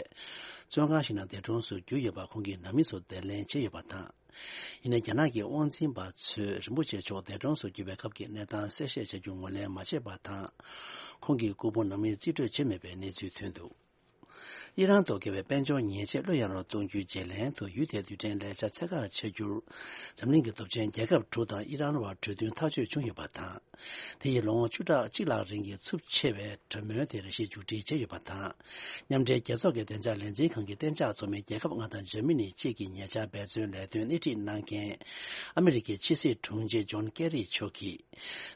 བཙོན་ཁང་ཞིག་ནང་འདས་གྲོངས་སུ་གྱུར་ཡོད་པ་ཁོང་གིས་ནང་མི་ཚོར་འདྲི་ལན་བྱས་ཡོད་པ་དང་། ཡིན་ནའི་རྒྱ་ནག་གི་དབང་འཛིན་པ་ཚོས་རིན་པོ་ཆེ་མཆོག་འདས་གྲོངས་སུ་གྱུར་པའི་སྐབས་ཀྱི་གནས་སྟངས་གསལ་བཤད་བྱ་རྒྱུ་ངོས་ལེན་མ་བྱས་པ་དང་། ཁོང་གི་སྐུ་ཕུང་ནང་མིས་རྩིས་སྤྲོད་བྱས་མེད་པའི་གནས་ཚུལ་ཐོན་འདུག་ཨི་རན་དུ་དགེ་བའི་དཔལ་འབྱོར་ཉེས་ཆད་བློ་ཡག་རུ་གཏོང་རྒྱུའི་བརྗེ་ལེན་དུ་ཡུལ་དེའི་རྡུལ་ཕྲན་ལས་འཆར་ཚད་བཀག་བྱ་རྒྱུར། འཛམ་གླིང་གི་སྟོབས་ཆེན་རྒྱལ་ཁབ་དྲུག་དང་ཨི་རན་བར་གྲོས་མཐུན་ཐག་གཅོད་བྱུང་ཡོད་པ་དང་། དེ་ཡིས་ལོ་ངོ་བཅུ་ཕྲག་གཅིག་ལྷག་རིང་གི་ཚབས་ཆེ་བའི་གྲོས་མོལ་དེ་རེ་ཞིག་མཇུག་སྒྲིལ་བྱས་ཡོད་པ་དང་། མཉམ་འབྲེལ་རྒྱལ་ཚོགས་ཀྱི་བདེ་འཇགས་ལས་འཛིན་ཁང་གི་གཏན་འཇགས་ཚོགས་མི་རྒྱལ་ཁབ་ལྔ་དང་འཇར་མ་ནི་བཅས་ཀྱི་ཉེ་ཆར་འབད་བརྩོན་ལས་དོན་སྣེ་ཁྲིད་གནང་མཁན་ཨ་མི་རི་ཀའི་ཕྱི་སྲིད་དྲུང་ཆེ་ཇོན་ཀེ་རི་མཆོག་གིས།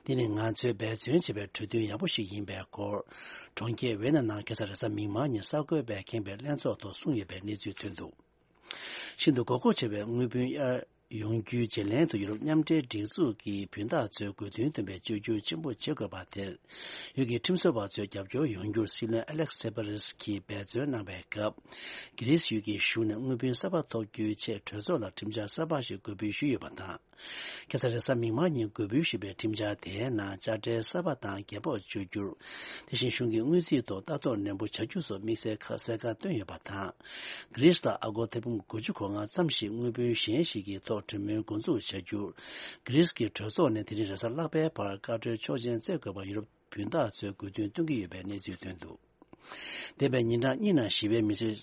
འདི་ནི་ང་ཚོས་འབད་བརྩོན་བྱས་པའི་གྲོས་མཐུན་ཡག་པོ་ཞིག་ཡིན་པའི་སྐོར། གྲོང་ཁྱེར་ཝེ་ན་ནང་ཁ་སང་རེས་གཟའ་མིག་དམར་ཉིན་གསར་འགོད་པས་ཁེངས་པའི་ལྷན་ཚོགས་ཐོག་གསུངས་ཡོད་པའི་གནས་ཚུལ་ཐོན་འདུག་ཤིན་ཏུ་དགོས་མཁོ་ཆེ་བའི་དངུལ་བུན་གཡར་ཡོང་རྒྱུའི་བརྗེ་ལེན་དུ་ཡུ་རོབ་མཉམ་འབྲེལ་སྒྲིག་འཛུགས་ཀྱི་བུན་བདག་ཚོས་དགོས་འདུན་བཏོན་པའི་བཅོས་བསྒྱུར་ཆེན་པོ་བྱེད་དགོས་པ་དེར། ཡུལ་གྱི་ཁྲིམས་བཟོ་བ་ཚོས་རྒྱབ་སྐྱོར་ཡོང་རྒྱུར་སྲིད་བློན་ཨ་ལེག་སེ་པ་རེས་ཀྱིས་འབད་བརྩོན་གནང་བའི་སྐབས། གྷི་རིས་ཡུལ་གྱི་གཞུང་ནས་དངུལ་བུན་གསར་པ་ཐོབ་རྒྱུའི་ཆེད་གྲོས་ཚོགས་ལ་ཁྲིམས་འཆར་གསར་པ་ཞིག་འགོད་འབུལ་ཞུས་ཡོད་པ་དང་། ཁ་སང་རེས་གཟའ་མིག་དམར་ཉིན་འགོད་འབུལ་ཞུས་པའི་ཁྲིམས་འཆར་དེའི་ནང་དཔྱ་ཁྲལ་གསར་པ་དང་རྒྱས་ཕོགས་གཅོད་རྒྱུར། དེ་བཞིན་གཞུང་གི་དངུལ་རྩིས་ཐོག་ལྟ་རྟོག་ནན་པོ་བྱ་རྒྱུ་སོགས་དམིགས་བསལ་ཁ་གསལ་ཁ་བཏོན་ཡོད་པ་དང་། གྷི་རིས་ལ་ཨ་སྒོར་ཐེར་འབུམ་དགུ་བཅུ་གོ་ལྔ་ཙམ་ཞིག་དངུལ་བུན་གཞན་ཞིག་གི་ཐོག་གྲོས་མོལ་འགོ་འཛུགས་བྱ་རྒྱུར། གྷི་རིས་ཀྱི་གྲོས་ཚོགས་ནས་དེ་རིང་རེས་གཟའ་ལྷག་པའི་བར་བཀའ་འཁྲོལ་ཆོག་མཆན་བསྩལ་དགོས་པར་ཡུ་རོབ་བུན་བདག་ཚོས་དགོས་འདུན་བཏོན་གྱི་ཡོད་པའི་གནས་ཚུལ་ཐོན་འདུག་འདས་པའི་ཉིན་གྲངས་གཉིས་ནང་ཞི་བའི་མི་སེར་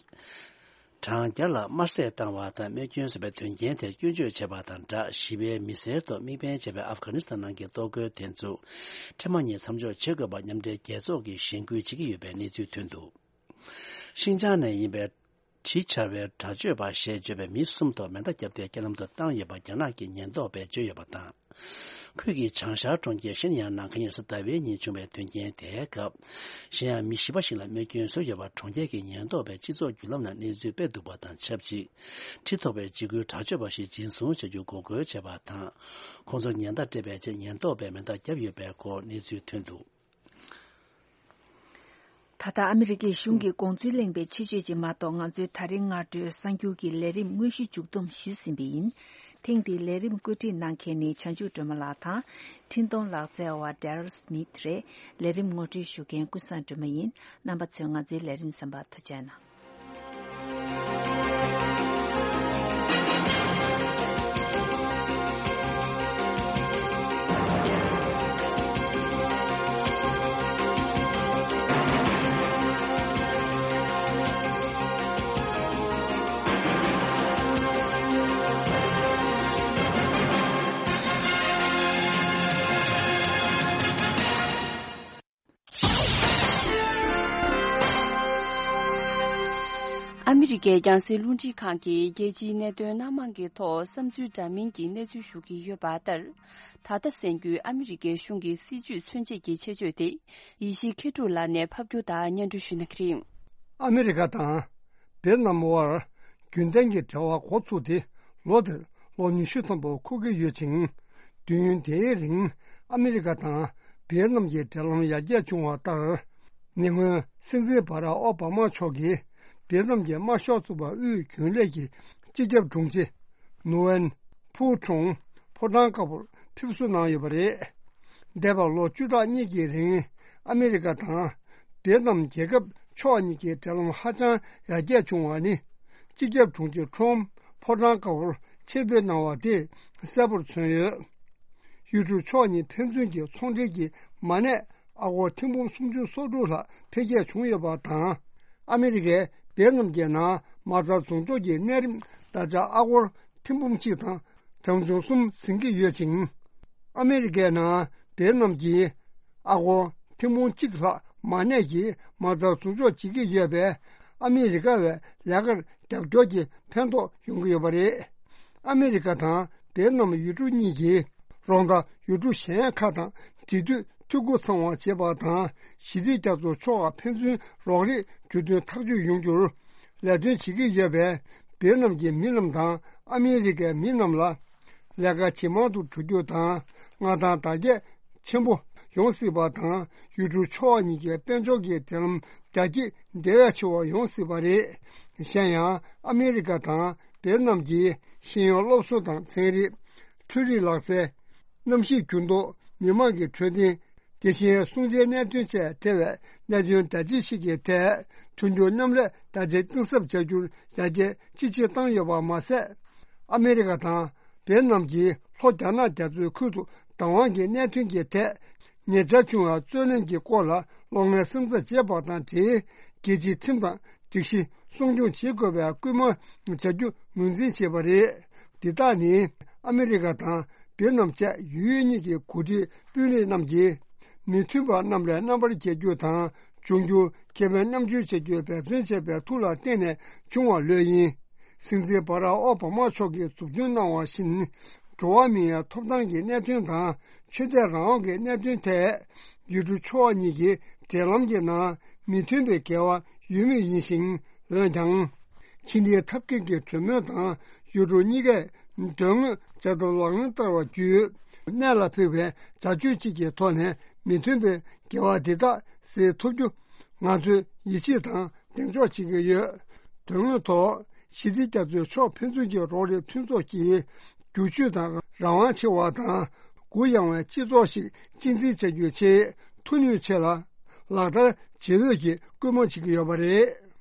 གྲངས་བརྒྱ་ལ་དམར་བསད་བཏང་བ་དང་རྨས་སྐྱོན་བཟོས་པའི་དོན་རྐྱེན་དེར་སྐྱོན་བརྗོད་བྱས་པ་དང་སྦྲགས། ཞི་བའི་མི་སེར་ཐོག་དམིགས་འབེན་བྱས་པའི་ཨབ་གྷ་ནི་སི་ཐན་ནང་གི་གཏོར་རྒོལ་དེ་ཚོ་འཕྲལ་མ་ཉིད་མཚམས་འཇོག་བྱེད་དགོས་པར་མཉམ་འབྲེལ་རྒྱལ་ཚོགས་ཀྱིས་གཞེན་སྐུལ་བྱེད་ཀྱི་ཡོད་པའི་གནས་ཚུལ་ཐོན་འདུག་ཤིན་ཅང་ནས་ཡིན་པའི་ ཇི་ཆར་བའི་དྲག་སྤྱོད་པ་ཞེས་བརྗོད་པའི་མི་གསུམ་ཐོག་མེ་མདའ་བརྒྱབ་སྟེ་རྐྱེན་ལམ་དུ་བཏང་ཡོད་པ་རྒྱ་ནག་གི་ཉེན་རྟོག་པས་བརྗོད་ཡོད་པ་དང་། ཁོས་ཀྱིས་བྱང་ཤར་གྲོང་ཁྱེར་ཤན་ཡང་ནང་ཁ་ཉིན་གཟའ་ཟླ་བའི་ཉིན་བྱུང་བའི་དོན་རྐྱེན་དེའི་སྐབས། ཤན་ཡང་མི་བཞི་པ་ཞིག་ལ་རྨས་སྐྱོན་བཟོས་ཡོད་པ་གྲོང་ཁྱེར་གྱི་ཉེན་རྟོག་པས་སྤྱི་ཚོགས་བརྒྱུད་ལམ་ནང་གནས་ཚུལ་སྤེལ་འདུག་པ་དང་ཆབས་ཅིག་ཁྲི་ཐོག་པའི་འཇིགས་སྐུལ་དྲག་སྤྱོད་པ་ཞིག་འཛིན་བཟུང་བྱ་རྒྱུ་འགོག་རྒོལ་བྱས་པ་དང་། ཁོང་ཚོར་ཉེན་བརྡ་སྤྲད་པའི་ཆེད་ཉེན་རྟོག་པས་མེ་མདའ་བརྒྱབ་ཡོད་པའི་སྐོར་གནས་ཚུལ་ཐོན་འདུག་ད་ལྟ་ཨ་མི་རི་ཀའི་གཞུང་གི་དགོངས་ཚུལ་གླེང་བའི་ཆེད་བརྗོད་ཅིག་མ་གཏོགས། ང་ཚོའི་ད་རིང་སྔ་དྲོའི་གསར་འགྱུར་གྱི་ལས་རིམ་དངོས་གཞི་མཇུག་བསྡོམས་ཞུས་ཟིན་པ་ཡིན། ཐེངས་འདིའི་ལས་རིམ་བཀོད་སྒྲིག་གནང་མཁན་ནི་བྱང་ཆུབ་སྒྲོལ་མ་ལགས་དང་། འཕྲིན་གཏོང་ལག་རྩལ་བ་Daryl Smith་རེད། ལས་རིམ་ངོ་སྤྲོད་ཞུ་མཁན་ཀུན་བཟང་སྒྲོལ་མ་ཡིན། རྣམ་པ་ཚོས་ང་ཚོའི་ལས་རིམ་གསན་པར་ཐུགས་རྗེ་གནང་། ཨ་མི་རི་ཀའི་རྒྱང་སྲིང་རླུང་འཕྲིན་ཁང་གིས་རྒྱལ་སྤྱིའི་གནད་དོན་སྣ་མང་གི་ཐོག་བསམ་ཚུལ་འདྲ་མིན་གྱི་གནས་ཚུལ་ཞུ་གི་ཡོད་པ་ལྟར། ད་ལྟ་གསན་རྒྱུའི་ཨ་མི་རི་ཀའི་གཞུང་གི་སྲིད་ཇུས་མཚོན་བྱེད་ཀྱི་ཆེད་བརྗོད་དེ། ཡེ་ཤེས་མཁས་གྲུབ་ལགས་ནས་ཕབ་སྒྱུར་དང་སྙན་སྒྲོན་ཞུ་གནང་གི་རེད། ཨ་མི་རི་ཀ་དང་བེད་ནམ་དབར་རྒྱུན་ལྡན་གྱི་འབྲེལ་བ་འགོ་ཚུགས་ཏེ་ལོ་དེར་ལོ་ཉི་ཤུ་ཐམ་པ་འཁོར་གྱི་ཡོད་ཅིང་། དུས་ཡུན་དེའི་རིང་ཨ་མི་རི་ཀ་དང་བེད་ནམ་གྱི་འབྲེལ་ལམ་ཡར་རྒྱས་བྱུང་བ་ལྟར། ཉེ་སྔོན་སྲིད་འཛིན་བྷ་རག་ཨོ་བྷ་མ་མཆོག་གིས་བེད་ནམ་གྱི་དམར་ཤོག་ཚོགས་པ་དབུས་རྒྱུན་ལས་ཀྱི་སྤྱི་ཁྱབ་དྲུང་ཆེ་ནུ་ཝེན་ཕུའུ་ཁྲུང་ཕོ་བྲང་དཀར་པོར་ཕེབས་བསུ་གནང་ཡོད་པ་རེད། འདས་པའི་ལོ་བཅུ་ཕྲག་གཉིས་ཀྱི་རིང་ཨ་མི་རི་ཀ་དང་བེད་ནམ་རྒྱལ་ཁབ་ཕྱོགས་གཉིས་ཀྱི་འབྲེལ་ལམ་ཧ་ཅང་ཡར་རྒྱས་བྱུང་བ་ནི། སྤྱི་ཁྱབ་དྲུང་ཆེ་ཁྲོམ་ཕོ་བྲང་དཀར་པོར་ཆེད་ཕེབས་གནང་བ་དེས་གསལ་པོར་མཚོན་ཡོད། ཡུལ་གྲུ་ཕྱོགས་གཉིས་ཕན་ཚུན་གྱི་ཚོང་འབྲེལ་གྱི་མ་གནས་ཨ་སྒོར་ཐེར་འབུམ་སུམ་ཅུ་སོ་དྲུག་ལྷག་འཕེལ་རྒྱས་བྱུང་ཡོད་པ་དང་། ཨ་མི་རི་ཀས་བེད་ནམ་གྱི་ནང་མ་རྩ་བཟུང་འཇོག་གི་གནས་རིམ་ད་ཆ་ཨ་སྒོར་ཐེར་འབུམ་གཅིག་དང་གྲངས་ཆུང་གསུམ་ཟིན་གྱི་ཡོད་ཅིང་། ཨ་མི་རི་ཀའི་ནང་བེད་ནམ་གྱིས་ཨ་སྒོར་ཐེར་འབུམ་གཅིག་ལྷག་མ་གནས་ཀྱི་མ་རྩ་བཟུང་འཇོག་བྱེད་ཀྱི་ཡོད་པས། ཨ་མི་རི་ཀ་བས་ལས་ཀར་རྒྱབ་སྐྱོར་གྱི་ཕན་ཐོགས་ཡོང་གི་ཡོད་པ་རེད། ཨ་མི་རི་ཀ་དང་བེད་ནམ་ཡུལ་གྲུ་གཉིས་ཀྱིས་རོགས་ཟླ་ཡུལ་གྲུ་གཞན་ཁག་དང་འབྲེལ་མཐུད་འཐུས་སྒོ་ཚང་བ་བྱེད་པ་དང་། ཞི་བདེ་རྒྱ་མཚོ་ཕྱོགས་ཁག་ཕན་ཚུན་རོགས་རེས་གྲོས་མཐུན་ཐག་གཅོད་ཡོང་རྒྱུར་ལས་དོན་བྱེད་ཀྱི་ཡོད་པས། བེད་ནམ་གྱི་མི་རྣམས་དང་ཨ་མི་རི་ཀའི་མི་རྣམས་ལ་ལས་ཀ་ཇེ་མང་དུ་འགྲོ་རྒྱུ་དང་། མངའ་ཐང་དར་རྒྱས་ཆེན་པོ་ཡོང་སྲིད་པ་དང་། ཡུལ་གྲུ་ཕྱོགས་གཉིས་ཀྱི་དཔལ་འབྱོར་གྱི་འབྲེལ་ལམ་རྒྱ་སྐྱེད་དེ་བས་ཆེ་བ་ཡོང་སྲིད་པ་རེད། གཞན་ཡང་ཨ་མི་རི་ཀ་དང་བེད་ནམ་གྱིས་ཤེས་ཡོན་སློབ་གསོ་དང་ཚན་རིག་འཕྲུལ་རིག་ལག་རྩལ། གནམ་གཤིས་འགྱུར་ལྡོག་མི་དམངས་ཀྱི་འཕྲོད་བསྟེན། དེ་བཞིན་སྲུང་བརྩིའི་གནད་དོན་བཅས་ཐེ་བའི་གནད་དོན་དང་ལྡན་ཞིག་གི་ཐད་མཐུན་འགྱུར་མཉམ་ལས་དང་ཆ་གཏིང་ཟབ་བྱ་རྒྱུར་ཡར་རྒྱས་ཅི་ཆེ་བཏང་ཡོད་པ་མ་ཟད། ཨ་མི་རི་ཀ་དང་བེད་ནམ་གྱིས་ལྷོ་རྒྱ་ནག་རྒྱ་མཚོའི་ཁུལ་དུ་བདག་དབང་གི་གནད་དོན་གྱི་ཐད་ཉེ་ཆར་བྱུང་བའི་རྩོད་གླེང་གི་སྐོར་ལ་གློག་བརྙན་གསན་རྩིས་བྱས་པ་དང་འབྲེལ། རྒྱལ་སྤྱིའི་ཁྲིམས་དང་སྒྲིག་གཞི་སྲུང་སྐྱོང་བྱེད་དགོས་པའི་སྐུལ་མ་བྱ་རྒྱུ་ངོས་འཛིན་བྱས་པ་རེད། འདི་དག་ནི་ཨ་མི་རི་ཀ་དང་བེད་ནམ་བཅས་ཡུལ་གཉིས་ཀྱི་འགོ་ཁྲིད་དཔོན་རིགས་རྣམས་ཀྱིས་མི་མཐུན་པ་རྣམས་ལས་རྣམ་པར་རྒྱལ་རྒྱུ་དང་། འབྱུང་འགྱུར་ཁེ་ཕན་མཉམ་སྤྱོད་བྱ་རྒྱུའི་འབད་བརྩོན་བྱས་པའི་མཐུ་ལ་བརྟེན་ནས་བྱུང་བ་ལོས་ཡིན། སྲིད་འཛིན་བྷ་རག་ཨོ་བྷ་མ་མཆོག་གིས་མཛུབ་སྟོན་གནང་བ་བཞིན། འགྲོ་བ་མིའི་ཐོབ་ཐང་གི་གནད་དོན་དང་། ཆོས་དད་རང་དབང་གི་གནད་དོན་ཐད། ཡུལ་གྲུ་ཕྱོགས་གཉིས་ཀྱི་འབྲེལ་ལམ་གྱི་ནང་མི་མཐུན་པའི་འགལ་བ་ཡོད་མུས་ཡིན་ཞིང་། འོན་ཀྱང་། ཕྱི་འབྲེལ་ཐབས་མཁས་ཀྱི་གྲོས་མོལ་དང་། ཡུལ་གྲུ་གཉིས་ཀས་དོན་དངོས་བྱ་ཐབས་ལག་ལེན་བསྟར་བ་བརྒྱུད། གནད་ལ་ཕུག་པའི་བྱ་སྤྱོད་ཅིག་གི་ཐོག་ནས་མི་མཐུན་པའི་འགལ་བ་འདི་དག་སེལ་ཐུབ་རྒྱུ་ང་ཚོས་ཡིད་ཆེས་དང་གདེང་འཇོག་བྱེད་ཀྱི་ཡོད། དོན་དངོས་ཐོག་ཞི་བདེ་རྒྱ་མཚོའི་ཕྱོགས་ཕན་ཚུན་གྱི་རོགས་རེས་མཐུན་ཚོགས་ཀྱིས་བསྒྱུར་བཅོས་དང་རང་དབང་ཆེ་བ་དང་གུ་ཡངས་པའི་སྤྱི་ཚོགས་ཤིག་གཅེས་འཛིན་བྱ་རྒྱུའི་ཆེད་མཐུ་ནུས་ཆེ་ལ་ལག་བསྟར་བྱེད་འོས་ཀྱི་སྐུལ་མ་བྱེད་ཀྱི་ཡོད་པ་རེད།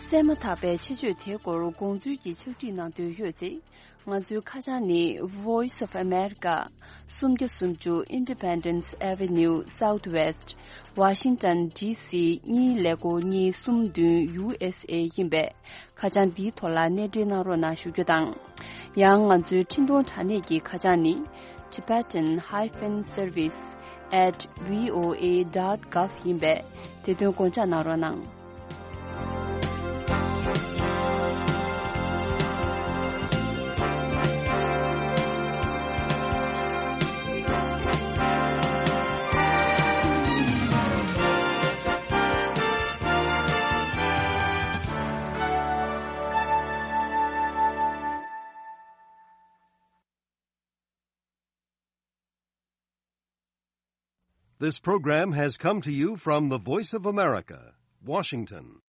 གསན་མ་ཐག་པའི་ཆེད་བརྗོད་དེའི་སྐོར་དགོངས་ཚུལ་གྱི་ཕྱག་བྲིས་གནང་འདོད་ཡོད་ཚེ། ང་ཚོའི་ཁ་བྱང་ནི། Voice of America། སུམ་བརྒྱ་སུམ་ཅུ་Independence Avenue Southwest། Washington D C གཉིས་ཀླད་ཀོར་གཉིས་གསུམ་བདུན་U S A ཡིན་པས། ཁ་བྱང་འདིའི་ཐོག་ལ་གནས་འབྲེལ་གནང་རོགས་གནང་ཞུ་རྒྱུ་དང་། ཡང་ང་ཚོའི་འཕྲིན་གཏོང་དྲ་གནས་ཀྱི་ཁ་བྱང་ནི། tibetan hyphen service at voa dot gov ཡིན་པས། དེ་དོན་དགོངས་འཇགས་གནང་རོགས་གནང་། This program has come to you from the Voice of America, Washington.